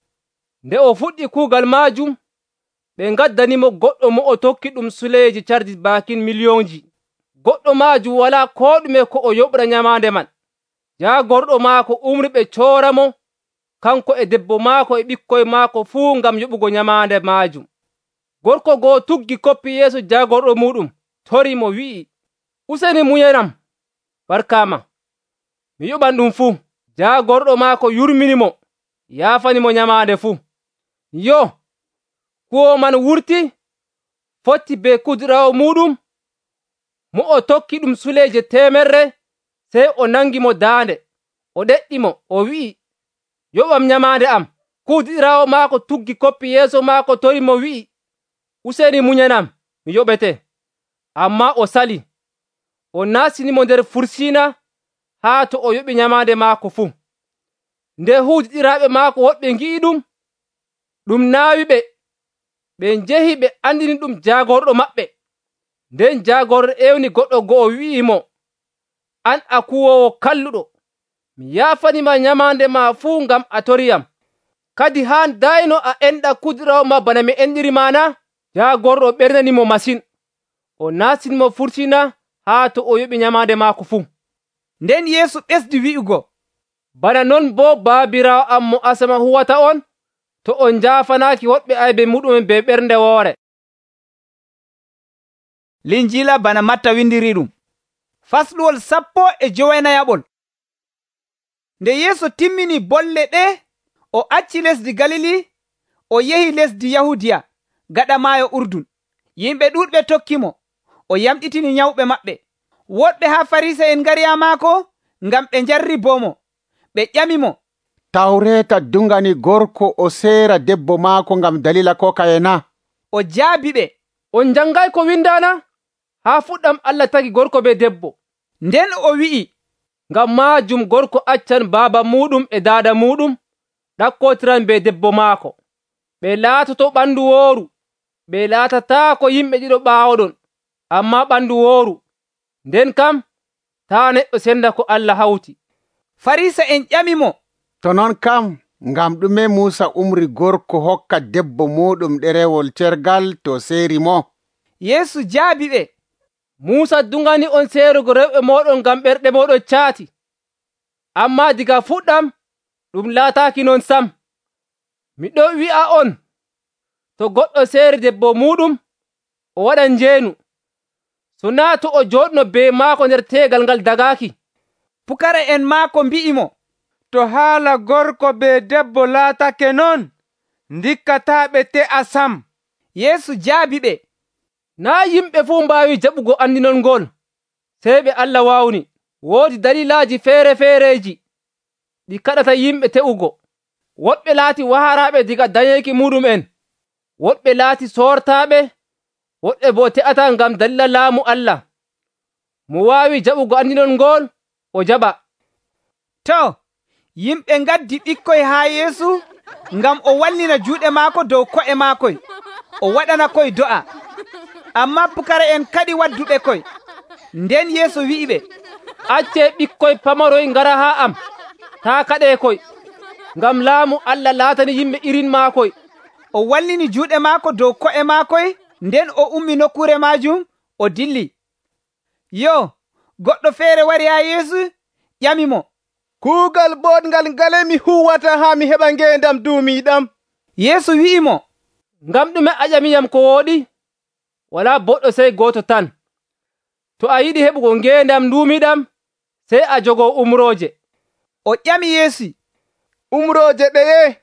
Nde o fuɗɗi kuugal maajum, ɓe ngaddanimo goɗɗo mo o tokki ɗum suleeji cardi baakin miliyonji. Goɗɗo maajum walaa koo ɗume ko o yoɓra nyamaande man. Jaagorɗo maako umri ɓe cooramo, kanko e debbo maako e ɓikkoy maako fuu ngam yoɓugo nyamaande maajum. Gorko go'o tuggi koppi yeeso jaagorɗo muɗum, torii mo wi'i, useni muyanam, barkaama, mi yoɓan ɗum fuu. Jaagorɗo maako yurminimo, yaafanimo nyamaande fuu. Yo, kuwoowo man wurti, fotti be kudiraawo muɗum, mo o tokki ɗum suleeje 100, sey o nangi mo daande, o ɗeɗɗimo, o wi'i, yoɓam nyamaande am. Kuudiraawo maako tuggi koppi yeeso maako tori mo wi'i, useni munyanam, mi yoɓete. Ammaa o sali, o naastinimo nder fursiina haa to o yoɓi nyamaande maako fuu. Nde huudiɗiraaɓe maako woɗɓe ngi'i ɗum naawi ɓe. Ɓe njehi ɓe andini ɗum jaagorɗo maɓɓe. Nden jaagorɗo ewni goɗɗo go'o wi'imo, an a kuwoowo kalluɗo, mi yaafanima nyamaande ma fuu ngam a toriyam. Kadi haa dayno a enɗa kudiraawo ma bana mi enɗirima na? Jaagorɗo ɓernanimo masin. O naastinimo fursiina haa to o yoɓi nyamaande maako fuu. Nden Yeesu ɓesdi wi'ugo, bana non boo Baabiraawo am mo asama huwata on, to on njaafanaaki woɗɓe aybe muɗumen be ɓernde woore. Linjiila bana Matta windiriɗum. Fasluwol 15. Nde Yeesu timmini bolle ɗe, o acci lesdi Galili, o yehi lesdi Yahudiya gaɗa maayo Urdun. Yimɓe ɗuuɗɓe tokkimo, o yamɗitini nyawɓe maɓɓe. Woɗɓe haa Farisa'en ngari haa maako ngam ɓe njarribomo. Ɓe ƴamimo, Tawreeta dungani gorko o seera debbo maako ngam dalila kokaye na? O jaabi ɓe, on njangay ko windana? Haa fuɗɗam Allah tagi gorko be debbo. Nden o wi'i, ngam maajum gorko accan baaba muɗum e daada muɗum, ɗakkotiran be debbo maako. Ɓe laatoto ɓandu wooru. Ɓe laatataako yimɓe ɗiɗo ɓaawoɗon, ammaa ɓandu wooru. Nden kam, taa neɗɗo senda ko Allah hawti. Farisa'en ƴamimo, to non kam, ngam ɗume Muusa umri gorko hokka debbo muɗum ɗerewol cergal to seeri mo? Yeesu jaabi ɓe, Muusa dungani on seerugo rewɓe mooɗon ngam ɓerɗe mooɗon caati. Ammaa diga fuɗɗam, ɗum laataaki non sam. Miɗo wi'a on, to goɗɗo seeri debbo muɗum, o waɗan njeenu. So naa to o jooɗno be maako nder teegal ngal dagaaki. Pukara'en maako mbi'imo, to haala gorko be debbo laatake non, ndikkataa ɓe te'a sam. Yeesu jaabi ɓe, naa yimɓe fuu mbaawi jaɓugo andinol ngol, sey ɓe Allah waawni. Woodi dalilaaji feere-feereji ɗi kaɗata yimɓe te'ugo. Woɗɓe laati waharaaɓe diga dañeeki muɗum'en, woɗɓe laati soortaaɓe, woɗɓe boo te'ata ngam dalila laamu Allah. Mo waawi jaɓugo andinol ngol, o jaɓa. To, yimɓe ngaddi ɓikkoy haa Yeesu ngam o wallina juuɗe maako dow ko'e maakoy, o waɗana koy do'a. Ammaa pukara'en kaɗi wadduɓe koy. Nden Yeesu wi'iɓe, accee ɓikkoy pamaroy ngara haa am, taa kaɗee koy, ngam laamu Allah laatani yimɓe irin maakoy. O wallini juuɗe maako dow ko'e maakoy, nden o ummi nokkure maajum, o dilli. Yo, goɗɗo feere wari haa Yeesu ƴamimo, kuugal boɗngal ngale mi huwata haa mi heɓa ngeendam duumiiɗam? Yeesu wi'imo, ngam ɗume a ƴamiyam ko wooɗi? Walaa boɗɗo sey gooto tan. To a yiɗi heɓugo ngeendam duumiiɗam, sey a jogoo umrooje. O ƴami Yeesu, umrooje ɗeye?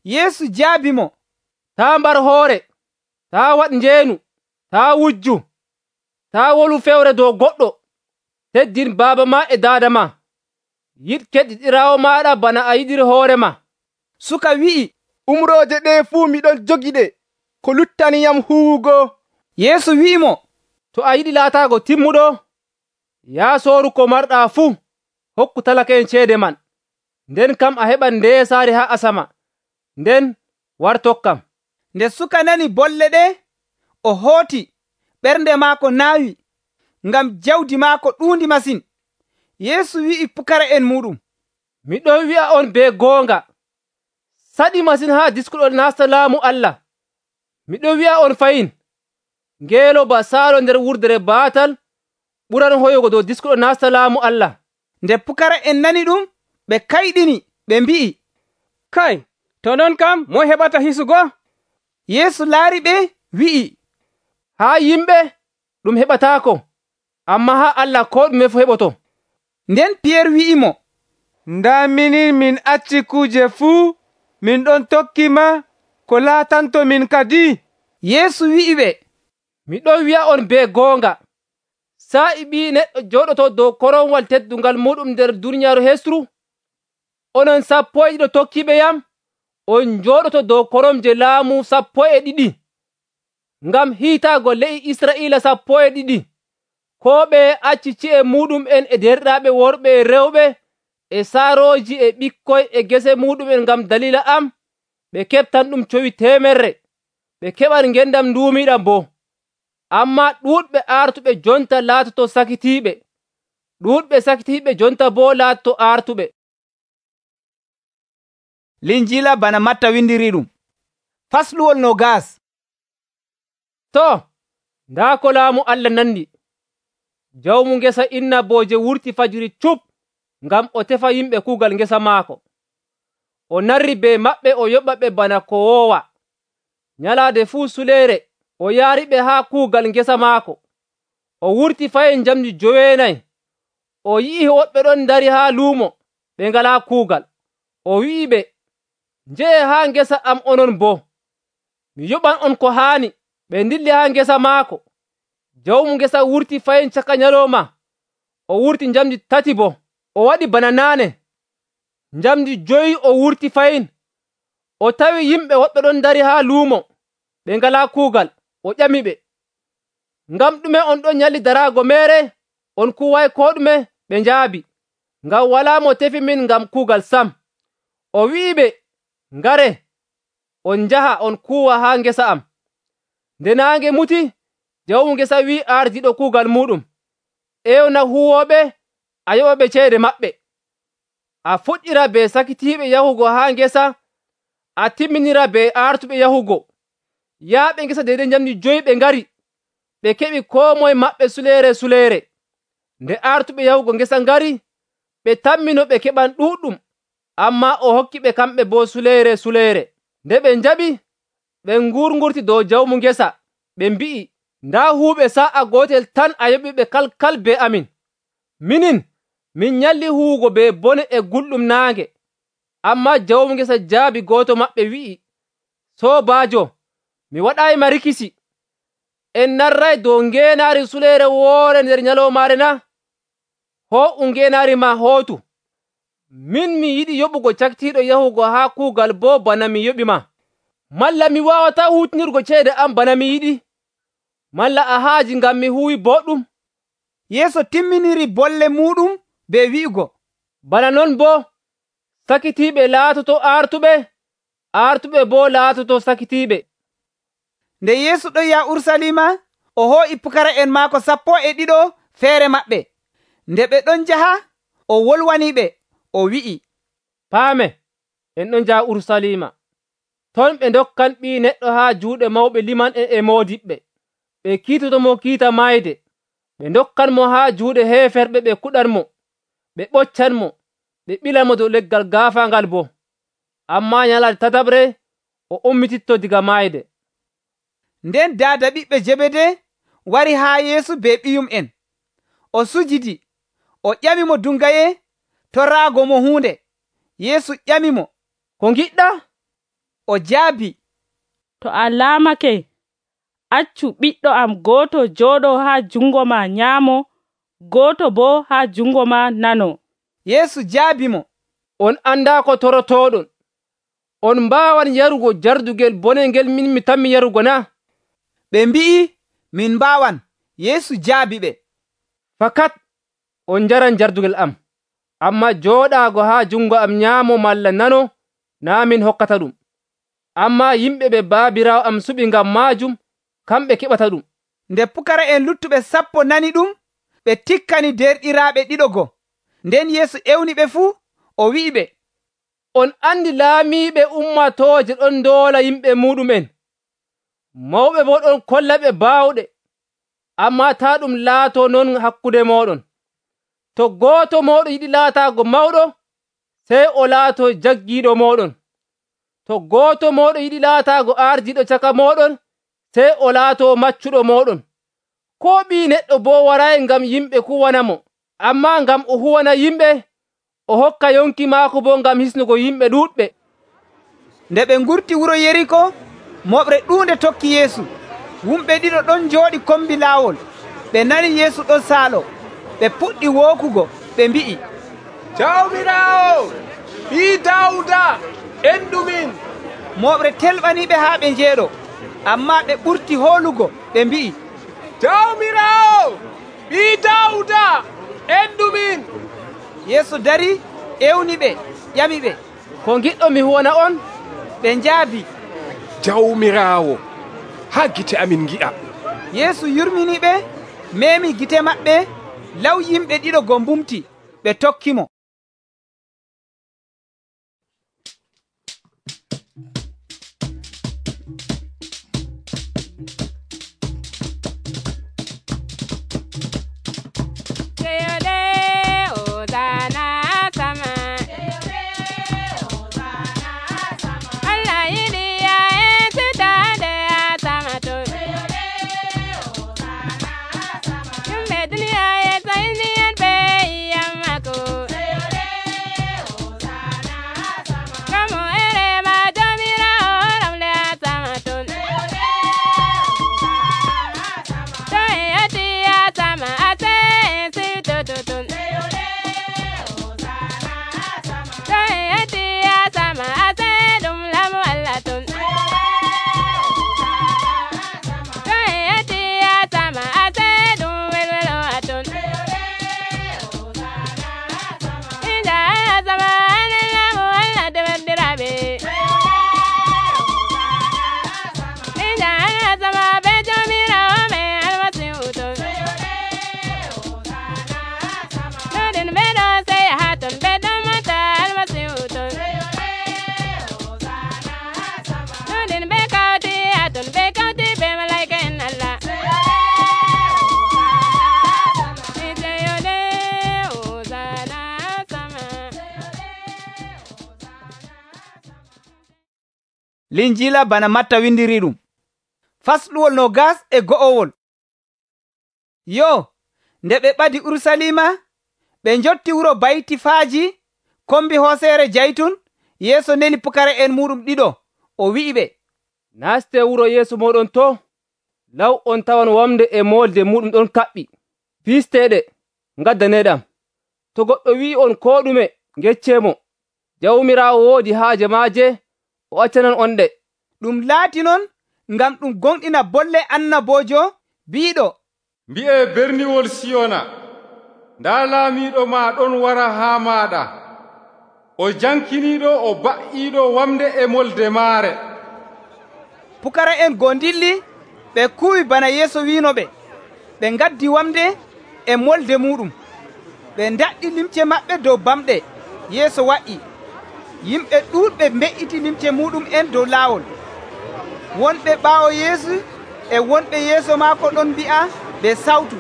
Yeesu jaabi mo, taa mbar hoore, taa waɗ njeenu, taa wujju, taa wolu fewre dow goɗɗo, teddin baaba ma e daada ma. yiɗ keɗɗiɗiraawo maaɗa bana a yiɗiri hoorema. Suka wi'i, umrooje ɗe fuu miɗon jogiɗe, ko luttaniyam huwugo. Yeesu wi'imo, to a yiɗi laataago timmuɗo, yaa sooru ko marɗaa fuu, hokku talaka'en ceede man. Nden kam a heɓan ndeesaari haa asama, nden war tokkam. Nde suka nani bolle ɗe, o hooti, ɓernde maako naawi, ngam jawdi maako ɗuundi masin. Yeesu wi'i pukara'en muuɗum, miɗon wi'a on be goonga, saɗi masin haa diskuɗon nasta laamu Allah. Miɗon wi'a on fayin, ngeelooba saalo nder wurdere baatal ɓuran hoyugo dow diskuɗo nasta laamu Allah. Nde pukara'en nani ɗum, ɓe kayɗini, ɓe mbi'i, kay, to non kam moy heɓata hisugo? Yeesu laari ɓe, wi'i, haa yimɓe ɗum heɓataako, ammaa haa Allah ko ɗume fu heɓoto. Nden Piyeer wi'imo, ndaa minin min acci kuuje fuu, min ɗon tokkima ko laatanto min kadi. Yeesu wi'i ɓe, miɗon wi'a on be goonga, sa'i Ɓii Neɗɗo jooɗoto dow korowal teddungal muɗum nder duniyaaru hesru, onon 12 tokkiɓe yam, on jooɗoto dow koromje laamu 12. Ngam hiitaago le'i Israa'iila 12, koo ɓeye acci ci'e muɗum'en e derɗiraaɓe worɓe e rewɓe e saarooji e ɓikkoy e gese muɗum'en ngam dalila am, ɓe keɓtan ɗum cowi 100, ɓe keɓan ngendam nduumiiɗam boo. Ammaa ɗuuɗɓe aartuɓe jonta laatoto sakitiiɓe, ɗuuɗɓe sakitiiɓe jonta boo laatoto aartuɓe. Linjiila bana Matta windiri ɗum. Fasluwol 20. To, ndaa ko laamu Allah nandi. Jawmu ngesa innabooje wurti fajiri cup ngam o tefa yimɓe kuugal ngesa maako. O narri be maɓɓe o yoɓa ɓe bana ko woowa. Nyalaade fuu suleere o yaariɓe haa kuugal ngesa maako. O wurti fayin njamdi 9. O yi'i woɓɓe ɗon dari haa luumo ɓe ngalaa kuugal. O wi'iɓe, njehe haa ngesa am onon boo. Mi yoɓan on ko haani. Ɓe ndilli haa ngesa maako. Jawmu ngesa wurti fayin caka nyalooma. O wurti njamdi 3 boo. O waɗi bana naane. Njamdi 5 o wurti fayin. O tawi yimɓe woɓɓe ɗon dari haa luumo ɓe ngalaa kuugal. O ƴamiɓe, ngam ɗume on ɗon nyalli daraago meere? On kuway koo ɗume? Ɓe njaabi, ngam walaa mo tefi min ngam kuugal sam. O wi'iɓe, ngare, on njaha on kuuwa haa ngesa am. Nde naange muti, jawmu ngesa wi'i ardiiɗo kuugal muɗum, ƴewna huwooɓe, a yoɓa ɓe ceede maɓɓe. A fuɗɗira be sakitiiɓe yahugo haa ngesa, a timminira be aartuɓe yahugo. Yaaɓe ngesa deydey njamdi 5 ɓe ngari, ɓe keɓi koo moye maɓɓe suleere. Nde aartuɓe yahugo ngesa ngari, ɓe tammino ɓe keɓan ɗuuɗɗum, ammaa o hokki ɓe kamɓe boo suleere. Nde ɓe njaɓi, ɓe ngurngurti dow jawmu ngesa, ɓe mbi'i, ndaa huuɓe sa'a gootel tan a yoɓiɓe kalkal be amin. Minin, min nyalli huwugo be bone e gulɗum naange. Ammaa jawmu ngesa jaabi gooto maɓɓe wi'i, soobaajo, mi waɗaayima rikisi. En narray dow ngeenaari suleere woore nder nyaloomaare na? Hoo'u ngeenaari ma hootu. Min mi yiɗi yoɓugo cakitiiɗo yahugo haa kuugal boo bana mi yoɓi ma. Malla mi waawataa huutinirgo ceede am bana mi yiɗi? Malla a haaji ngam mi huwi boɗɗum? Yeesu timminiri bolle muɗum be wi'ugo, bana non boo sakitiiɓe laatoto aartuɓe, aartuɓe boo laatoto sakitiiɓe. Nde Yeesu ɗon yaha Urusalima, o hoo'i pukara'en maako 12 feere maɓɓe. Nde ɓe ɗon njaha, o wolwaniɓe, o wi'i, paame, en ɗon njaha Urusalima. Ton ɓe ndokkan Ɓii Neɗɗo haa juuɗe mawɓe liman'en e moodiɓɓe. Ɓe kiitotomo kiita mayde. Ɓe ndokkanmo haa juuɗe heeferɓe, ɓe kuɗanmo, ɓe ɓoccanmo, ɓe ɓilanmo dow leggal gaafaangal boo. Ammaa nyalaade tataɓre o ummititto diga mayde. Nden daada ɓiɓɓe Jebede wari haa Yeesu be ɓiyum'en. O sujidi, o ƴamimo dungaye torraago mo huunde. Yeesu ƴamimo, ko ngiɗɗa? O jaabi, to a laamake, accu ɓiɗɗo am gooto jooɗo haa jungo ma nyaamo, gooto boo haa jungo ma nano. Yeesu jaabimo, on andaa ko torotooɗon. On mbaawan yarugo jardugel bonel ngel min mi tammi yarugo na? Ɓe mbi'i, min mbaawan. Yeesu jaabiɓe, fakat on njaran jardugel am, ammaa jooɗaago haa jungo am nyaamo malla nano naa min hokkata ɗum. Ammaa yimɓe ɓe baabiraawo am suɓi ngam maajum, kamɓe keɓata ɗum. Nde pukara'en luttuɓe 10 nani ɗum, ɓe tikkani derɗiraaɓe ɗiɗo. Nden Yeesu ewniɓe fuu, o wi'iɓe, on andi laamiiɓe ummatooje ɗon ndoola yimɓe muɗumen, mawɓe boo ɗon kollaɓe baawɗe. Ammaa taa ɗum laatoo non hakkude mooɗon. To gooto mooɗon yiɗi laataago mawɗo, sey o laatoo jaggiiɗo mooɗon. To gooto mooɗon yiɗi laataago ardiiɗo caka mooɗon, sey o laatoo maccuɗo mooɗon. Koo ɓii neɗɗo boo waraayi ngam yimɓe kuwanamo, ammaa ngam o huwana yimɓe, o hokka yonki maako boo ngam hisnugo yimɓe ɗuuɗɓe. Nde ɓe ngurti wuro Yeriko, moɓre ɗuunde tokki Yeesu. Wumɓe ɗiɗo ɗon njooɗi kombi laawol. Ɓe nani Yeesu ɗon saalo. Ɓe puɗɗi wookugo, ɓe mbi'i, Jawmiraawo, ɓii Daawuda, endumin. Moɓre telɓaniɓe haa ɓe njeeɗo, ammaa ɓe ɓurti hoolugo, ɓe mbi'i, Jawmiraawo, ɓii Daawuda, endumin. Yeesu dari ewniɓe, ƴamiɓe, ko ngiɗɗo mi huwana on? Ɓe njaabi, Jawmiraawo, haa gite amin ngi'a. Yeesu yurminiɓe, meemi gite maɓɓe, law yimɓe ɗiɗo go mbumti, ɓe tokkimo. Linjila bana Matta windiri ɗum. Fasɗuwol 22. Yo, nde ɓe ɓadi Urusalima, ɓe njotti wuro Baytifaaji kombi hooseere Jaytun, Yeesu neli pukara'en muɗum ɗiɗo, o wi'iɓe, naste wuro yeeso moɗon to, law on tawan wamde e molde muɗum ɗon kaɓɓi. Fisteɗe, ngaddaneɗam. To goɗɗo wi'i on ko ɗume, geccemo. Jawmiraawo woodi haaje maaje, o accanan on ɗe. Ɗum laati non ngam ɗum gonɗina bolle annabojo biiɗo, mbi'e berniwol Siyona, nda laamiiɗo ma ɗon wara haa maaɗa, o jankiniiɗo o ba'iiɗo wamde e molde maare. Pukara'en goo dilli, ɓe kuwi bana Yeesu wiinoɓe. Ɓe ngaddi wamde e molde muɗum. Ɓe ndaɗɗi limce maɓɓe dow bamɗe. Yeesu wa'i. Yimɓe ɗuuɗɓe mbe'iti limce muɗum en dow laawol. Wonɓe ɓaawo Yeesu e wonɓe yeeso maako ɗon mbi'a be sawtu,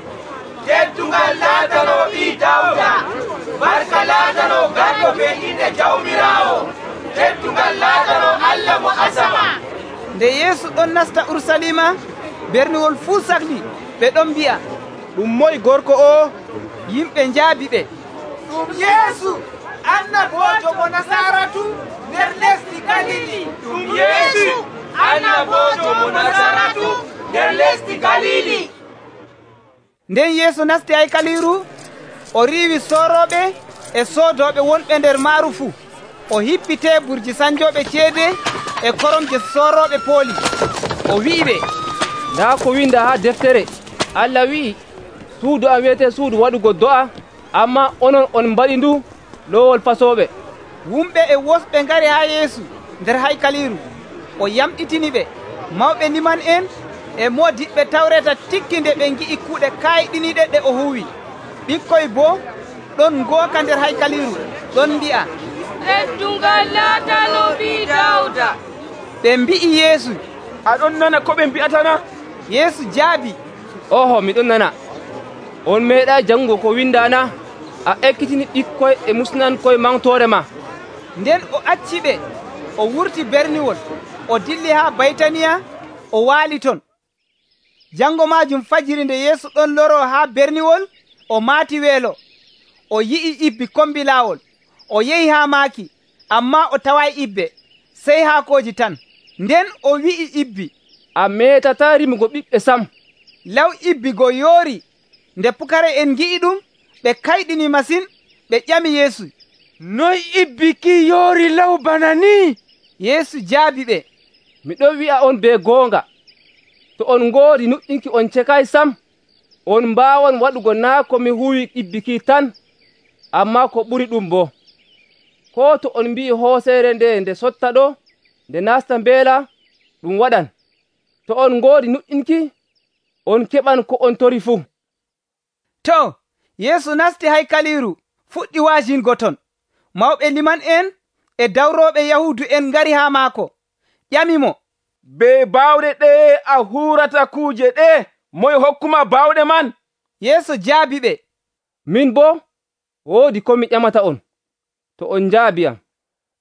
teddungal laatano ɓii Dawda, barka laatano garɗo be inde Jawmiraawo, teddungal laatano Allah mo asama. Nde Yeesu ɗon nasta Urusalima, berniwol fuu sahli, ɓe ɗon mbi'a, ɗum moye gorko o? Yimɓe njaabi ɓe, ɗum Yeesu, annabojo mo Nasaratu nder lesdi Galili. Ɗum Yeesu, annabojo mo Nasaratu nder lesdi Galili. Nden Yeesu nasti haykaliru, o riiwi sooroɓe, e soodooɓe wonɓe nder maaru fuu. O hippi teeburji sanjooɓe ceede e koromje soorooɓe pooli. O wi'iɓe, ndaa ko winda haa deftere, Allah wi'i, suudu am wiyetee suudu waɗugo do'a, ammaa onon on mbaɗi ndu loowol fasooɓe. Wumɓe e wosɓe ngari haa Yeesu nder haykaliiru. O yamɗitiniɓe. Mawɓe liman en e moodiɓɓe Tawreeta tikki nde ɓe ngi'i kuuɗe kaayiɗiniiɗe ɗe o huwi. Ɓikkoy boo ɗon ngooka nder haykaliiru, ɗon mbi'a, Teddungal laatano ɓii Dawda. Ɓe mbi'i Yeesu, aɗon nana ko ɓe mbi'atana? Yeesu jaabi, oho, miɗon nana. On meeɗaa jangugo ko windaana, a ekkitini ɓikkoy e musnankoy mawtoore ma. Nden o acciɓe, o wurti berniwol, o dilli haa Baytaniya, o waali ton. Jango maajum fajiri nde Yeesu ɗon loro haa berniwol, o maati weelo. O yi'i ibbi kombi laawol. O yehi haa maaki, ammaa o taway ibbe, sey haakooji tan. Nden o wi'i ibbi, a meetataa rimugo ɓiɓɓe sam. Law ibbi go yoori. Nde pukare en ngi'i ɗum, ɓe kayɗini masin, ɓe ƴami Yeesu, noy ibbi ki yoori law bana ni? Yeesu jaabi ɓe, miɗon wi'a on be goonga, to on ngoodi nuɗɗinki on cekay sam, on mbaawon waɗugo naa ko mi huwi ibbi ki tan, ammaa ko ɓuri ɗum boo. Koo to on mbi'i hooseere nde sotta ɗo, nde naasta mbeela, ɗum waɗan. To on ngoodi nuɗɗinki, on keɓan ko on tori fuu. To, Yeesu nasti haykaliiru, fuɗɗi wa'ajingo ton. Mawɓe liman en e dawrooɓe Yahuudu en ngari haa maako, ƴamimo, be baawɗe ɗe a huurata kuuje ɗe, moye hokkuma baawɗe man? Yeesu jaabi ɓe, min boo woodi ko mi ƴamata on. To on njaabiyam,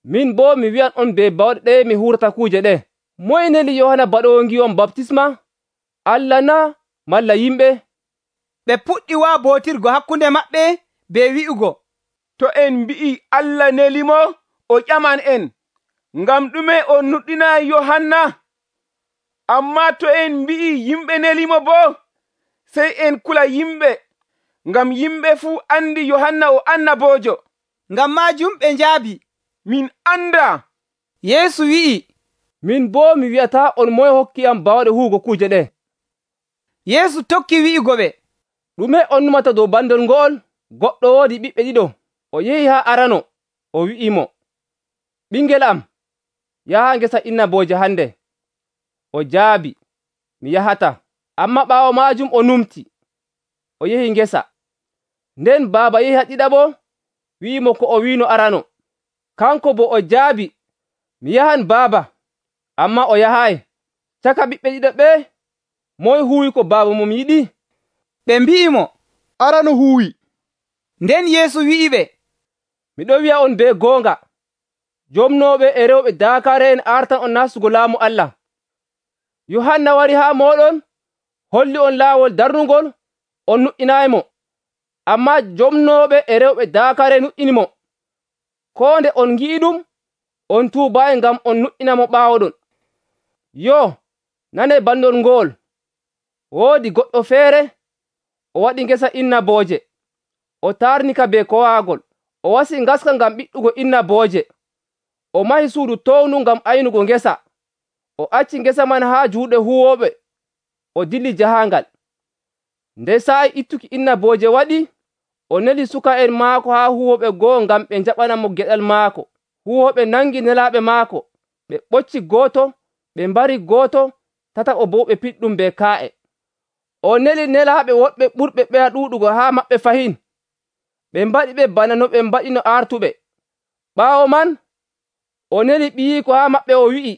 min boo mi wi'an on be baawɗe ɗe mi huurata kuuje ɗe. Moye neli Yohana Baɗoowo ngi'on baptisma? Allah na malla yimɓe? Ɓe puɗɗi waabootirgo hakkunde maɓɓe be wi'ugo, to en mbi'i Allah nelimo, o ƴaman en, ngam ɗume on nuɗɗina Yohanna? Ammaa to en mbi'i yimɓe nelimo boo, sey en kula yimɓe, ngam yimɓe fuu andi Yohanna o annaboojo. Ngam maajum ɓe njaabi, min anda. Yeesu wi'i, min boo mi wi'ataa on moye hokkiyam baawɗe huugo kuuje ɗe. Yeesu tokki wi'ugo ɓe, ɗume on numata dow bandol ngo'ol? Goɗɗo woodi ɓiɓɓe ɗiɗo. O yehi haa arano, o wi'imo, ɓingel am, yaha ngesa innabooje hande. O jaabi, mi yahata. Ammaa ɓaawo maajum o numti, o yehi ngesa. Nden baaba yehi haa ɗiɗaɓo, wi'imo ko o wiino arano. Kanko bo o jaabi, mi yahan baaba. Ammaa o yahaay. Caka ɓiɓɓe ɗiɗo ɓe, moye huwi ko baaba mum yiɗi? Ɓe mbi'imo, arano huwi. Nden Yeesu wi'iɓe, miɗon wi'a on be goonga, jomnooɓe e rewɓe daakare en artan on nastugo laamu Allah. Yohanna wari haa mooɗon, holli on laawol darnugol, on nuɗɗinaaymo. Ammaa jomnooɓe e rewɓe daakare nuɗɗinimo. Koo nde on ngi'i ɗum, on tuubaayi ngam on nuɗɗinamo ɓaawoɗon. Yo, nane bandol ngol. Woodi goɗɗo feere, o waɗi ngesa innabooje. O taarnika be kowaagol. O wasi ngaska ngam ɓiɗɗugo innabooje. O mahi suudu towndu ngam aynugo ngesa. O acci ngesa man haa juuɗe huwooɓe. O dilli jahaangal. Nde saa'i ittuki innabooje waɗi, o neli suka'en maako haa huwooɓe go'o ngam ɓe njaɓana mo geɗal maako. Huwooɓe nangi nelaaɓe maako. Ɓe ɓocci gooto, ɓe mbari gooto, tataɓo boo ɓe piɗɗum be kaa'e. O neli nelaaɓe woɗɓe ɓurɓe ɓeya ɗuuɗugo haa maɓɓe fahin. Ɓe mbaɗi ɓe bana no ɓe mbaɗino artuɓe. Ɓaawo man, o neli ɓiyiiko haa maɓɓe, o wi'i,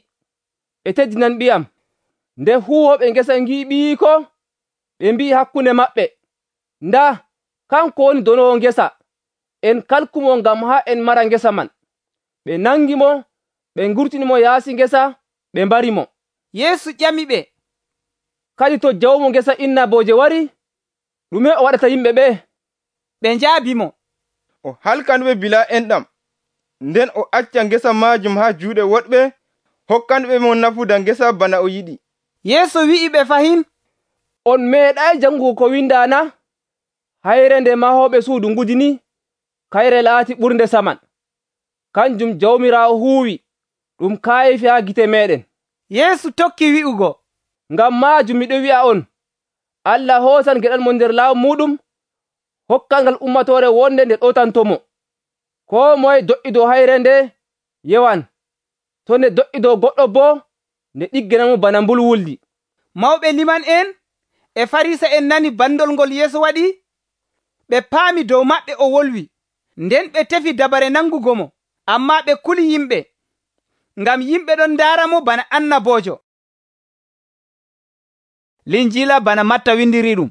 ɓe teddinan ɓiyam. Nde huwooɓe ngesa ngi'i ɓiyiiko, ɓe mbi'i hakkunde maɓɓe, ndaa, kanko woni donowo ngesa. En kalkumo ngam haa en mara ngesa man. Ɓe nangi mo, ɓe ngurtinimo yaasi ngesa, ɓe mbarimo. Yeesu ƴami ɓe, kadi to jawmo ngesa innabooje wari, ɗume o waɗata yimɓe ɓe? Ɓe njaabimo, o halkanɓe bila enɗam, nden o acca ngesa maajum haa juuɗe woɗɓe, hokkanɓe mo nafuda ngesa bana o yiɗi. Yeesu wi'i ɓe fahin, on meeɗay jangugo ko windaana? Hayre nde mahooɓe suudu ngudini, kayre laati ɓurnde saman, kanjum Jawmiraawo huuwi ɗum kaayefi haa gite meeɗen. Yeesu tokki wi'ugo, ngam maajum miɗo wi'a on, Allah hoosan geɗal mon nder laawol muɗum, hokkal ngal ummatoore wonde nde ɗotantomo. Koo moye do'idoo hayre nde yewan, to nde do'idoo goɗɗo boo nde ɗigginamo bana mbulwuldi. Mawɓe liman'en e Farisa'en nani bandol ngol Yeesu waɗi. Ɓe paami dow maɓɓe o wolwi, nden ɓe tefi dabare nangugo mo, ammaa ɓe kuli yimɓe, ngam yimɓe ɗon ndaaramo bana annaboojo. Linjiila bana Matta windiriɗum,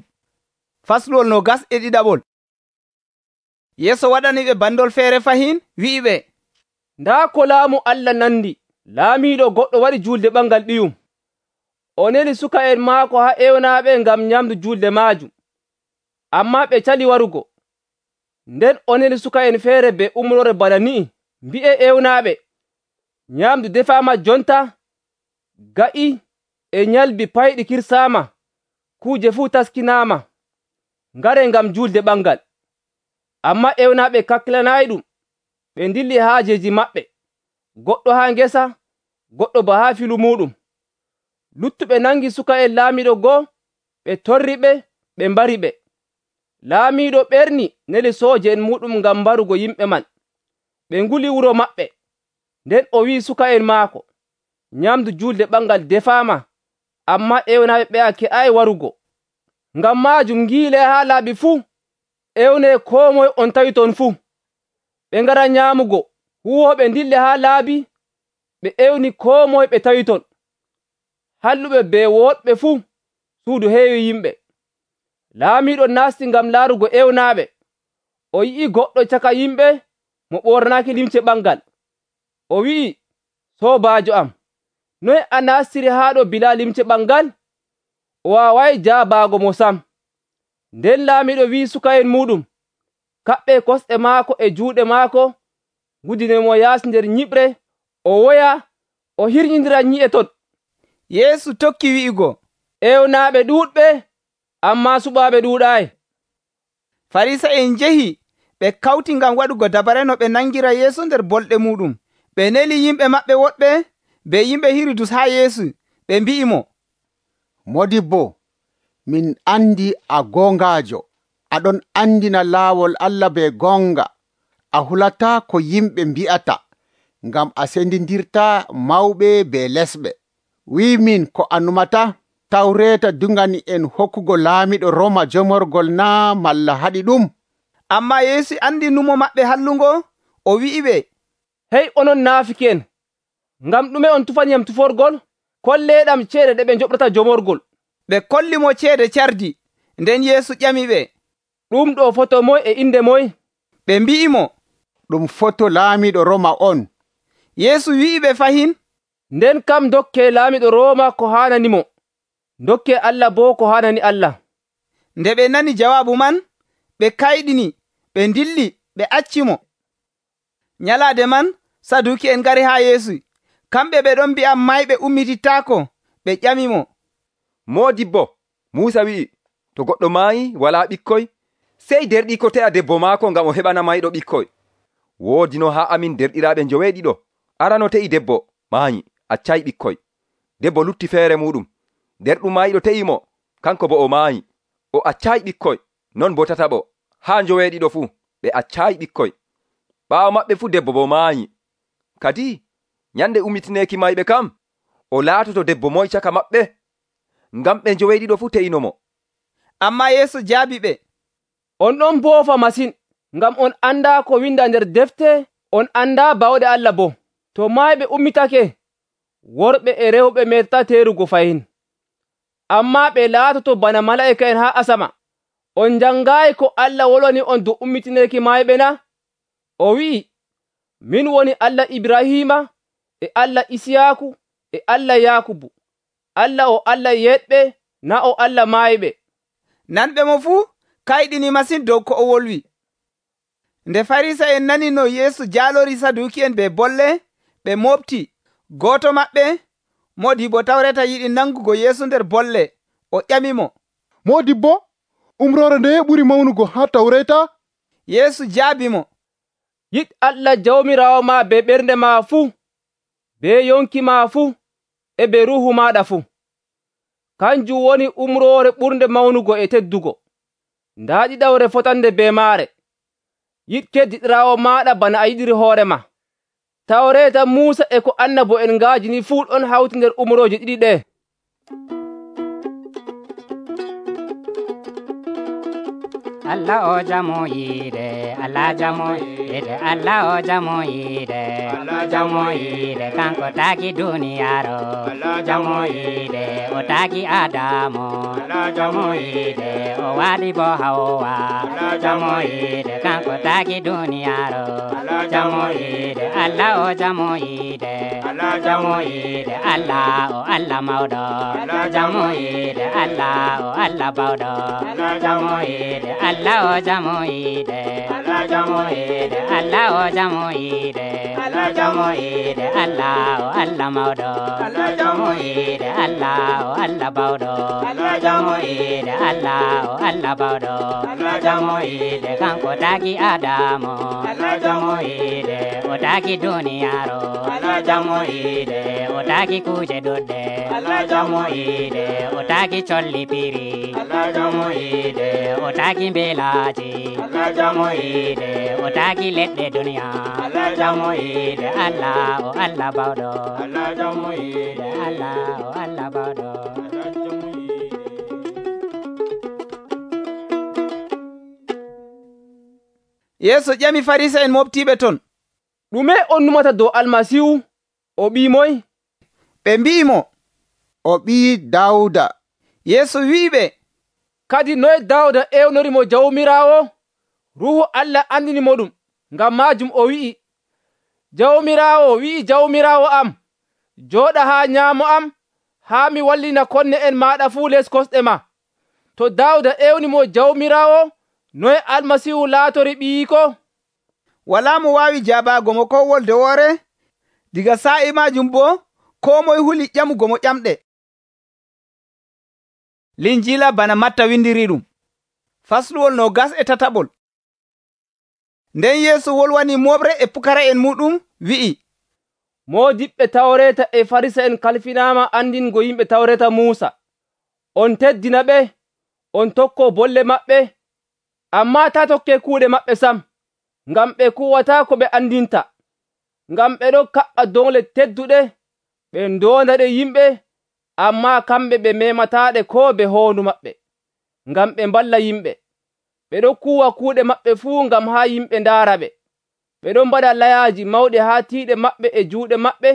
fasluwol 21. Yeesu waɗaniɓe bandol feere fahin, wi'iɓe, ndaa ko laamu Allah nandi. Laamiiɗo goɗɗo waɗi julde ɓangal ɓiyum. O neli suka'en maako haa ewnaaɓe ngam nyamdu julde maajum, ammaa ɓe cali warugo. Nden o neli suka'en feere be umrore bana ni'i, mbi'e ewnaaɓe, nyamdu defaama jonta, ga'i e nyalbi payɗi kirsaama, kuuje fuu taskinaama, ngare ngam julde ɓangal. Ammaa ewnaaɓe kakkilanaayi ɗum, ɓe ndilli haajeji maɓɓe, goɗɗo haa ngesa, goɗɗo ba haa filu muɗum. Luttuɓe nangi suka'en laamiiɗo go'o, ɓe torri ɓe, ɓe mbari ɓe. Laamiiɗo ɓerni neli sooje'en muɗum ngam mbarugo yimɓe man. Ɓe nguli wuro maɓɓe. Nden o wi'i suka'en maako, nyamdu julde ɓangal defaama, ammaa ewnaaɓe ɓe'a ke'aayi warugo. Ngam maajum ngiile haa laaɓi fuu, ewnee koo moye on tawi ton fuu. Ɓe ngara nyaamugo, huwooɓe ndille haa laabi, ɓe ewni koo moye ɓe tawi ton. Halluɓe be woɗɓe fuu, suudu heewi yimɓe. Laamiiɗo naasti ngam laarugo ewnaaɓe. O yi'i goɗɗo caka yimɓe mo ɓornaaki limce ɓangal. O wi'i, soobaajo am, noye a naastiri haa ɗo bilaa limce ɓangal? O waawayi jaabaago mo sam. Nden laamiiɗo wi'i suka'en muɗum, kaɓɓee kosɗe maako e juuɗe maako, ngudinemo yaasi nder nyiɓre, o woya, o hirƴindira nyi'e ton. Yeesu tokki wi'igo, ewnaaɓe ɗuuɗɓe, ammaa suɓaaɓe ɗuuɗaayi. Farisa'en njehi, ɓe kawti ngam waɗugo dabare no ɓe nangira Yeesu nder bolɗe muɗum. Ɓe neli yimɓe maɓɓe woɗɓe be yimɓe Hirudus haa Yeesu, ɓe mbi'imo, Modibbo, min andi a goongaajo, aɗon andina laawol Allah be gonga, a hulataa ko yimɓe mbi'ata, ngam a sendindirta mawɓe be lesɓe. Wi'min ko a numata, Tawreeta dungani en hokkugo laamiɗo Roma jomorgol naa malla haɗi ɗum? Ammaa Yeesu andi numo maɓɓe hallungo, o wi'iɓe, hey onon naafiki'en, ngam ɗume on tufaniyam tuforgol? Kolleeɗam ceede ɗe ɓe njoɓrata jomorgol. Ɓe kolli mo ceede cardi. Nden Yeesu ƴamiɓe, ɗum ɗo foto moy e inde moy? Ɓe mbi'imo, ɗum foto laamiɗo Roma on. Yeesu wi'iɓe fahin, nden kam dokke laamiɗo Roma ko haananimo, dokke Allah boo ko haanani Allah. Nde ɓe nani jawaabu man, ɓe kayɗini, ɓe ndilli, ɓe accimo. Nyalaade man, Saduki'en ngari haa Yeesu. Kamɓe ɓe ɗon mbi'a mayɓe ummitittaako. Ɓe ƴamimo, Moodibbo, Muusa wi'i, to goɗɗo maayi walaa ɓikkoy, sey derɗii te'a debbo maako ngam o heɓana mayɗo ɓikkoy. Woodi no haa amin derɗiraaɓe njoweeɗiɗo, arano te'i debbo maayi, accay ɓikkoy. Debbo lutti feere muɗum, derɗum maayiɗo te'imo, kanko bo o maayi, o accay ɓikkoy. Non bo tataɓo, haa njoweeɗiɗo fuu, ɓe accay ɓikkoy. Ɓaawo maɓɓe fuu debbo bo maayi. Kadi nyande ummitineeki mayɓe kam, o laatoto debbo moy caka maɓɓe, ngam ɓe njoweeɗiɗo fuu te'inomo. Ammaa Yeesu jaabi ɓe, on ɗon boofa masin, ngam on andaa ko winda nder defte, on andaa bawɗe Allah bo. To mayɓe ummitake, worɓe e rewɓe metata teerugo fayin. Ammaa ɓe laatoto bana mala'ika'en haa asama. On njangaayi ko Allah wolwani on dow ummitineeki mayɓe na? O wi'i, min woni Allah Ibrahima, e Allah Isiyaaku, e Allah Yaakubu. Allah o Allah yeɗɓe, na o Allah maayiɓe. Nanɓe mo fuu kayɗini masin dow ko o wolwi. Nde Farisa'en nani no Yeesu jaalori Saduki'en be bolle, ɓe mofti. Gooto maɓɓe, Moodibbo Tawreeta, yiɗi nangugo Yeesu nder bolle. O ƴamimo, Moodibbo, umrore ndeye ɓuri mawnugo haa Tawreeta? Yeesu jaabi mo, yiɗ Allah jawmiraawo ma be ɓernde ma fuu, be yonki ma fuu, e be ruuhu maɗa fuu. Kanjum woni umroore ɓurnde mawnugo e teddugo. Ndaa ɗiɗawre fotande be maare. Yiɗ keddiɗiraawo maɗa bana a yiɗiri hoore ma. Tawreeta Muusa e ko annabo'en ngaajini fuu ɗon hawti nder umrooje ɗiɗi ɗe. Allah o jamo yide, Allah jamo yide, Allah o jamo yide, Allah jamo yide, kanko taki duniyaro, Allah jamo yide, o taki Adamo, Allah jamo yide, o wadi bo Hawa, Allah jamo yide, kanko taki duniyaro, Allah jamo yide, Allah o jamo yide, Allah jamo yide, Allah o Allah mawdo, Allah jamo yide, Allah o Allah bawdo, Allah jamo yide, Allah o jamo yide, Allah jamo yide, Allah o jamo yide, Allah jamo yide, Allah o Allah mawdo, Allah jamo yide, Allah o Allah bawdo, Allah jamo yide, Allah o Allah bawdo, Allah jamo yide, kanko taki Adamo, Allah jamo yide, o taki duniyaro, Allah jamo yide, o taki kuje dudde, Allah jamo yide, o taki colli piri, Allah jamo yide, o taki belaji, Allah jamo yide, o taki leɗɗe duniya, Allah jamo yide, Allah o Allah bawɗo, Allah jamo yide, Allah o Allah bawɗo. Yeesu ƴami Farisa'en moftiɓe ton, ɗume on numata dow Almasihu? O ɓii moye? Ɓe mbi'imo, o ɓii Dawda. Yeesu wi'iɓe, kadi noye Dawda ewnorimo Jawmiraawo? Ruuhu Allah andinimo ɗum. Ngam maajum o wi'i, Jawmiraawo wi'i Jawmiraawo am, jooɗa haa nyaamo am, haa mi wallina konne en maaɗa fuu les kosɗe ma. To Dawda ewnimo Jawmiraawo, noye Almasihu laatori ɓiyiko? Walaa mo waawi jaabago mo ko wolde woore. Diga sa'i majum bo, koo moye huli ƴamugo mo ƴamɗe. Linjila bana Matta windiri ɗum. Fasluwol 27. Nden Yeesu wolwani moɓre e pukara'en muɗum wi'i, moodiɓɓe Tawreeta e Farisa'en kalfinaama andingo yimɓe Tawreeta Muusa. On teddina ɓe, on tokko bolle maɓɓe, ammaa taa tokkee kuuɗe maɓɓe sam, ngam ɓe kuwataa ko ɓe andinta. Ngam ɓe ɗon kaɓɓa dongle tedduɗe, ɓe ndoondaɗe yimɓe, ammaa kamɓe ɓe memataaɗe koo be hoondu maɓɓe, ngam ɓe mballa yimɓe. Ɓe ɗon kuwa kuuɗe maɓɓe fuu ngam haa yimɓe ndaara ɓe. Ɓe ɗon mbaɗa layaaji mawɗi haa tiiɗe maɓɓe e juuɗe maɓɓe.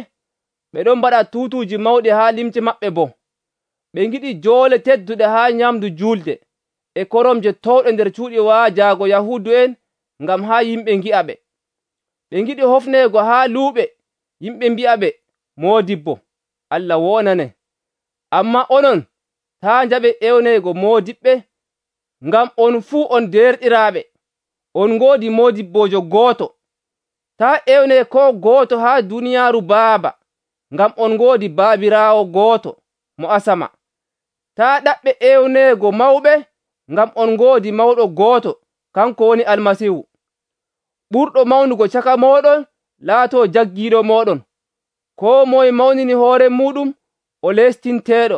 Ɓe ɗon mbaɗa tuutuuji mawɗi haa limce maɓɓe boo. Ɓe ngiɗi joole tedduɗe haa nyamdu juulde, e koromje towɗe nder cuuɗi waajaago Yahuudu'en ngam haa yimɓe ngi'a ɓe. Ɓe ngiɗi hofneego haa luuɓe, yimɓe mbi'a ɓe, moodibbo, Allah wonane. Ammaa onon, taa njaɓe ewneego moodiɓɓe, ngam on fuu on derɗiraaɓe. On ngoodi moodibbojo gooto. Taa ewne ko gooto haa duniyaaru Baaba, ngam on ngoodi Baabiraawo gooto mo asama. Taa ɗaɓɓe ewneego mawɓe, ngam on ngoodi mawɗo gooto, kanko woni Almasihu. Ɓurɗo mawnugo caka mooɗon laatoo jaggiiɗo mooɗon. Koo moye mawnini hoore muɗum, o lestinteeɗo.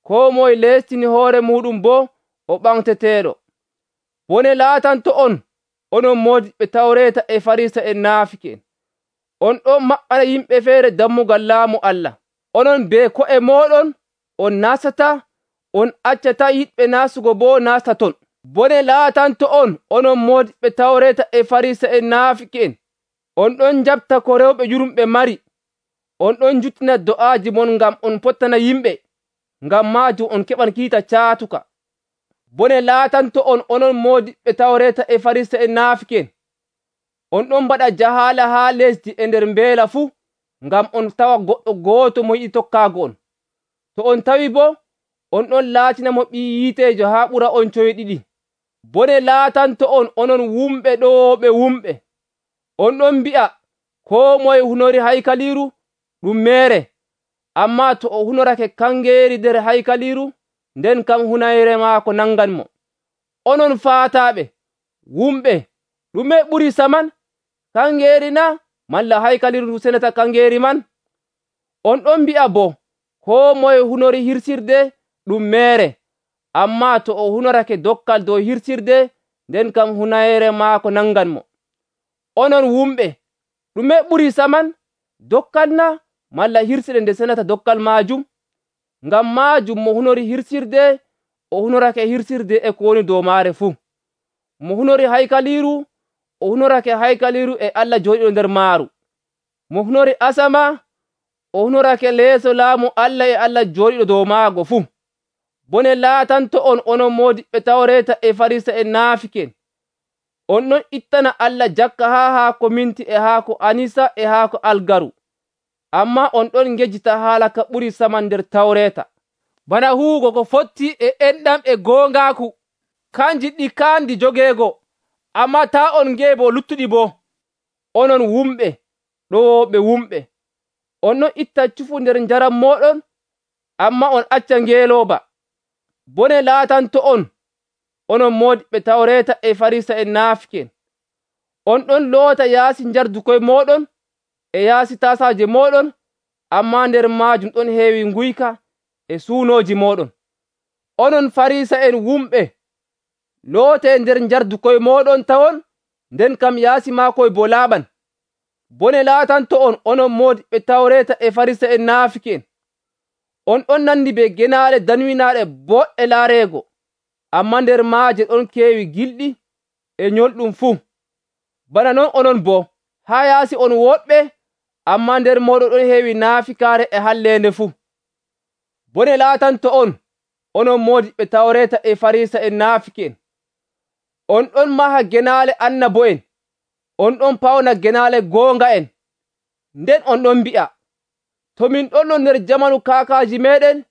Koo moye lestini hoore muɗum boo, o ɓamteteeɗo. Bone laatanto on, onon moodiɓɓe Tawreeta e Farisa'en naafiki'en. On ɗon maɓɓana yimɓe feere dammugal laamu Allah. Onon be ko'e mooɗon, on nastataa, on accataa yiɗɓe nastugo boo nasta ton. Bone laatanto on, onon moodiɓɓe Tawreeta e Farisa'en naafiki'en. On ɗon njaɓta ko rewɓe yurumɓe mari. On ɗon juttina do'aaji mon ngam on pottana yimɓe. Ngam maajum on keɓan kiita caatuka. Bone laatanto on, onon moodiɓɓe Tawreeta e Farisa'en naafiki'en. On ɗon mbaɗa jahaala haa lesdi e nder mbeela fuu, ngam on tawa goɗɗo gooto mo yiɗi tokkaago on. To on tawi boo, on ɗon laatina mo ɓii yiiteejo haa ɓura on coyɗiɗi. Bone laatanto on, onon wumɓe ɗooɓe wumɓe. On ɗon mbi'a, koo moye hunori haykaliiru ɗum meere, ammaa to o hunorake kangeeri nder haykaliiru, nden kam hunayre maako nanganmo. Onon faataaɓe, wumɓe, ɗume ɓuri saman? kangeeri na malla haykaliru ndu senata kangeeri man? On ɗon mbi'a bo koo moye hunori hirsirde ɗum meere, ammaa to o hunorake dokkal dow hirsirde, nden kam hunayere maako nanganmo. Onon wumɓe, ɗume ɓurii saman, dokkal na malla hirsirde nde senata dokkal maajum? Ngam maajum mo hunori hirsirde o hunorake hirsirde e ko woni dow maare fuu. Mo hunori haykaliru o hunorake haykaliru e Allah jooɗiɗo nder maaru. Mo hunori asama o hunorake leeso laamu Allah e Allah jooɗiɗo dow maago fuu. Bone laatanto on onon moodiɓɓe Tawreeta e Farisa'en naafiken! On ɗon ittana Allah jakka haa haako minti e haako anisa e haako algaru, ammaa on ɗon ngejjita haala ka ɓuri saman nder Tawreeta, bana huugo ko fotti e enɗam e goongaaku. Kanji ɗi kaandi jogeego, ammaa taa on ngeebo luttuɗi boo. Onon wumɓe, ɗowooɓe wumɓe, on ɗon itta cufu nder njaram mooɗon, ammaa on acca ngeelooba. Bone laatanto on, onon moodiɓɓe Tawreeta e Farisa'en naafiken! On ɗon loota yaasi njardu koye mooɗon e yaasi tasaaje mooɗon, ammaa nder maajum ɗon heewi nguyka e suunooji mooɗon. Onon Farisa'en wumɓe, lootee nder njardu koye mooɗon tawon, nden kam yaasi maakoye bo laaɓan. Bone laatanto on, onon moodiɓɓe Tawreeta e Farisa'en naafiken! On ɗon nandi be genaale danwinaaɗe boɗɗe laareego, ammaa nder maaje ɗon keewi gilɗi e nyolɗum fuu. Bana non onon boo, haa yaasi on woɗɓe, ammaa nder mooɗon ɗon heewi naafikaare e halleende fuu. Bone laatanto on, onon moodiɓɓe Tawreeta e Farisa'en naafiken! On ɗon maha genaale annabo'en, on ɗon pawna genaale goonga'en, nden on ɗon mbi'a, to min ɗonno nder jamanu kaakaaji meeɗen,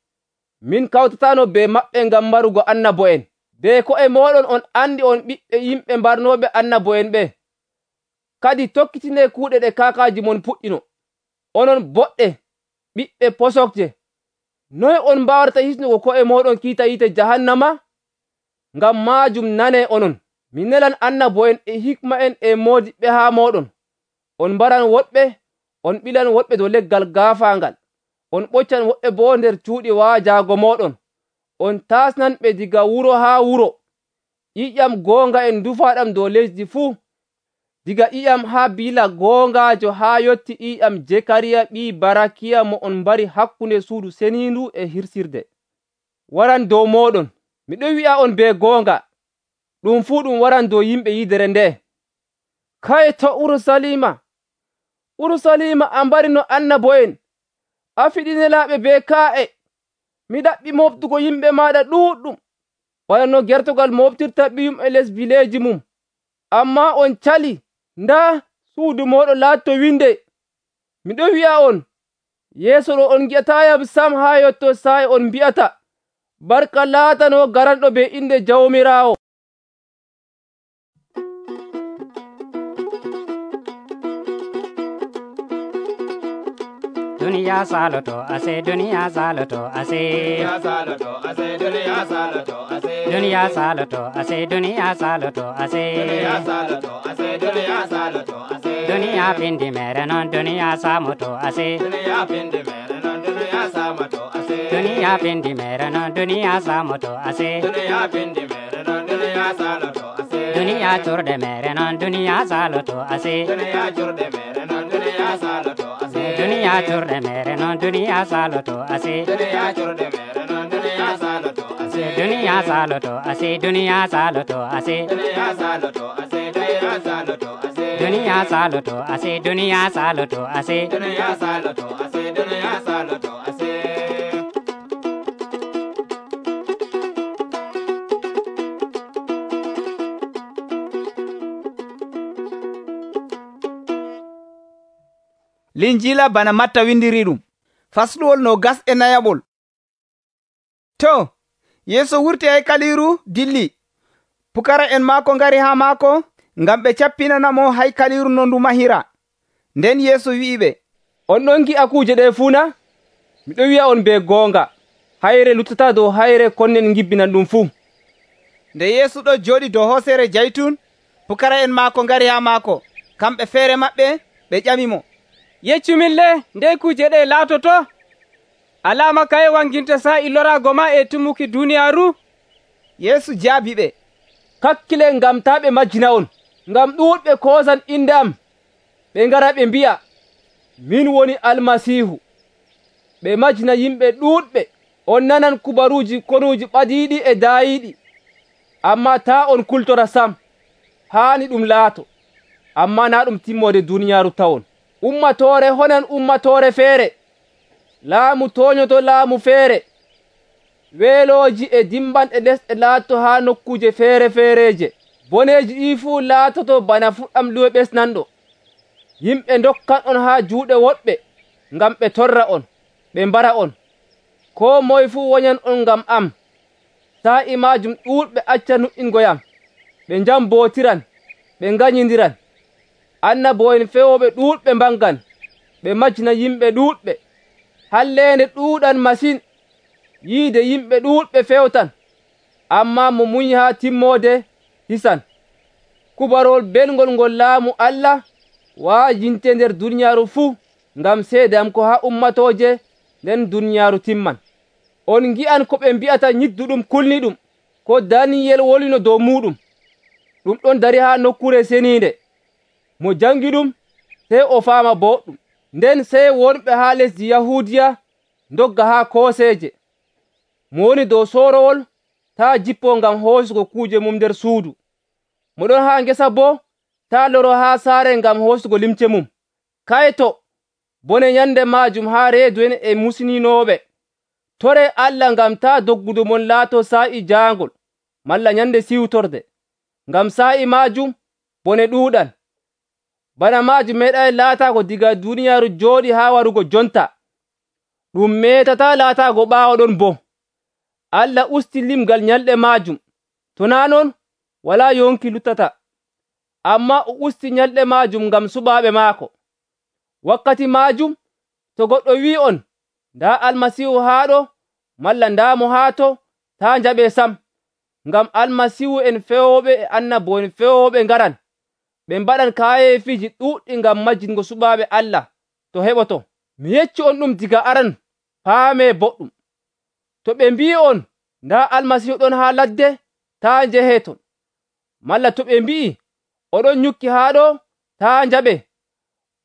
min kawtataano be maɓɓe ngam marugo annabo'en. Be ko'e mooɗon on andi on ɓiɓɓe yimɓe mbarnooɓe annabo'en ɓe. Kadi tokkitinee kuuɗe ɗe kaakaaji mon puɗɗino. Onon boɗɗe, ɓiɓɓe posokje, noye on mbaawata hisnugo ko'e mooɗon kiita yiite jahannama? Ngam maajum nanee onon, mi nelan annabo'en e hikma'en e moodiɓɓe haa mooɗon. On mbaran woɗɓe, on ɓilan woɗɓe dow leggal gaafaangal, on ɓoccan woɓɓe boo nder cuuɗi waajaago mooɗon, on taasnan ɓe diga wuro haa wuro. ƴiƴam goonga'en ndufaaɗam dow lesdi fuu, diga ƴiƴam haa Bila goongaajo haa yotti ƴiƴam Jekariya ɓii Barakiya mo on mbari hakkunde suudu seniindu e hirsirde. Waran dow mooɗon, miɗon wi'a on be goonga, ɗum fuu ɗum waran dow yimɓe yidere nde. Kayto Urusalima! Urusalima a mbarino annabo'en, a fiɗinelaaɓe be kaa'e, mi ɗaɓɓi moftugo yimɓe maaɗa ɗuuɗɗum, bana no gertogal moftirta ɓiyum e les bileeji mum. Ammaa on cali, ndaa suudu mooɗon laatto winde. Miɗon wi'a on, yeeso ɗo on ngi'ataayam sam haa yotto saa'i on mbi'ata, barka laatano garanɗo be inde Jawmiraawo. Duniya saloto ase, duniya saloto ase, duniya saloto ase, duniya saloto ase, duniya saloto ase, duniya saloto ase, duniya saloto ase, duniya saloto ase, duniya pindi mere non duniya samoto ase, duniya pindi mere non duniya samoto ase, duniya pindi mere non duniya samoto ase, duniya pindi mere non duniya saloto ase, duniya churde mere non duniya saloto ase, duniya churde mere non duniya saloto ase, duniya churde mere non duniya saloto ase, duniya churde mere non duniya saloto ase, duniya saloto ase, duniya saloto ase, duniya saloto ase, duniya saloto ase, duniya saloto ase, duniya saloto ase, duniya saloto ase, duniya saloto ase. Linjila bana Matta windiri ɗum, fasluwol 29. To, Yeesu wurti haykaliru dilli, pukara en maako ngari haa maako, ngam ɓe cappinanamo haykaliru no ndu mahira. Nden Yeesu wi'iɓe, on ɗon gi'a kuuje ɗe fuuna? Miɗon wi'a on be goonga, hayre luttata dow hayre konnen ngibbinan ɗum fuu. Nde Yeesu ɗo jooɗi dow hoosere jaytun, pukara en maako ngari haa maako, kamɓe feere maɓɓe ɓe ƴamimo, yeccumin le ndey kuje ɗe laatoto? Alama kaye wanginta sa'i loraago ma e tumuki duniyaaru? Yeesu jaabi ɓe, kakkilen ngam taa ɓe majjina on, ngam ɗuuɗɓe koosan inde am, ɓe ngara ɓe mbi'a, min woni Almasiihu. Ɓe majjina yimɓe ɗuuɗɓe. On nanan kubaruuji konuuji ɓadiiɗi e daayiiɗi, ammaa taa on kultora sam. Haani ɗum laato, ammaa naa ɗum timmoode duniyaaru tawon. Ummatoore honan ummatoore feere, laamu tooñoto laamu feere. Weelooji e dimbanɗe lesɗe laatoto haa nokkuuje feere feereeje. Boneeji ɗii fuu laatoto bana fuɗɗam luwe ɓesnanɗo. Yimɓe ndokkan on haa juuɗe woɗɓe ngam ɓe torra on, ɓe mbara on. Koo moye fuu wonyan on ngam am. Sa'i maajum ɗuuɗɓe acca nuɗɗingoyam, ɓe njambootiran, ɓe nganyindiran. Annabo'en feewooɓe ɗuuɗɓe mbangan, ɓe majjina yimɓe ɗuuɗɓe. Halleende ɗuuɗan masin, yiide yimɓe ɗuuɗɓe fewtan, ammaa mo munyi haa timmoode hisan. Kubarol belngol ngol laamu Allah waajinte nder duniyaaru fuu ngam seede am ko haa ummatooje nden duniyaaru timman. On ngi'an ko ɓe mbi'ata nyidduɗum kulniɗum, ko Daniyel wolwino dow muuɗum. Ɗum ɗon dari haa nokkure seniinde. Mo jangi ɗum sey o faama boɗɗum. Nden sey wonɓe haa lesdi Yahuudiya ndogga haa kooseeje. Mo woni dow soorowol taa jippo ngam hoosugo kuuje mum nder suudu. Mo ɗon haa ngesa boo taa loro haa saare ngam hoosugo limce mum. Kayto bone nyande maajum haa reedu en e musininooɓe. Tore Allah ngam taa doggudu mon laato sa'i jaangol malla nyande siwtorde. Ngam sa'i maajum bone ɗuuɗan. Bana maajum meeɗay laataago diga duniyaaru jooɗi haa warugo jonta. Ɗum meetataa laataago ɓaawo ɗon boo. Allah usti limgal nyalɗe maajum. To naa non walaa yonki luttata. Ammaa o usti nyalɗe maajum ngam suɓaaɓe maako. Wakkati maajum to goɗɗo wi'on, ndaa Almasiihu haaɗo malla ndaa mo haato, taa njaɓee sam. Ngam Almasiihu en feewooɓe e annabo'en feewooɓe ngaran. Ɓe mbaɗan kaayefiiji ɗuuɗɗi ngam majjingo suɓaaɓe Allah to heɓoto. Mi yecci on ɗum diga aran, paamee boɗɗum. To ɓe mbi'on ndaa Almasiihu ɗon haa ladde, taa njehee ton. Malla to ɓe mbi'i oɗon nyukki haa ɗo, taa njaɓee.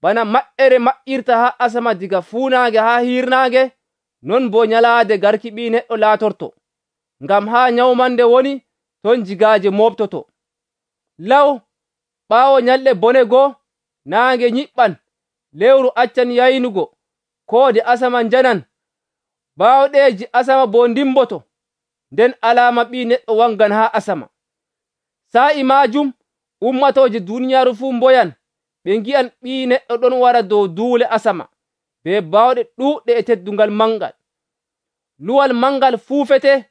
Bana maƴƴere maƴƴirta haa asama diga fuunaange haa hiirnaange, non boo nyalaade garki Ɓii Neɗɗo laatorto. Ngam haa nyawmande woni, ton jigaaje moobtoto. Law ɓaawo nyalɗe bone goo, naange nyiɓɓan, lewru accan yaynugo, koode asama njanan, baawɗeeji asama boo ndimboto, nden alaama Ɓii Neɗɗo wangan haa asama. Sa'i maajum ummatooje duniyaaru fuu mboyan, ɓe ngi'an Ɓii Neɗɗo ɗon wara dow duule asama, be baawɗe ɗuuɗɗe e teddungal mangal. Luwal mangal fuufete,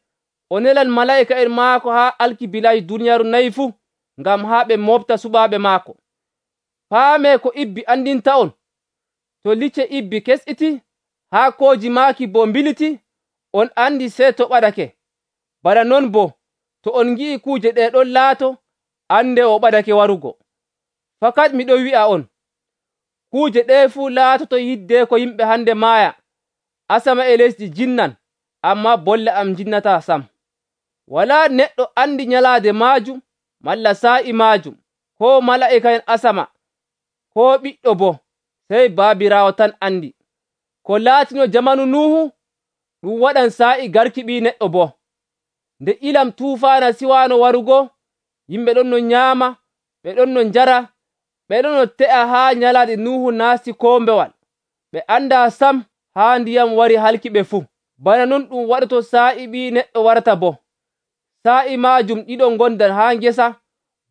o nelan malaa'ika'en maako haa alkibilaaji duniyaaru nayi fuu, ngam haa ɓe moofta suɓaaɓe maako. Paamee ko ibbi andinta on. To licce ibbi kesɗiti, haa kooji maaki boo mbiliti, on andi sey to ɓadake. Bana non boo, to on ngi'i kuuje ɗe ɗon laato, ande o ɓadake warugo. Fakat miɗo wi'a on, kuuje ɗe fuu laatoto yidde ko yimɓe hande maaya, asama e lesdi jinnan, ammaa bolle am jinnataa sam. Walaa neɗɗo andi nyalaade maajum, malla sa'i maajum, koo malaa'ika'en asama, koo ɓiɗɗo boo, sey Baabiraawo tan andi. Ko laatino jamanu Nuhu, ɗum waɗan sa'i garki Ɓii Neɗɗo boo. Nde ilam tuufaana siwaano warugo, yimɓe ɗon no nyaama, ɓe ɗon no njara, ɓe ɗon no te'a haa nyalaade Nuhu naasti koombewal. Ɓe andaa sam haa ndiyam wari halki ɓe fuu. Bana non ɗum waɗoto sa'i Ɓii Neɗɗo warata boo. Sa'i maajum ɗiɗo ngondan haa ngesa,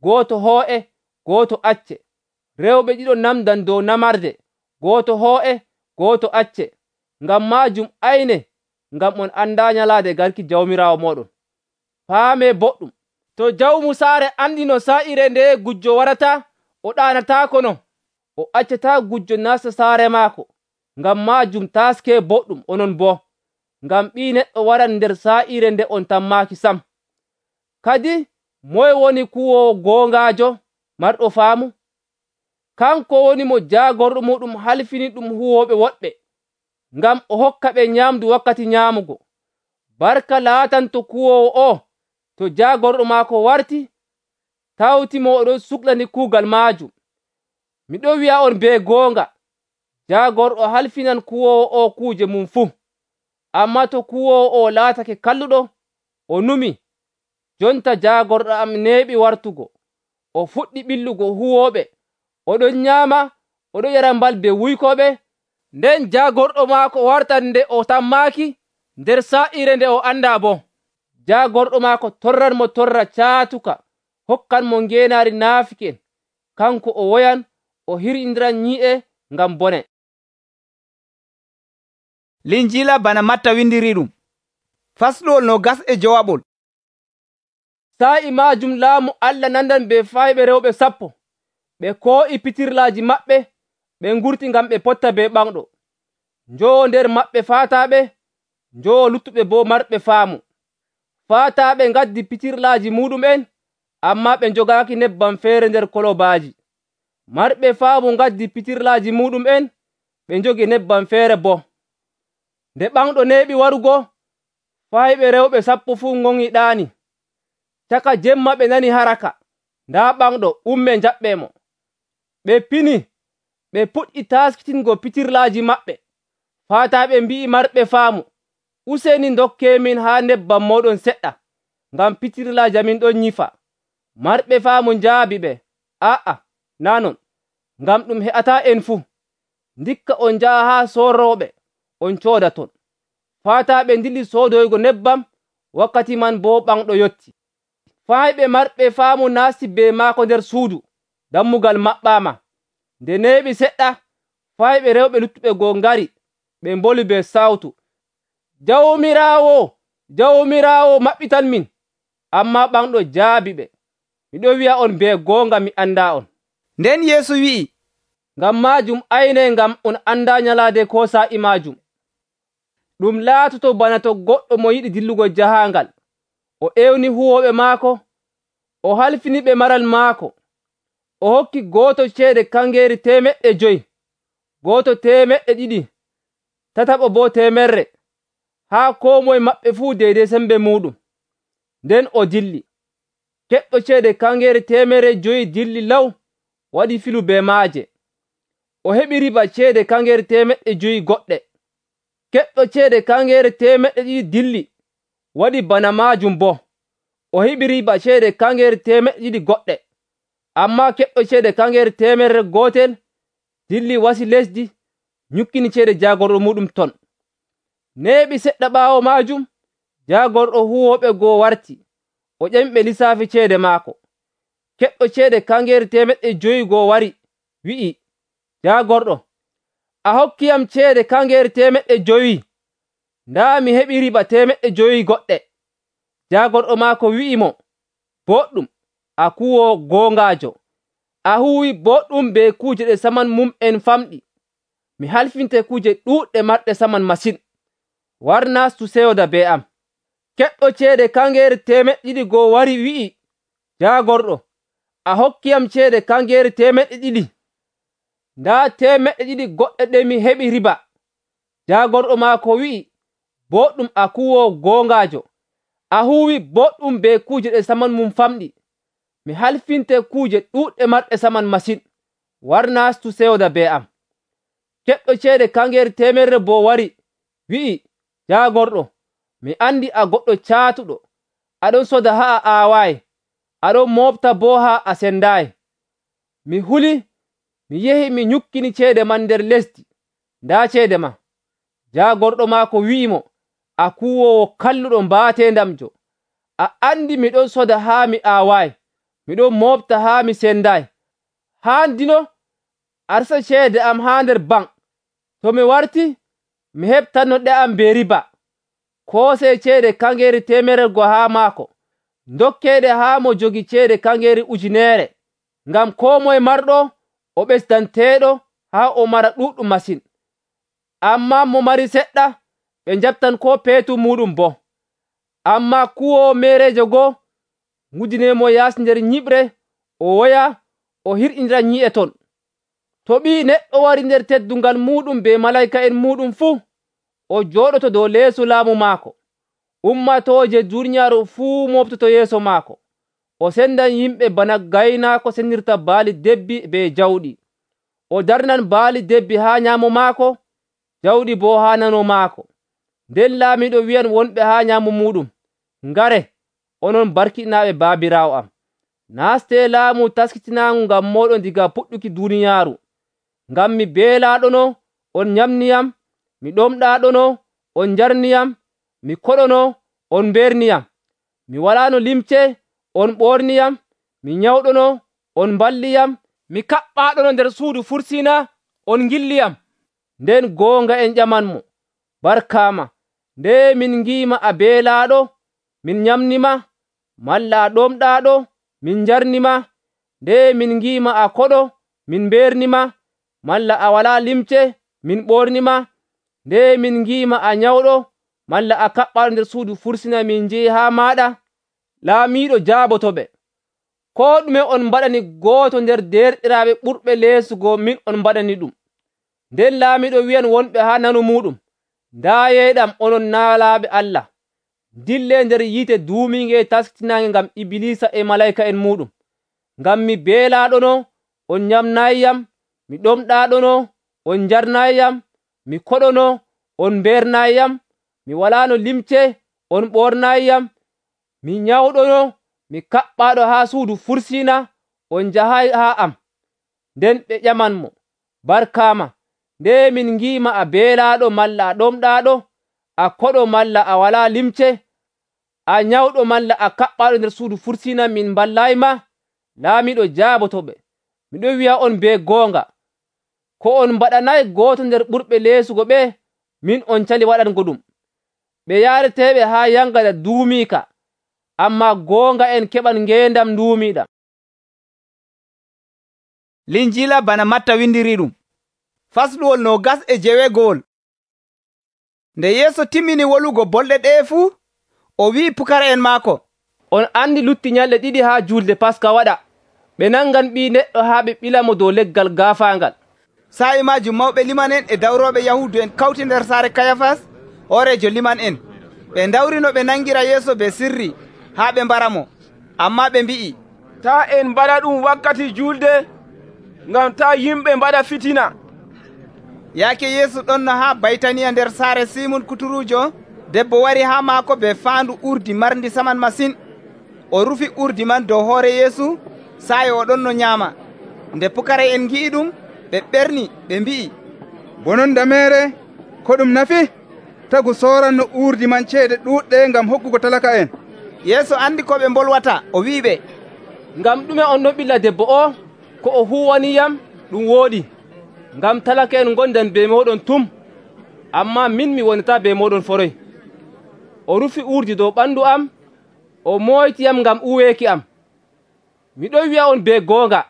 gooto hoo'e, gooto acce. Rewɓe ɗiɗo namdan dow namarde, gooto hoo'e, gooto acce. Ngam maajum ayne, ngam on andaa nyalaade garki Jawmiraawo mooɗon. Paamee boɗɗum. To jawmu saare andi no sa'ire nde gujjo warata, o ɗaanataako no, o accataa gujjo nasta saare maako. Ngam maajum taaskee boɗɗum onon boo, ngam Ɓii Neɗɗo waran nder sa'ire nde on tammaaki sam. Kadi moye woni kuwoowo goongaajo marɗo faamu? kanko woni mo jaagorɗo muɗum halfini ɗum huwoɓe woɗɓe, ngam o hokka ɓe nyamdu wakkati nyaamugo. Barka laatanto kuwoowo o to jaagorɗo maako warti tawtimo oɗon suklani kuugal maajum. Miɗon wi'a on be goonga, jaagorɗo halfinan kuwoowo o kuuje mum fuu. Ammaa to kuwoowo o laatake kalluɗo, o numi, jonta jaagorɗo am neeɓi wartugo, o fuɗɗi ɓillugo huwooɓe, oɗon nyaama, oɗon yara balbe wuykoɓe, nden jaagorɗo maako wartan nde o tammaaki nder saa'ire nde o andaa boo. Jaagorɗo maako torran mo torra caatuka, hokkan mo ngeenaari naafiken, kanko o woyan o hirƴindiran nyi'e ngam bone. Linjiila bana Matta windiri ɗum. Fasluwol 21. Sa'i maajum laamu Allah nandan be fayɓe rewɓe 10, ɓe koo'i pitirlaaji maɓɓe, ɓe ngurti ngam ɓe potta be ɓanɗo. Njowo nder maɓɓe faataaɓe, njowo luttuɓe boo marɓe faamu. Faataaɓe ngaddi pitirlaaji muɗum'en, ammaa ɓe njogaaki nebbam feere nder kolobaaji. Marɓe faamu ngaddi pitirlaaji muɗum'en, ɓe njogi nebbam feere boo. Nde ɓanɗo neeɓi warugo, fayɓe rewɓe 10 fuu ŋoŋi ɗaani. Caka jemma ɓe nani haraka, ndaa ɓanɗo umme njaɓɓee mo. Ɓe pini, ɓe puɗɗi taaskitingo pitirlaaji maɓɓe. Faataaɓe mbi'i marɓe faamu, useni ndokkeemin haa nebbam mooɗon seɗɗa, ngam pitirlaaji amin ɗon nyifa. Marɓe faamu njaabi ɓe, aa'a, naa non, ngam ɗum he'ataa en fuu. Ndikka on njaha haa soorooɓe, on cooda ton. Faataaɓe ndilli soodoygo nebbam, wakkati man boo ɓanɗo yotti. Fayɓe marɓe faamu naasti be maako nder suudu, dammugal maɓɓaama. Nde neeɓi seɗɗa, fayɓe rewɓe luttuɓe goo ngari, ɓe mboli be sawtu, Jawmiraawo, Jawmiraawo, maɓɓitan min. Ammaa ɓanɗo jaabi ɓe, miɗon wi'a on be goonga mi andaa on. Nden Yeesu wi'i, ngam maajum aynee ngam on andaa nyalaade ko sa'i maajum. Ɗum laatoto bana to goɗɗo mo yiɗi dillugo jahaangal, o ewni huwooɓe maako, o halfini ɓe maral maako. O hokki gooto ceede kangeeri 500, gooto 200, tataɓo boo 100, haa koo moye maɓɓe fuu deydey sembe muuɗum. Nden o dilli. Keɓɗo ceede kangeeri 500 dilli law, waɗi filu be maaje. O heɓi riba ceede kangeeri 500 goɗɗe. Keɓɗo ceede kangeeri 200 dilli, waɗi bana maajum boo. O heɓi riba ceede kangeeri 200 goɗɗe. Ammaa keɓɗo ceede kangeeri 100 dilli wasi lesdi, nyukkini ceede jaagorɗo muɗum ton. Neeɓi seɗɗa ɓaawo maajum, jaagorɗo huwooɓe goo warti, o ƴami ɓe lisaafi ceede maako. Keɓɗo ceede kangeeri 500 goo wari, wi'i, jaagorɗo, a hokkiyam ceede kangeeri 500, ndaa mi heɓi riba 500 goɗɗe. Jaagorɗo maako wi'i mo, boɗɗum, a kuwoowo goongaajo. A huwi boɗɗum be kuuje ɗe saman mum'en famɗi. Mi halfinte kuuje ɗuuɗɗe marɗe saman masin. War naastu seyoda be am. Keɓɗo ceede kangeeri 200 goo wari wi'i, jaagorɗo, a hokkiyam ceede kangeeri 200, ndaa 200 goɗɗe ɗe mi heɓi riba. Jaagorɗo maako wi'i, boɗɗum, a kuwoowo goongaajo. A huwi boɗɗum be kuuje ɗe saman mum famɗi. Mi halfinte kuuje ɗuuɗɗe marɗe saman masin. War naastu seyoda be am. Keɓɗo ceede kangeeri 100 boo wari wi'i, jaagorɗo, mi andi a goɗɗo caatuɗo, aɗon soda haa a aawaayi, aɗon moofta boo haa a sendaayi. Mi huli, mi yehi mi nyukkini ceede man nder lesdi, ndaa ceede ma. Jaagorɗo maako wi'i mo, a kuwoowo kalluɗo mbaateendamjo. A andi miɗon soda haa mi aawaayi, miɗon moofta haa mi sendaayi. Haandino a resa ceede am haa nder bank. To mi warti, mi heɓtanno ɗe am be riba. Koosee ceede kangeeri 100 haa maako, ndokkeeɗe haa mo jogi ceede kangeeri 1,000, ngam koo moye marɗo o ɓesdanteeɗo haa o mara ɗuuɗɗum masin. Ammaa mo mari seɗɗa, ɓe njaɓtan koo peetum muɗum boo. Ammaa kuwoowo meereejo goo, nguddineemo yaasi nder nyiɓre, o woya o hirƴindira nyi'e ton. To Ɓii Neɗɗo wari nder teddungal muɗum be malayka'en muɗum fuu, o jooɗoto dow leeso laamu maako. Ummatooje duuniyaaru fuu moftoto yeeso maako. O sendan yimɓe bana gaynaako sendinirta baali debbi be jawɗi. O darnan baali debbi haa nyaamo maako, jawɗi boo haa nano maako. Nden laamiiɗo wi'an wonɓe haa nyaamo muɗum, ngare, onon barkiɗinaaɓe baabiraawo am. Naastee laamu taskitinaangu ngam mooɗon diga puɗɗuki duuniyaaru. Ngam mi beelaaɗono, on nyamniyam, mi ɗomɗaaɗono, on njarniyam, mi koɗono, on mbeerniyam. Mi walaano limce, on ɓoorniyam, mi nyawɗono, on mballiyam, mi kaɓɓaaɗono nder suudu fursiina, on ngilliyam. Nden goonga en ƴamanmo, barkaama, nde min ngi'ima a beelaaɗo, min nyamnima, malla a ɗomɗaaɗo, min njarnima, nde min ngi'ima a koɗo, min mbeernima, malla a walaa limce, min ɓoornima, nde min ngi'ima a nyawɗo, malla a kaɓɓaaɗo nder suudu fursina min njehi haa maaɗa. Laamiiɗo jaabotoɓe, koo ɗume on mbaɗani gooto nder derɗiraaɓe ɓurɓe leesugo min on mbaɗani ɗum. Nden laamiiɗo wi'an wonɓe haa nano muɗum, ndaayeeɗam onon naalaaɓe Allah, dille nder yiite duumiinge taskitinaange ngam Ibilisa e malayka'en muɗum. Ngam mi beelaaɗono, on nyamnaayiyam, mi ɗomɗaaɗono, on njarnaayiyam, mi koɗono, on mbeernaayiyam, mi walaano limce, on ɓoornaayiyam, mi nyawɗono, mi kaɓɓaaɗo haa suudu fursiina, on njahayi haa am. Nden ɓe ƴamanmo, barkaama, nde min ngi'ima a beelaaɗo malla a ɗomɗaaɗo, a koɗo malla a walaa limce, a nyawɗo malla a kaɓɓaaɗo nder suudu fursiina min mballayima. Laamiiɗo jaabotoɓe, miɗo wi'a on be goonga, ko on mbaɗanayi gooto nder ɓurɓe leesugo ɓe, min on cali waɗango ɗum. Ɓe yaareteeɓe haa yangada duumiika, ammaa goonga en keɓan ngeendam nduumiiɗam. Linjila bana Matta windiri ɗum. Fasluwol 29. Nde Yeesu timmini wolugo bolɗe ɗe fuu, o wi'i pukara'en maako, on andi lutti nyalɗe 2 haa julde Paska waɗa. Ɓe nangan Ɓii Neɗɗo haa ɓe ɓilamo dow leggal gaafaangal. Sa'i majum mawɓe liman en e dawroɓe Yahudu en kawti nder saare Kayafas, horejo liman en. Ɓe ndawri no ɓe nangira Yeesu be sirri haa ɓe mbaramo. Amma ɓe mbi'i, ta en mbaɗa ɗum wakkati julde, ngam ta yimɓe mbaɗa fitina. Yaake Yeesu ɗonno haa Baytaniya nder saare Simun kuturujo, debbo wari haa maako be faandu urdi marndi saman masin. O rufi urdi man dow hoore Yeesu, sa'i o ɗonno nyaama. Nde pukara'en ngi'i ɗum, ɓe ɓerni ɓe mbi'i, bonon dameere, ko ɗum nafi? Tagu sooranno urdi man ceede ɗuuɗɗe ngam hokkugo talaka'en. Yeesu andi ko ɓe mbolwata, o wi'iɓe, ngam ɗume on ɗon ɓilla debbo o? Ko o huwaniyam ɗum wooɗi, ngam talaka'en gondan be moɗon tum, amma min mi wonata be moɗon foroy. O rufi urdi dow ɓandu am, o moytiyam ngam uweeki am. Miɗo wi'a on be goonga,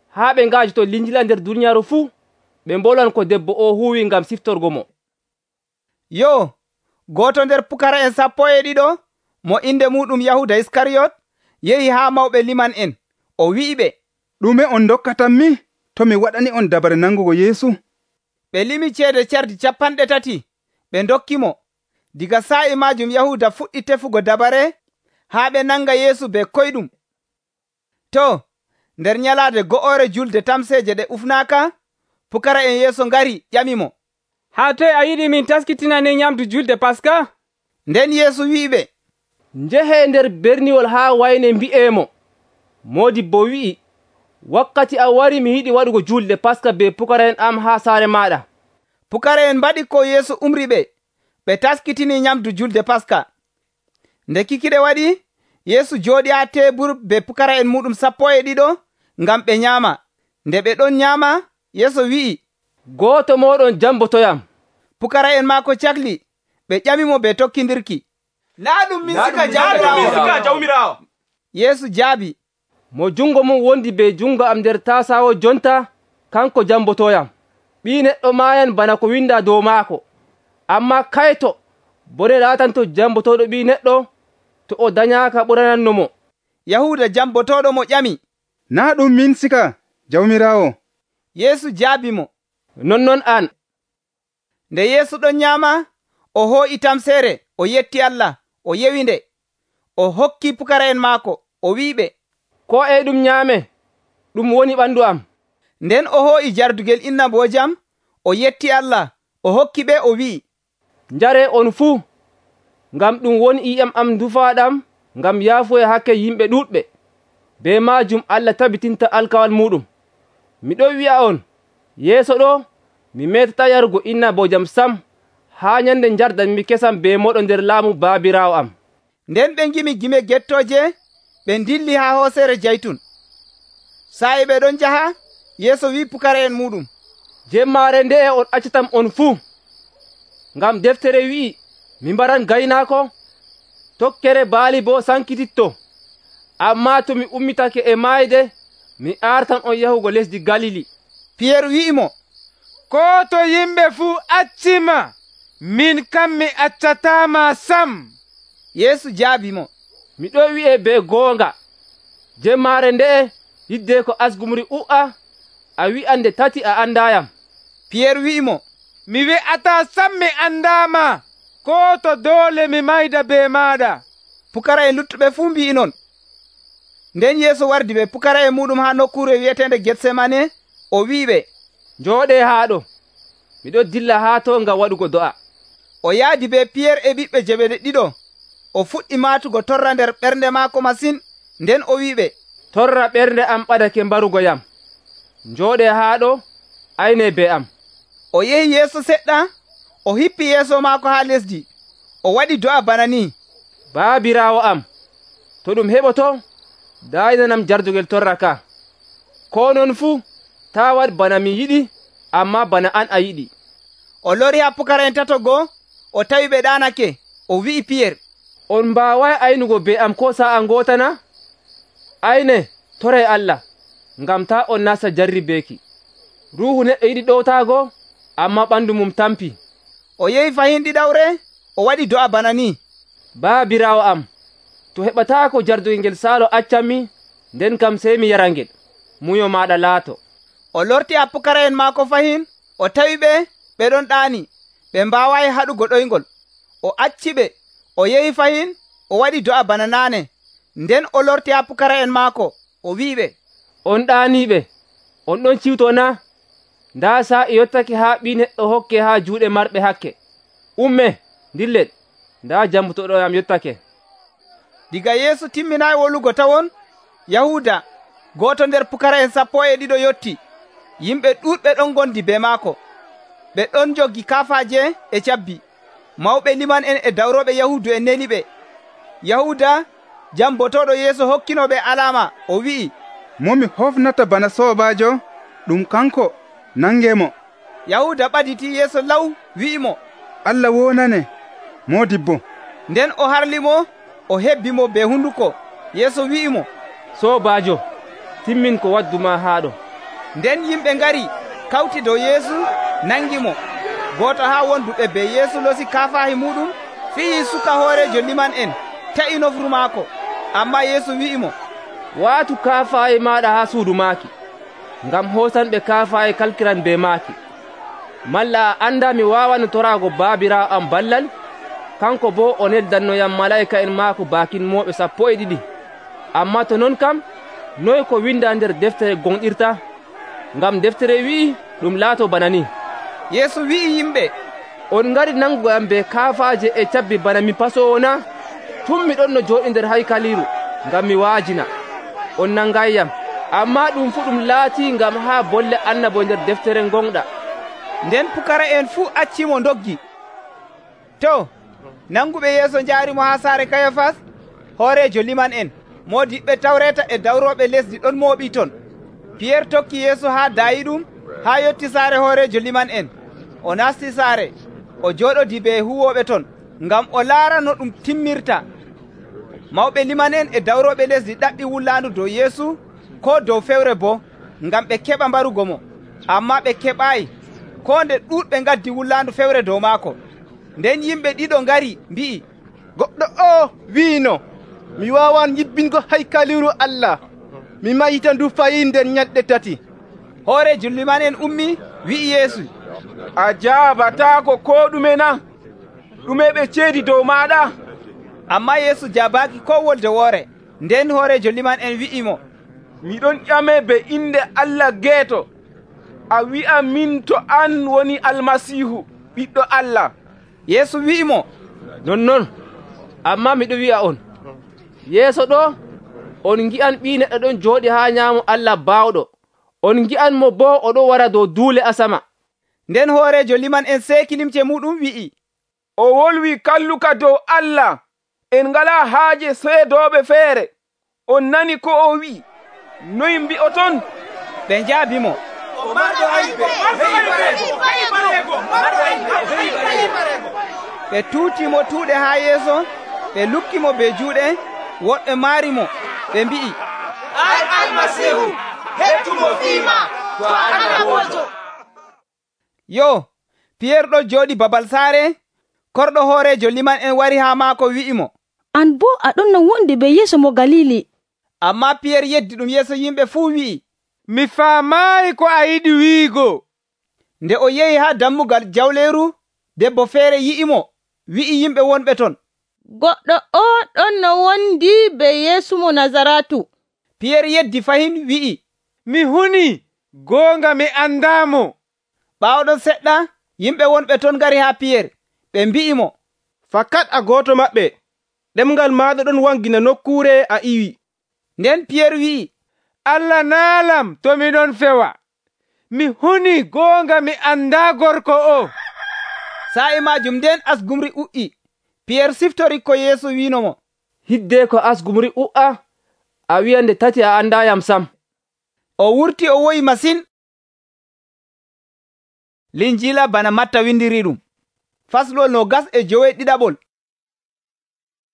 haa ɓe ngaajoto Linjila nder duniyaaru fuu, ɓe mbolwan ko debbo o huwi ngam siftorgo mo. Yo, gooto nder pukara'en 12 mo inde muɗum Yahuda Iskariyot yehi haa mawɓe liman en, o wi'iɓe, ɗume on dokkatanmi to mi waɗani on dabare nangugo Yeesu? Ɓe limi ceede cardi 30 ɓe dokkimo. Diga sa'i majum Yahuda fuɗɗi tefugo dabare haa ɓe nanga Yeesu be koyɗum. To, nder nyalaade go'ore julde tamseeje ɗe ufnaaka, pukara'en Yeesu ngari ƴamimo, haa toye a yiɗi min taskitinane nyamdu julde Paska? Nden Yeesu wi'iɓe, njehe nder berniwol haa wayne mbi'emo, Moodibbo wi'i, wakkati a wari mi yiɗi waɗugo julde Paska be pukara'en am haa saare maɗa. Pukara'en mbaɗi ko Yeesu umri ɓe taskitini nyamdu julde Paska. Nde kikiɗe waɗi, Yeesu jooɗi haa tebur be pukara'en muɗum 12 ngam ɓe nyaama. Nde ɓe ɗon nyaama, Yeesu wi'i, gooto moɗon jambotoyam. Pukara'en maako cakli, ɓe ƴamimo be tokkindirki, naa ɗum min sika jawmirawo? Yeesu jaabi, mo jungo mum wondi be jungo am nder tasawo jonta, kanko jambotoyam. Ɓii Neɗɗo maayan bana ko winda dow maako. Amma kayto bone laatanto jambotoɗo Ɓii Neɗɗo to o dañaaka ɓurananno mo. Yahuda jambotoɗo mo ƴami, naa ɗum min sika jawmirawo? Yeesu jaabimo, nonnon an. Nde Yeesu ɗon nyaama, o hoo'i tamseere, o yetti Allah, o yewi nde, o hokki pukara'en maako, o wi'iɓe, ko e ɗum nyaame, ɗum woni ɓandu am. Nden o hoo'i jardugel innaboojam, o yetti Allah, o hokki ɓe, o wi'i, njaree on fuu, ngam ɗum woni iyam am dufaaɗam ngam yaafuya hakke yimɓe ɗuuɗɓe. Be maajum Allah tabitinta alkawal muɗum. Miɗon wi'a on, yeeso ɗo mi metata yarugo innaboojam sam haa nyande njardanmi kesam be moɗo nder laamu baabiraawo am. Nden ɓe ngimi gime gettooje, ɓe dilli haa hooseere jaytun. Sa'e ɓe ɗon njaha, Yeesu wi'i pukara'en muɗum, jemmaare nde'e on accatam on fuu, ngam deftere wi'i, mi mbaran gaynaako, tokkere baali boo sankititto. Ammaa to mi ummitake e maayde, mi artan on yahugo lesdi Galili. Piyeer wi'imo, ko to yimɓe fuu accima, min kam mi accataama sam. Yeesu jaabimo, miɗo wi'e be goonga, jemmaare nde'e yidde ko asgumri u'a, a wi'ande tati a andayam. Piyeer wi'imo, mi wi'ataa sam mi andaama, ko to doole mi mayda be maaɗa. Pukara'en luttuɓe fuu mbi'i non. Nden Yeesu wardi be pukara'en muɗum haa nokkuure wi'etende Getsemane, o wi'iɓe, njooɗee haa ɗo, miɗo dilla haa to ngam waɗugo do'a. O yaadi be Piyeer e ɓiɓɓe Jebeede ɗiɗo, o fuɗɗi maatugo torra nder ɓernde maako masin, nden o wi'iɓe, torra ɓernde am ɓadake mbarugo yam, njooɗee haa ɗo, aynee be am. O yehi yeeso seɗɗa, o hippi yeeso maako haa lesdi, o waɗi do'a bana ni, baabiraawo am, to ɗum heɓoto, daynanam jardugel torra ka. Ko non fuu, taa waɗ bana mi yiɗi, ammaa bana an a yiɗi. O lori haa pukara'en tato goo, o tawi ɓe ɗaanake, o wi'i Piyeer, on mbaaway aynugo be am ko sa'a ngootana? Ayne, toray Allah, ngam taa on nasta jarribeeki. Ruuhu neɗɗo yiɗi ɗowtaago, ammaa ɓandu mum tampi. O yehi fahin ɗiɗawre, o waɗi do'a bana ni, baabiraawo am, to heɓataako jardugel ngel saalo accanmi, nden kam sey mi yara ngel, muyo maaɗa laato. O lorti haa pukara'en maako fahin, o tawi ɓe, ɓe ɗon ɗaani, ɓe mbaawayi haɗugo ɗoyngol. O acci ɓe, o yehi fahin, o waɗi do'a bana naane. Nden o lorti haa pukara'en maako, o wi'iɓe, on ɗaaniiɓe, on ɗon ciwto na? Ndaa saa'i yottake haa ɓii neɗɗo hokke haa juuɗe marɓe hakke. Umme, dillen, ndaa jambutoɗoyam yottake. Diga Yeesu timminayi wolugo tawon, Yahuuda, gooto nder pukara'en 12 yotti. Yimɓe ɗuuɗɓe ɗon gondi be maako. Ɓe ɗon joggi kafaaje e cabbi. Mawɓe liman'en e dawroɓe Yahuudu en neni ɓe. Yahuuda, jambotoɗo Yeesu hokkinoɓe alama, o wi'i, momi hofnata bana soobaajo, ɗum kanko, nangemo. Yahuuda ɓaditi Yeesu law, wi'imo, Allah wonane, moodibbo. Nden o harlimo, o hebbimo be hunduko. Yeesu wi'imo, soobaajo, timmin ko wadduma haa ɗo. Nden yimɓe ngari kawti dow Yeesu, nangimo. Gooto haa wonduɓe be Yeesu losi kafaahi muɗum, fiyi suka hoorejo liman'en, ta'i nofru maako. Ammaa Yeesu wi'imo, waatu kafaahi maaɗa haa suudu maaki, ngam hoosanɓe kafaahi kalkiran be maaki. Malla a anda mi waawano toraago baabiraawo am ballal, kanko boo o neddannoyam malaa'ika'en maako baakinmoɓe 12. Ammaa to non kam, noy ko winda nder deftere gonɗirta? Ngam deftere wi'i ɗum laato bana ni. Yeesu wi'i yimɓe, on ngari nangugo am be kafaaje e cabbi bana mi pasoowo na? Tun mi ɗon no jooɗi nder haykaliiru ngam mi waajina, on nangayyam. Ammaa ɗum fuu ɗum laatii ngam haa bolle annabo nder deftere gonɗa. Nden pukara'en fuu accimo ndoggi. To, nanguɓe Yeesu njaarimo haa saare Kayafas, hoorejo liman'en. Moodiɓɓe Tawreeta e dawroɓe lesdi ɗon mooɓii ton. Piyeer tokki Yeesu haa daayiɗum, haa yotti saare hoorejo liman'en. O nasti saare, o jooɗodi be huwooɓe ton, ngam o laara no ɗum timmirta. Mawɓe liman'en e dawroɓe lesdi ɗaɓɓi wullaandu dow Yeesu, ko dow fewre boo, ngam ɓe keɓa mbarugo mo. Ammaa ɓe keɓaayi, koo nde ɗuuɗɓe ngaddi wullaandu fewre dow maako. Nden yimɓe ɗiɗo ngari mbi'i, goɗɗo o wiino, mi waawan yibbingo haykaliru Allah, mi mayita ndu fayi nder ñalɗe 3. hoore julli man en ummi wi'i Yeesu, a jaabataako ko ɗume na? ɗume ɓe ceedi dow maɗa? Amma Yeesu jaabaaki ko wolde woore. Nden hoore jolli man en wi'imo, miɗon ƴame be inde Allah geeto, a wi'a min to an woni Almasiihu, ɓiɗɗo Allah. Yeesu wi'imo, nonnon, amma miɗo wi'a on, yeeso ɗo on ngi'an Ɓii Neɗɗo ɗon jooɗi haa nyaamo Allah baawɗo, on ngi'an mo boo o ɗo wara dow duule asama. Nden hoorejo liman en seeki limce muɗum wi'i, o wolwi kalluka dow Allah, en ngalaa haaje seedooɓe feere. On nani ko o wi'i, noy mbi'oton? Ɓe njaabimo, ɓe tuutimo tuuɗe haa yeeso, ɓe lukkimo be juuɗe, woɗɓe maarimo, ɓe mbi'i, ay Almasihu, hettumo fiima, to Allah bojo. Yo, Piyeer ɗo jooɗi babal saare, korɗo hoorejo liman en wari haa maako wi'imo, an boo aɗon no wondi be Yeesu mo Galili. Amma Piyeer yeddi ɗum yeeso yimɓe fuu wi'i, mi faamaayi ko a yiɗi wi'igo. Nde o yehi haa dammugal jawleeru, debbo feere yi'imo, wi'i yimɓe wonɓe ton, goɗɗo o ɗon no wondi be Yeesu mo Nazaratu. Piyeer yeddi fahin wi'i, mi huni, goonga mi andaamo. Ɓaawɗon seɗɗa, yimɓe wonɓe ton ngari haa Piyeer, ɓe mbi'imo, fakat a gooto maɓɓe, ɗemngal maaɗa ɗon wangina nokkuure a iwi. Nden Piyeer wi'i, Allah naalam to miɗon fewa. Mi huni goonga mi andaa gorko o. Sa'i maajum nden asgumri u'i. Piyeer siftori ko Yeesu wiinomo, hidde ko asgumri u'a, a wi'a nde tati a andaayam sam. O wurti o woyi masin. Linjiila bana Matta windiri ɗum. Faslol 21.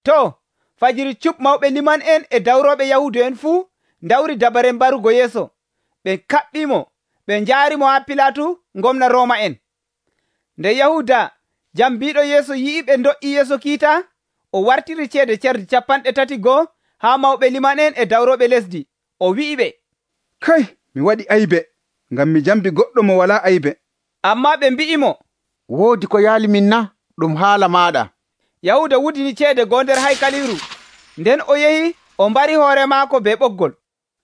To, fajiri cup mawɓe liman en e dawroɓe Yahudu en fuu ndawri dabare mbarugo Yeeso. Ɓe kaɓɓimo, ɓe njaarimo haa Pilatu, gomna Rooma en. Nde Yahuda jambiiɗo Yeeso yi'i ɓe do'i Yeeso kiita, o wartiri ceede cardi 31 haa mawɓe liman en e dawroɓe lesdi. O wi'i ɓe, kay, mi waɗi aybe, ngam mi jambi goɗɗo mo walaa aybe. Amma ɓe mbi'imo, woodi ko yaali min na, ɗum haala maɗa. Yahuda wudini ceede goo nder haykaliru. Nden o yehi o mbari hoore maako be ɓoggol.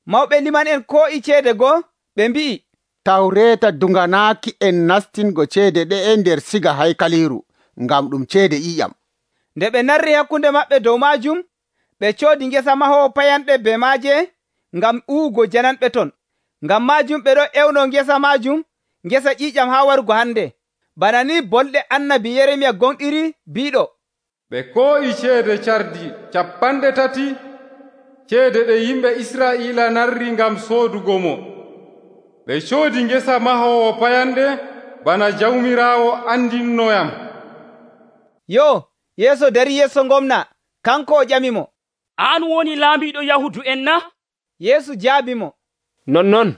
Mawɓe liman en koo'i ceede goo, ɓe mbi'i, tawreeta dunganaaki en nastingo ceede ɗe'e nder siga haykaliru, ngam ɗum ceede ƴiƴam. Nde ɓe narri hakkunde maɓɓe dow maajum, ɓe coodi ngesa mahoowo payanɗe be maaje ngam uwugo jananɓe ton. Ngam maajum ɓe ɗo ewno ngesa maajum, ngesa ƴiƴam haa warugo hande. Bana ni bolɗe annabi Yeremiya gonɗiri biiɗo, ɓe koo'i ceede cardi 30, ceede ɗe yimɓe Israa'iila narri ngam soodugo mo. Ɓe coodi ngesa mahoowo payanɗe bana jawmiraawo andinnoyam. Yo, Yeeso dari yeeso gomna, kanko o ƴamimo, an woni laamiɗo Yahudu en na? Yeesu jaabimo, nonnon.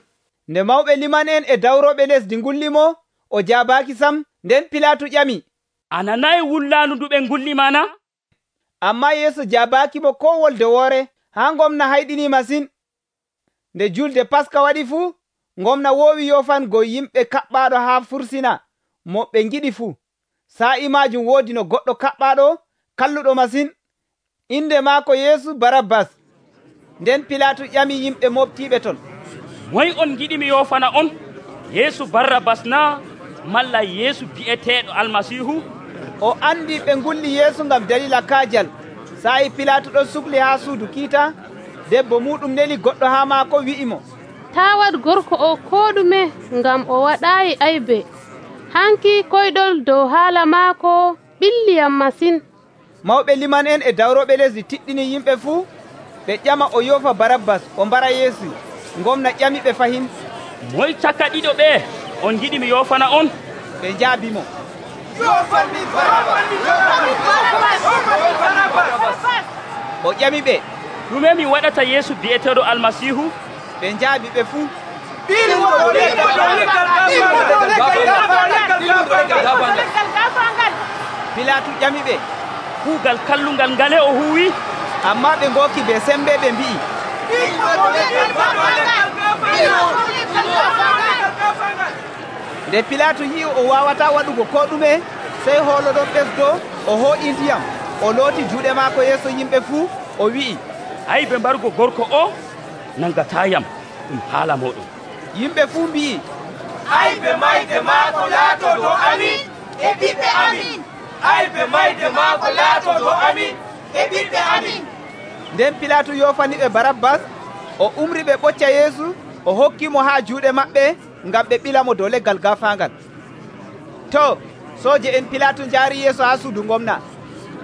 Nde mawɓe liman en e dawroɓe lesdi ngullimo, o jaabaaki sam. Nden Pilatu ƴami, a nanayi wullaandu ndu ɓe ngullima na? Amma Yeesu jaabaakimo ko wolde woore, haa gomna hayɗini masin. Nde julde Paska waɗi fuu, gomna woowi yofango yimɓe kaɓɓaaɗo haa fursina mo ɓe ngiɗi fuu. Sa'i maajum woodi no goɗɗo kaɓɓaaɗo kalluɗo masin, inde maako Yeesu Barabbas. Nden Pilatu ƴami yimɓe moftiɓe ton, moy on giɗi mi yofana on, Yeesu Barabbas na malla Yeesu bi'eteeɗo Almasihu? O andi ɓe ngulli Yeesu ngam dalila kaajal. Sa'i Pilatu ɗon sukli haa suudu kiita, debbo muɗum neli goɗɗo haa maako wi'imo, taa waɗ gorko o ko ɗume, ngam o waɗaayi aybe. Hanki koyɗol dow haala maako ɓilliyam masin. Mawɓe liman en e dawroɓe lesdi tiɗɗini yimɓe fuu, ɓe ƴama o yofa Barabbas o mbara Yeesu. Gomna ƴami ɓe fahin, moy caka ɗiɗo ɓe on giɗi mi yofana on? Ɓe njaabimo, o ƴami ɓe, ɗume mi waɗata Yeesu bi'eteeɗo Almasihu? Ɓe njaabi ɓe fuu, Pilatu ƴami ɓe, kuugal kallungal ngale o huwi? Amma ɓe ngooki be sembe ɓe mbi'i, nde pilatu yi'i o wawata waɗugo ko ɗume, sey hoolo ɗon ɓesdo o hoo'i ndiyam o looti juuɗe maako yeeso yimɓe fuu o wi'i, aybe mbargo gorko o nangatayam ɗum haala moɗon. Yimɓe fuu mbi'i, aybe mayde maako laato dow amin e ɓiɓɓe amin. aybe mayde maako laato dow amin e ɓiɓɓe amin. Nden pilatu yofani ɓe Barabbas, o umri ɓe ɓocca Yeesu, o hokkimo haa juuɗe maɓɓe ngam ɓe ɓilamo dow leggal gaafaangal. To sooje en pilatu njaari Yeesu haa suudu gomna.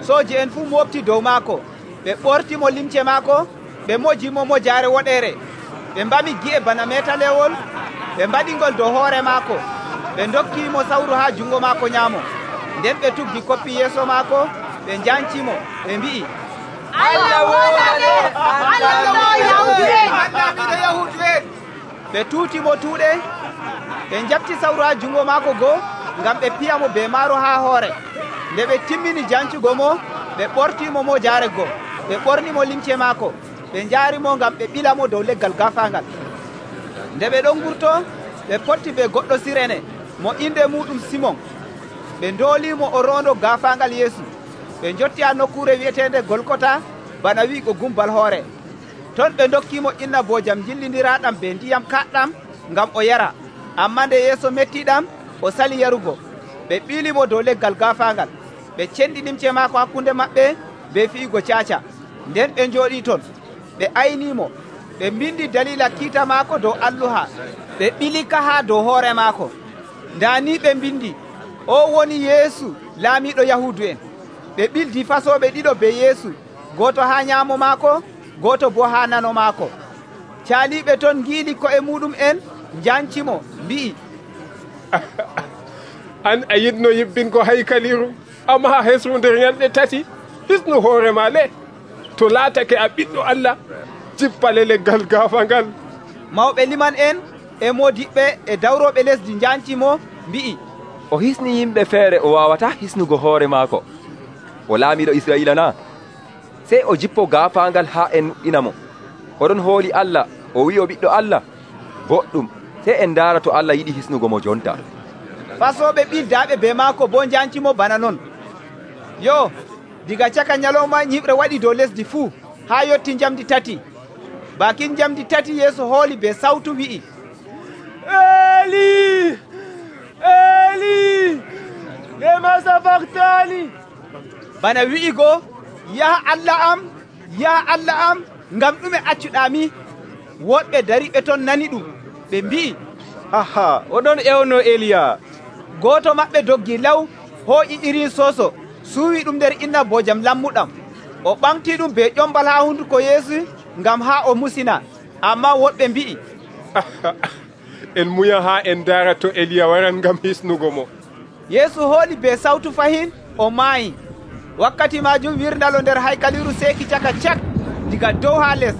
Sooje en fuu mofti dow maako, ɓe ɓortimo limce maako, ɓe mojimo mojaare woɗere, ɓe mbami gi'e bana metalewol, ɓe mbaɗingol dow hoore maako, ɓe dokkimo sawru haa jungo maako nyaamo. Nden ɓe tuggi koppi yeeso maako, ɓe njancimo, ɓe mbi'i, Allah woɗane, Allah Yahudu'en. Ɓe tuutimo tuuɗe, ɓe njabti sawru haa jungo maako goo ngam ɓe piyamo be maaro haa hoore. Nde ɓe timmini jancugo mo, ɓe ɓortimo mo jaare goo, ɓe ɓornimo limce maako, ɓe njaarimo ngam ɓe ɓilamo dow leggal gaafaangal. Nde ɓe ɗon ngurto, ɓe potti be goɗɗo Sirene mo inde muɗum Simon. Ɓe ndoolimo o rondo gaafaangal Yeesu. Ɓe jotti ha nokkure wi'etende Golgota, bana wi'igo gumbal hoore. Ton ɓe dokkimo inna boojam jillindiraɗam be ndiyam kaɗɗam ngam o yara. Amma nde Yeesu mettiɗam, o sali yarugo. Ɓe ɓilimo dow leggal gaafaangal. Ɓe cendi limce maako hakkunde maɓɓe be fi'igo caaca. Nden ɓe njooɗi ton, ɓe aynimo, ɓe mbindi dalila kiita maako dow alluha, ɓe ɓilika haa dow hoore maako. Ndani ɓe mbindi, o woni Yeesu laamiɗo Yahudu'en. Ɓe ɓildi fasoɓe ɗiɗo be Yeesu, goto haa nyaamo maako, goto bo haa nano maako. Caaliɓe ton ngiili ko'e muɗum en njancimo, mbi'i, an a yiɗno yibbingo haykaliru, amma a hesru nder ñalɗe tati, hisnu hoore ma le. To laatake a ɓiɗɗo Allah, jippale leggal gaafangal. Mawɓe liman en e modiɓɓe e dawroɓe lesdi njancimo, mbi'i, o hisni yimɓe feere o wawata hisnugo hoore maako. O laamiɗo Israila na? Sey o jippo gaafaangal haa en inamo. Oɗon hooli Allah, o wi'i o ɓiɗɗo Allah. Boɗɗum, sey en ndaara to Allah yiɗi hisnugo mo jonta. Fasoɓe ɓildaaɓe be maako bo njancimo bana non. Yo, diga caka nyalowma ñiɓre waɗi dow lesdi fuu haa yotti njamdi tati. Bakin njamdi tati Yeesu hooli be sawtu wi'i, Eli, Eli, lema sabaktani. Bana wi'igo, yaha Allah am, yaha Allah am, ngam ɗume accuɗami? Woɗɓe dariɓe ton nani ɗum, ɓe mbi'i, aha, oɗon ewno Eliya. Goto maɓɓe doggi law, hooƴi irin soso, suuwi ɗum nder inna boojam lammuɗam. O ɓamti ɗum be ƴombal haa hunduko Yeesu ngam haa o musina. Amma woɗɓe mbi'i, en muya haa en daara to Eliya waran ngam hisnugo mo. Yeesu hooli be sawtu fahin, o maayi. Wakkati majum wirndalo nder haykaliru seeki caka cak, diga dow haa les.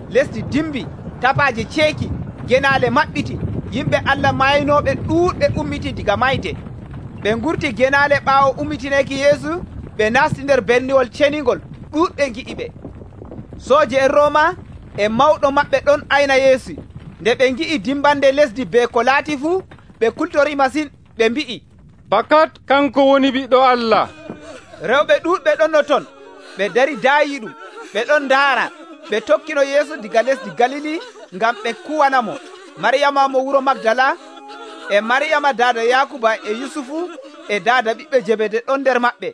Lesdi dimbi, tapaje ceeki, genaale maɓɓiti, yimɓe Allah maynoɓe ɗuuɗɓe ummiti diga mayde. Ɓe ngurti genaale ɓaawo ummitineki Yeesu, ɓe nasti nder berniwol cenigol, ɗuuɗɓe gi'iɓe. Sooje en Rooma e mawɗo maɓɓe ɗon ayna Yeesu. Nde ɓe ngi'i dimbande lesdi be ko laati fuu, ɓe kultori masin, ɓe mbi'i, fakat kanko woni ɓiɗɗo Allah. Rewɓe ɗuuɗɓe ɗonno ton, ɓe dari daayi ɗum, ɓe ɗon ndaara. Ɓe tokkino Yeesu diga lesdi Galili ngam ɓe kuwanamo. Maryama mo wuro Magdala e Maryama daada Yakuba e Yusufu e daada ɓiɓɓe Jebede ɗon nder maɓɓe.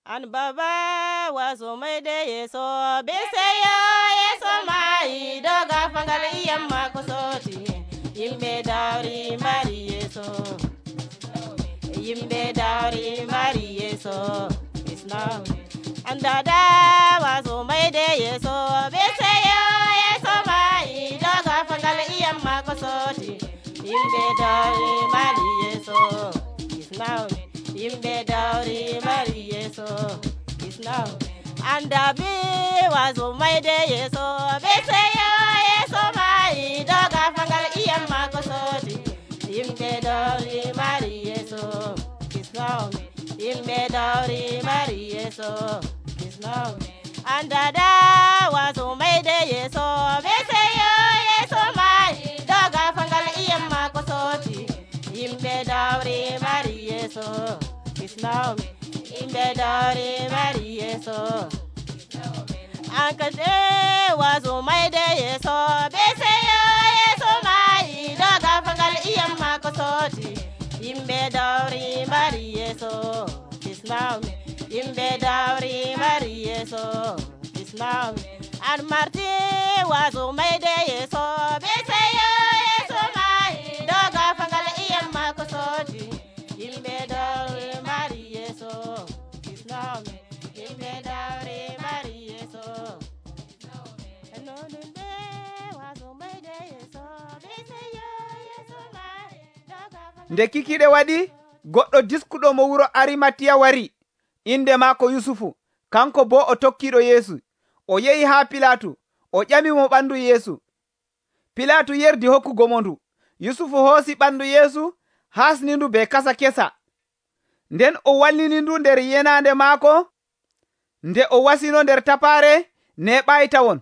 An baba waso mayde Yeeso biseyo Yeeso mai doga fangal iyam mako soti. Yimɓe dawri mari Yeeso, yimɓe dawri mari Yeeso. An dada waso mayde Yeeso biseyo Yeeso mai doga fangal iyam mako soti. Yimɓe dawri mari Yeeso. Yimɓe dawri mari Yeeso. Andabi waso mayde Yeeso biseyo Yeeso mai doga fangal iyam mako soti. Yimɓe dawri mari Yeeso. Yimɓe dawri mari Yeeso. Andada waso mayde Yeeso biseyo Yeeso mai doga fangal iyam mako soti. Yimɓe dawri yeso ankate wazo maide yeso beseyo yeso mai doga fangal iyam mako soti yimbe dawri mari yeso islam yimbe dawri mari yeso islam an marti wazo maide yeso beseyo yeso mai doga fangal iyam mako soti yimbe dawri mari yeso islam yimbe dawri mari yeso anonunde wazo maide yeso beseyo yeso mai doga nde kikiɗe waɗi goɗɗo diskuɗo mo wuro arimatiya wari inde maako yusufu kanko bo o tokkiɗo yeesu o yehi haa pilatu o ƴamimo ɓandu yeesu pilatu yerdi hokkugo mo ndu yusufu hoosi ɓandu yeesu hasni ndu be kasa kesa nden o wallini ndu nder yenande maako nde o wasino nder tapaare neɓayi tawon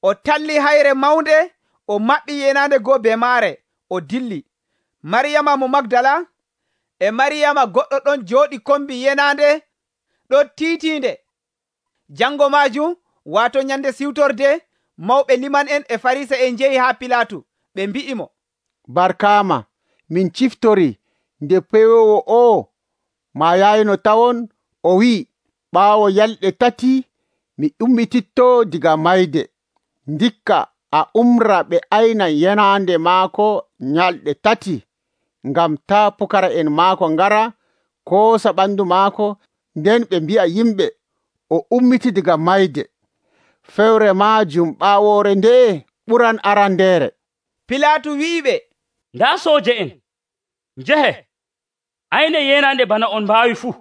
o talli hayre mawnde o maɓɓi yenande goo be maare o dilli mariyama mo magdala e mariyama goɗɗo ɗon jooɗi kombi yenande ɗo tiitinde jango majum wato nyande siwtorde mawɓe liman en e farisa en jehi haa pilatu ɓe mbi'imo barkama min ciftori nde pewowo o ma yayno tawon o wi'i ɓaawo yalɗe 3 mi ummititto diga mayde ndikka a umra ɓe ayna yenande maako nyalɗe 3 ngam ta pukara en maako ngara koosa ɓandu maako nden ɓe mbi'a yimɓe o ummiti diga mayde fewre majum ɓaawore nde ɓuran arandeere. Pilatu wi'iɓe nda sooje en njehe ayne yenande bana on mbaawi fuu.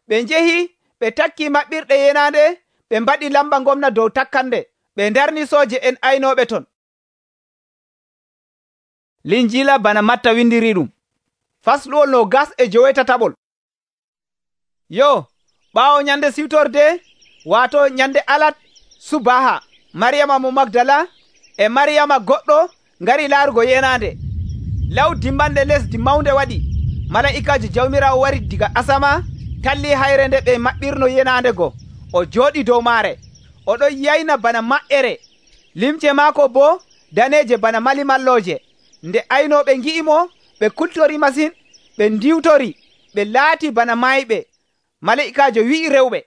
Ɓe njehi ɓe takki maɓɓirɗe yenande ɓe mbaɗi lamba gomna dow takkande ɓe darni sooje en aynoɓe ton. Linjila bana Matta windiri ɗum fasluwol 27. Yo ɓaawo nyande siwtorde wato nyande alat subaha mariyama mo magdala e mariyama goɗɗo ngari laarugo yenande law dimbanɗe lesdi mawnde waɗi mala'ikaji jawmirawo wari diga asama talli hayre nde ɓe maɓɓirno yenande go o jooɗi dow maare oɗo yayna bana maƴƴere limce maako bo daneje bana malimalloje nde aynoɓe ngi'imo ɓe kultori masin ɓe ndiwtori ɓe laati bana mayɓe mala'ikajo wi'i rewɓe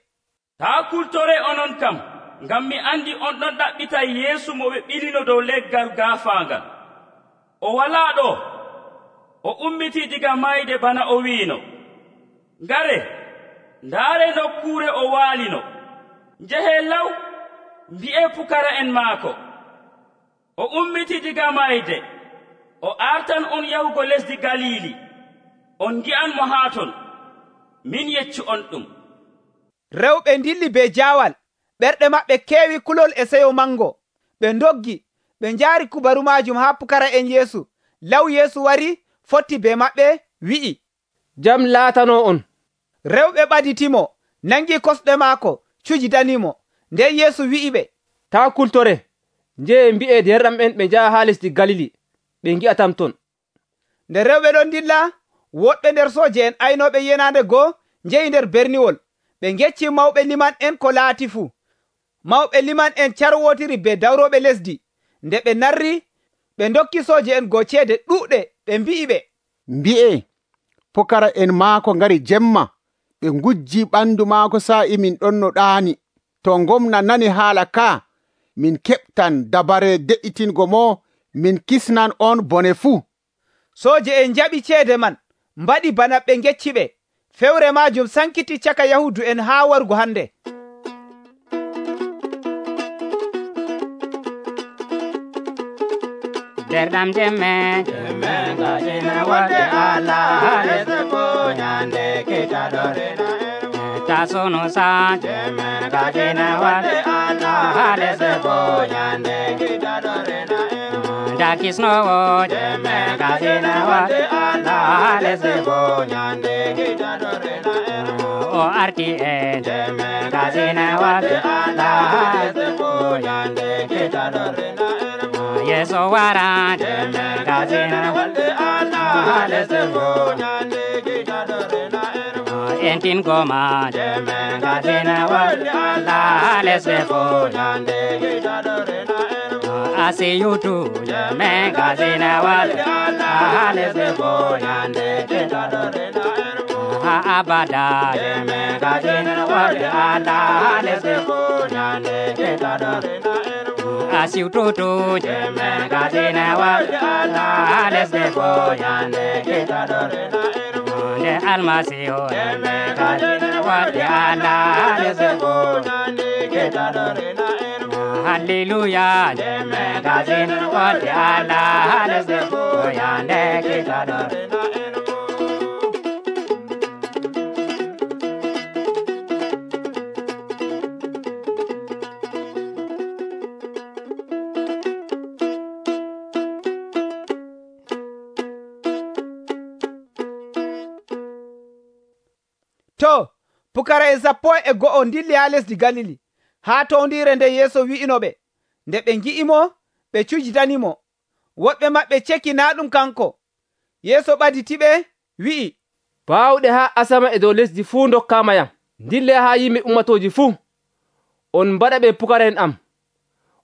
taa kultore onon kam ngam mi andi on ɗon ɗaɓɓita yeesu mo ɓe ɓilino dow leggal gaafaangal o walaa ɗo o ummiti diga mayde bana o wiino ngare ndaare nokkuure o waalino njehe law mbi'e pukara en maako o ummiti diga mayde o artan on yahugo lesdi galili on ngi'an mo haa ton min yeccu on ɗum. Rewɓe ndilli be jaawal ɓerɗe maɓɓe keewi kulol e seyo mango ɓe ndoggi ɓe njaari kubaru majum haa pukara en yeesu law yeesu wari fotti be maɓɓe wi'i jam laatano on. Rewɓe ɓaditimo nangi kosɗe maako cuji danimo nden yeesu wi'iɓe taa kultore njehe mbi'e derɗam en ɓe njaha haa lesdi galili ɓe ngi'atam ton. Nde rewɓe ɗon dilla woɗɓe nder sooje en aynoɓe yenande goo njehi nder berniwol ɓe ngecci mawɓe liman en ko laati fuu mawɓe liman en carwotiri be dawroɓe lesdi nde ɓe narri ɓe dokki sooje en goo ceede ɗuuɗe ɓe mbi'iɓe mbi'e pokara en maako ngari jemma ɓe ngujji ɓandu maako sa'i min ɗon no ɗaani to gomna nani haala ka min keɓtan dabare de'itingo mo min kisnan on bone fuu. Sooje en jaɓi ceede man mbaɗi bana ɓe ngecci ɓe fewre majum sankiti caka yahudu en haa wargo hande. Derɗam jemme gajina wadde Allah lesde ko nyande kitadorena tasono sa jemme gajina wadde Allah lesde ko nyande kitadorena dakisnowo jemme gajina wadde Allah lesde ko nyande kitadorena o arti e jemme gajina wadde Allah lesde ko nyande kitadorena yeso wara jemme gazina walde Allah lesde go nyande kitadorena entingo ma jeme gazina walde Allah lesde fo yande asi yutu jeme gazina walde Allah lesde fo yande ha abada jeme gazina walde Allah lesde fo yande asi yutu jeme gazina walde Allah lesde fo yande de almasiho jeme gazina walde Allah lesde fo Hallelujah, jeme gazina walde Allah lesde fo yande kitadore. To, pukara'en 12 dilli ha lesdi Galili, haa towndire nde Yeesu wi'inoɓe. Nde ɓe ngi'imo, ɓe cujitanimo. Woɓɓe maɓɓe ceki naa ɗum kanko. Yeesu ɓaditiɓe wi'i, baawɗe haa asama e dow lesdi fuu dokkaama yam. Dille haa yimɓe ummatoji fuu. On mbaɗa ɓe pukara'en am.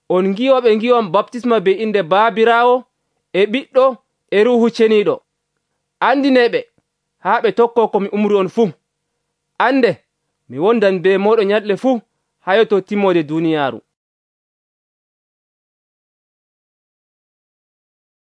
On ngiwa ɓe ngiwam baptisma be inde Baabiraawo e Ɓiɗɗo e Ruuhu Ceniiɗo. Andineɓe haa ɓe tokko ko mi umri on fuu. Ande mi wondan be moɗon nyalɗe fuu haa yotto timmode duniyaaru.